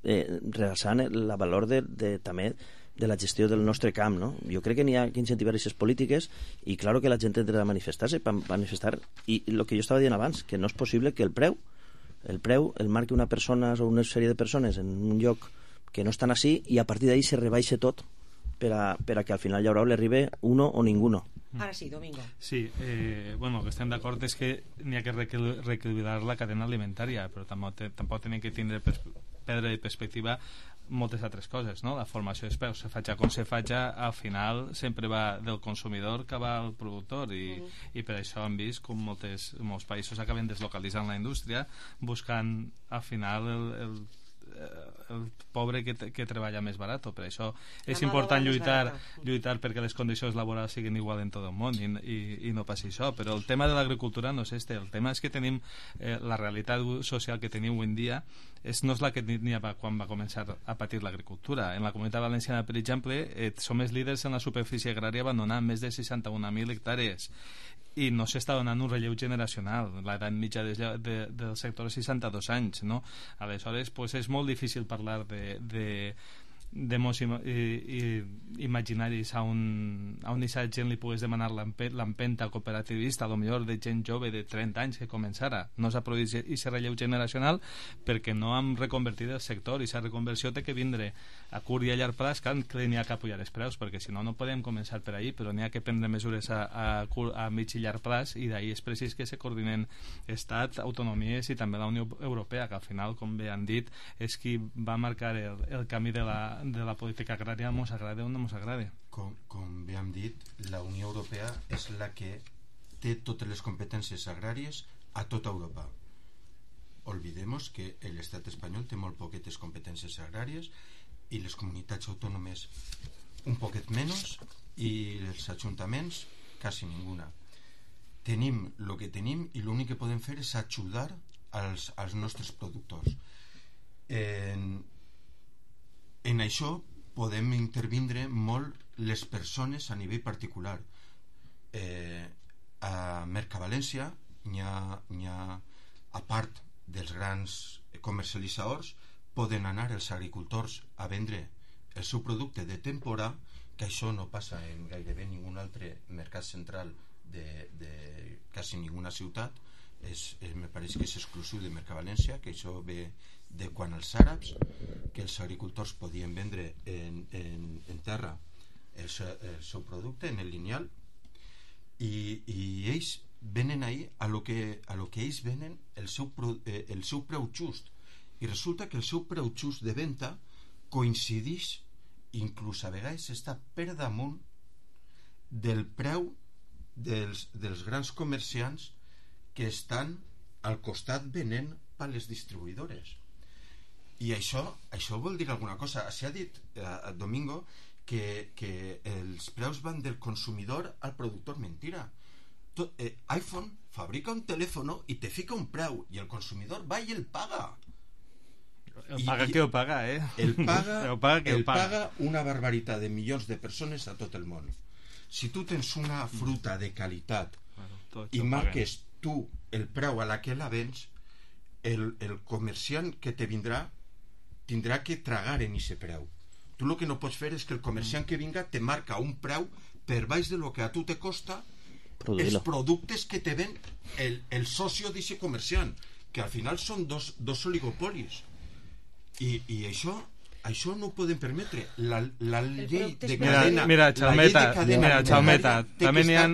eh, realçant el valor de, de, també de la gestió del nostre camp, no? Jo crec que n'hi ha que incentivar aquestes polítiques i claro que la gent ha de manifestar-se per manifestar, i el que jo estava dient abans, que no és possible que el preu el preu el marqui una persona o una sèrie de persones en un lloc que no estan així i a partir d'ahí se rebaixa tot per a, per a que al final llaurador li arribi uno o ninguno. Ara sí, Domingo. Sí, eh, bueno, el que estem d'acord és que n'hi ha que reequilibrar la cadena alimentària, però tampoc, tampoc tenim que tindre per, perdre de perspectiva moltes altres coses, no? La formació dels preus, se faig com se faig, al final sempre va del consumidor que va al productor i, uh -huh. i per això hem vist com moltes, molts països acaben deslocalitzant la indústria buscant al final el, el el pobre que, que treballa més barat. Per això és important lluitar, lluitar perquè les condicions laborals siguin igual en tot el món i, i, i no passi això, però el tema de l'agricultura no és este, el tema és que tenim eh, la realitat social que tenim avui en dia és, no és la que n'hi havia quan va començar a patir l'agricultura. En la Comunitat Valenciana, per exemple, eh, som els líders en la superfície agrària abandonant més de seixanta-un mil hectàrees i no s'està donant un relleu generacional. L'edat mitja de, de, del sector és seixanta-dos anys, no? Aleshores, pues, és molt difícil parlar de, de, de molts i, i, imaginaris a un, a un aquesta gent li pugues demanar l'empenta cooperativista, a lo millor de gent jove de trenta anys que començara. No s'ha produït aquest relleu generacional perquè no hem reconvertit el sector i aquesta reconversió té que vindre a curt i a llarg plaç, que n'hi ha que apujar els preus, perquè si no no podem començar per ahí, però n'hi ha que prendre mesures a, a, curt, a mig i llarg plaç, i d'ahí és precís que se coordinen Estat, autonomies i també la Unió Europea, que al final, com bé han dit, és qui va marcar el, el camí de la de la política agrària, mos agrada o no mos agrada. Com, com bé hem dit, la Unió Europea és la que té totes les competències agràries a tota Europa. Olvidemos que l'estat espanyol té molt poquetes competències agràries i les comunitats autònomes un poquet menys i els ajuntaments quasi ninguna. Tenim el que tenim i l'únic que podem fer és ajudar als, als nostres productors. En En això podem intervindre molt les persones a nivell particular. Eh, a Mercavalència n'hi ha, n'hi ha, a part dels grans comercialitzadors, poden anar els agricultors a vendre el seu producte de temporada, que això no passa en gairebé ningun altre mercat central de, de quasi ninguna ciutat. És, és, me pareix que és exclusiu de Mercavalència, que això ve de quan els àrabs, que els agricultors podien vendre en, en, en terra el, el seu producte, en el lineal, i, i ells venen ahí a lo que, a lo que ells venen el seu, eh, el seu preu just, i resulta que el seu preu just de venda coincideix, inclús a vegades està per damunt del preu dels, dels grans comerciants que estan al costat venent per les distribuïdores. I això, això vol dir alguna cosa. S'ha dit eh, Domingo que, que els preus van del consumidor al productor. Mentira. Tot, eh, iPhone fabrica un telèfon i te fica un preu i el consumidor va i el paga. El paga I, que ho paga, eh? El paga, el paga, que el el paga. paga una barbaritat de milions de persones a tot el món. Si tu tens una fruta de qualitat bueno, i marques tu el preu a la que la vens, el, el comerciant que te vindrà tindrà que tragar en ese preu. Tu el que no pots fer és que el comerciant que vinga te marca un preu per baix de lo que a tu te costa els productes que te ven el, el socio d'aquest comerciant, que al final són dos, dos oligopolis. I, i això això no ho podem permetre. La, la llei de cadena, mira, Chalmeta, la llei de cadena mira, Chalmeta, també n'hi ha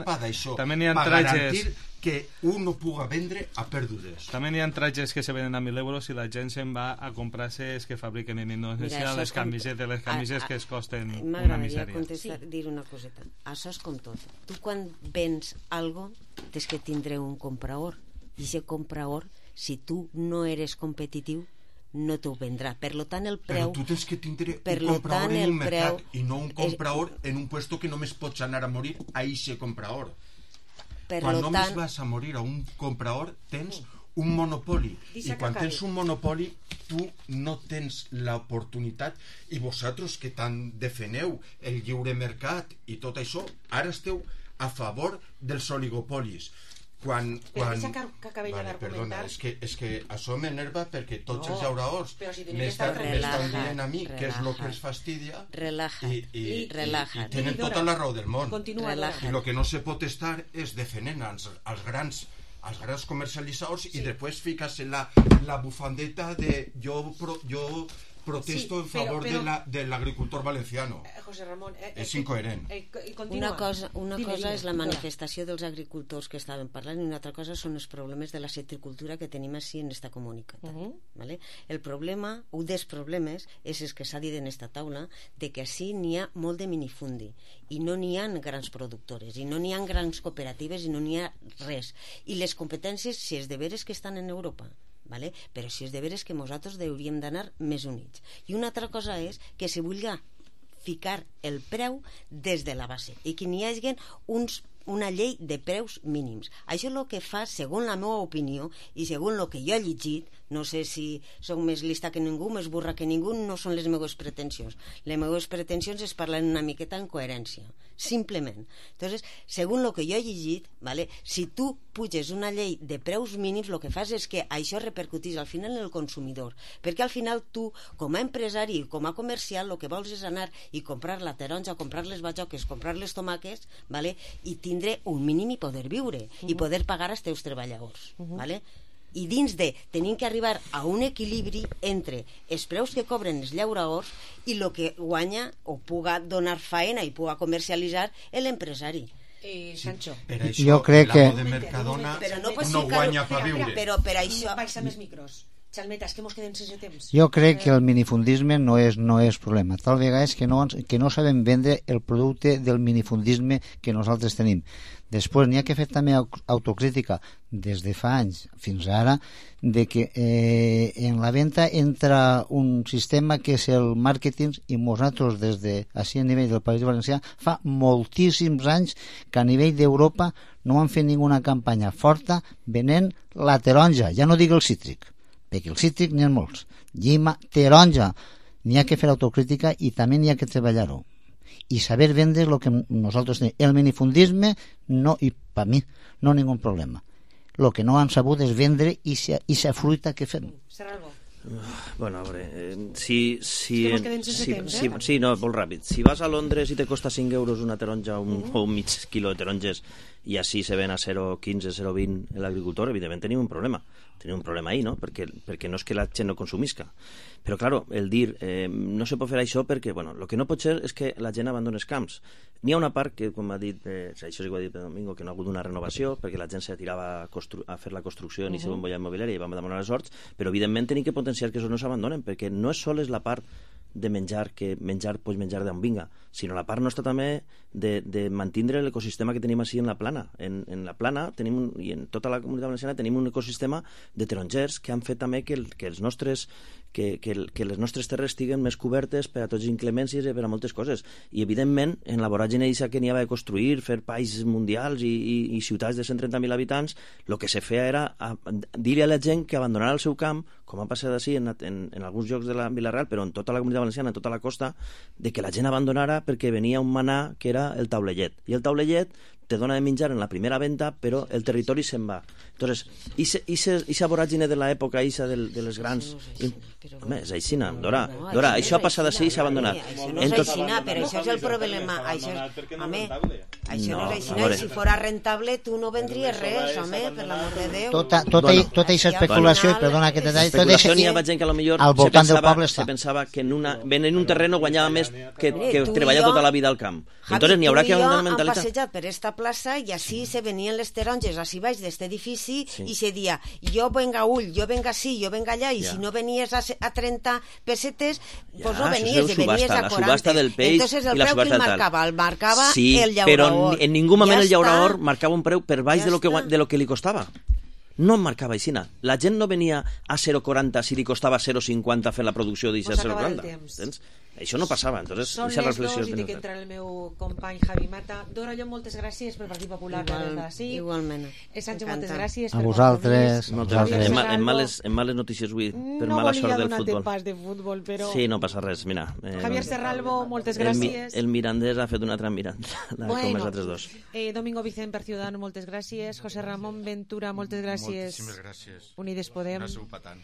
també n'hi ha per trajes garantir que un no puga vendre a pèrdues. També n'hi ha trajes que se venen a mil euros i la gent se'n va a comprar-se els que fabriquen en Indonèsia, les camisetes, les camisetes que es costen una misèria. M'agradaria dir una coseta. Això és com tot. Tu quan vens algo tens que tindre un comprador, i aquest comprador, si tu no eres competitiu, no t'ho vendrà. Per lo tant, el preu... Però tu tens que tindre un comprador en un mercat i no un comprador en un puesto que només pots anar a morir a eixe comprador. Per quan només tant... vas a morir a un comprador tens un monopoli, i quan tens un monopoli tu no tens l'oportunitat, i vosaltres que tant defeneu el lliure mercat i tot això, ara esteu a favor dels oligopolis. Quan, quan... Però deixa que, que acabem vale, d'argumentar. Perdona, és que, és que això m'enerva perquè tots no, els llauraors si m'estan dient a mi relaja, que és el que els fastidia relaja, i, i, i, relaja. i, i tenen tota la raó del món. Continua, i el que no se pot estar és defendent als, als grans als grans comercialitzadors sí. I després fiques en la, la bufandeta de jo, pro, jo protesto en favor de l'agricultor valenciano. José Ramón, és incoherent. Una cosa, una cosa és la manifestació dels agricultors que estaven parlant i una altra cosa són els problemes de la citricultura que tenim així en esta comunitat. ¿Vale? El problema, un dels problemes, és el que s'ha dit en esta taula, de que així n'hi ha molt de minifundi i no n'hi ha grans productores i no n'hi ha grans cooperatives i no n'hi ha res. I les competències, si és de veres que estan en Europa, ¿vale? Però si és de veres que nosaltres hauríem d'anar més units. I una altra cosa és que se vulgui ficar el preu des de la base i que n'hi hagi uns, una llei de preus mínims. Això és el que fa, segons la meva opinió i segons el que jo he llegit, no sé si soc més lista que ningú, més burra que ningú, no són les meves pretensions. Les meves pretensions es parlen una miqueta en coherència, simplement. Entonces, segons el que jo he llegit, ¿vale? Si tu puges una llei de preus mínims, el que fas és que això repercutís al final en el consumidor, perquè al final tu, com a empresari, com a comercial, el que vols és anar i comprar la taronja, comprar les bajoques, comprar les tomàquets, ¿vale? I tindre un mínim i poder viure, uh-huh. i poder pagar als teus treballadors, uh-huh. ¿vale? I dins de tenim que arribar a un equilibri entre els preus que cobren els llauradors i el que guanya o puga donar faena i puga comercialitzar l'empresari. Eh, Sancho. Sí, per això, jo crec que de Mercadona però no, no guanya per viure. Però per això... Baixa més micros. Xalmeta, és que mos quedem sense temps. Jo crec que el minifundisme no és, no és problema. Tal vegada és que no, que no sabem vendre el producte del minifundisme que nosaltres tenim. Després n'hi ha que fer també autocrítica des de fa anys fins ara de que eh, en la venda entra un sistema que és el màrqueting i nosaltres des de així a nivell del País Valencià fa moltíssims anys que a nivell d'Europa no han fet ninguna campanya forta venent la taronja, ja no dic el cítric, perquè el cítric n'hi ha molts, llima, taronja, n'hi ha que fer autocrítica i també n'hi ha que treballar-ho i saber vendre el que nosaltres tenim. El minifundisme, no, i per mi, no hi ha ningú problema. El que no han sabut és vendre i sa fruita que fem. Serà algo? Bueno, a veure, eh, si... si, es que si, si, temps, si, eh? sí, no, molt ràpid. Si vas a Londres i te costa cinc euros una taronja un, uh -huh. o un mig quilo de taronges i així se ven a zero coma quinze, zero coma vint l'agricultor, evidentment tenim un problema. Tenim un problema ahí, no? Perquè, perquè no és que la gent no consumisca. Però, claro, el dir eh, no se pot fer això perquè, bueno, el que no pot ser és que la gent abandoni els camps. N'hi ha una part que, com ha dit, eh, això sí que ho ha dit Domingo, que no ha hagut una renovació perquè la gent se tirava a, a fer la construcció uh -huh. i se bombolla immobiliària i vam demanar les horts, però evidentment tenim que potenciar que això no s'abandonen, perquè no és sols la part de menjar, que menjar pots menjar d'on vinga, sinó la part nostra també de, de mantindre l'ecosistema que tenim així en la plana. En, en la plana tenim un, i en tota la comunitat valenciana tenim un ecosistema de tarongers que han fet també que, el, que els nostres que, que, que les nostres terres estiguen més cobertes per a tots les inclemències i per a moltes coses. I, evidentment, en la voràgine eixa que n'hi havia de construir, fer països mundials i, i, i ciutats de cent trenta mil habitants, el que se feia era dir a la gent que abandonara el seu camp, com ha passat així en, en, en alguns llocs de la Vila-real, però en tota la comunitat valenciana, en tota la costa, de que la gent abandonara perquè venia un manà que era el taulellet. I el taulellet te dona de menjar en la primera venda, però el territori se'n va. Entonces, ixa voràgine de l'època, ixa de, de les grans... Home, és aixina, Dora. No, Dora, això això ha passat així i s'ha abandonat. Això no és aixina, però això és el problema. Això és, home, això no és aixina. I si fora rentable, tu no vendries res, home, per l'amor de Déu. Tota, tota, tota aquesta especulació, perdona que te deia, tota aquesta n'hi ha gent que potser al voltant del poble està. Se pensava que en, una, en un terreno guanyava més que, que treballar tota la vida al camp. Entonces n'hi haurà que abandonar la mentalitat. Han passejat per esta plaça i així se venien les taronges així baix d'este edifici i se dia, jo venga ull, jo venga sí, jo venga allà, i si no venies a, a trenta pessetes, pues no venies, i venies a quaranta. La subhasta del peix Entonces el i la preu que subhasta el del marcava, el marcava sí, el llaurador. Però en ningú moment ja el llaurador està. marcava un preu per baix ja de, lo que, de lo que li costava. No em marcava aixina. La gent no venia a zero coma quaranta si li costava zero coma cinquanta fer la producció d'eixa zero coma quaranta. Això no passava. Entonces, són les dos i dic entrar el meu company Javi Mata. Dora, jo moltes gràcies pel Partit Popular. Igual, igualment. Eh, Sancho, moltes gràcies. A vosaltres. En, en, males, en males notícies avui, per no mala sort del futbol. No volia donar-te pas de futbol, però... Sí, no passa res, mira. Eh, Javier Serralbo, moltes gràcies. El, el Mirandés ha fet una altra Miranda, bueno, com els altres dos. Eh, Domingo Vicent per Ciudadano, moltes gràcies. José Ramón Ventura, moltes gràcies. Moltíssimes gràcies. Unides Podem. No sou patant.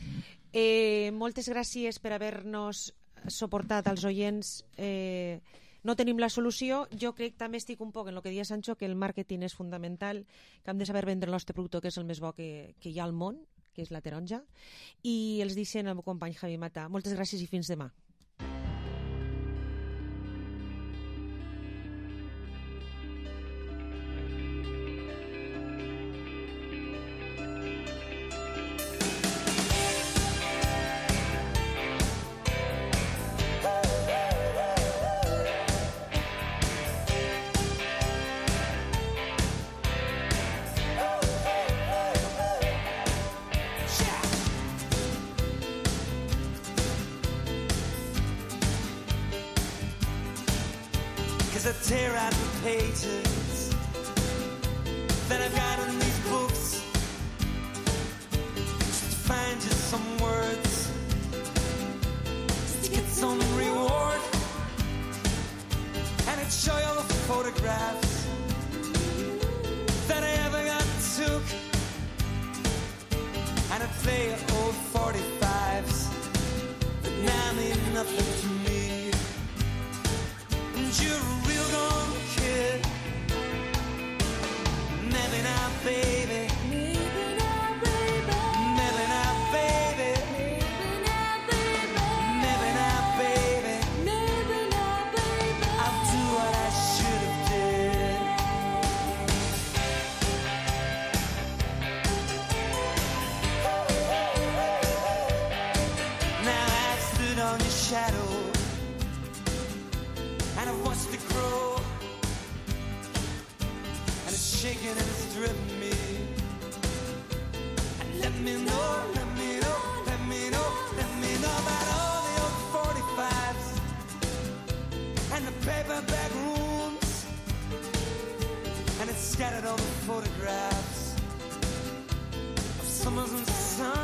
Eh, moltes gràcies per haver-nos suportat als oients. Eh, no tenim la solució. Jo crec, també estic un poc en el que deia Sancho, que el màrqueting és fundamental, que hem de saber vendre el nostre producte, que és el més bo que, que hi ha al món, que és La Taronja, i els deixen el meu company Javi Mata. Moltes gràcies i fins demà. I tear out the pages that I've got in these books just to find just some words, just to get some reward, and I'd show you all the photographs that I ever got took, and I'd play you old forty-fives that now mean nothing to me. And you're a real gone kid. Maybe not, baby. Maybe not, baby. Maybe not, baby. Maybe not, baby. Maybe not, baby. I'll do what I should have did. Now I've stood on your shadow, and I've watched it grow, and it's shaking and it's driven me. And let me know, let me know, let me know, let me know about all the old forty-fives and the paperback rooms, and it's scattered all the photographs of summers and suns.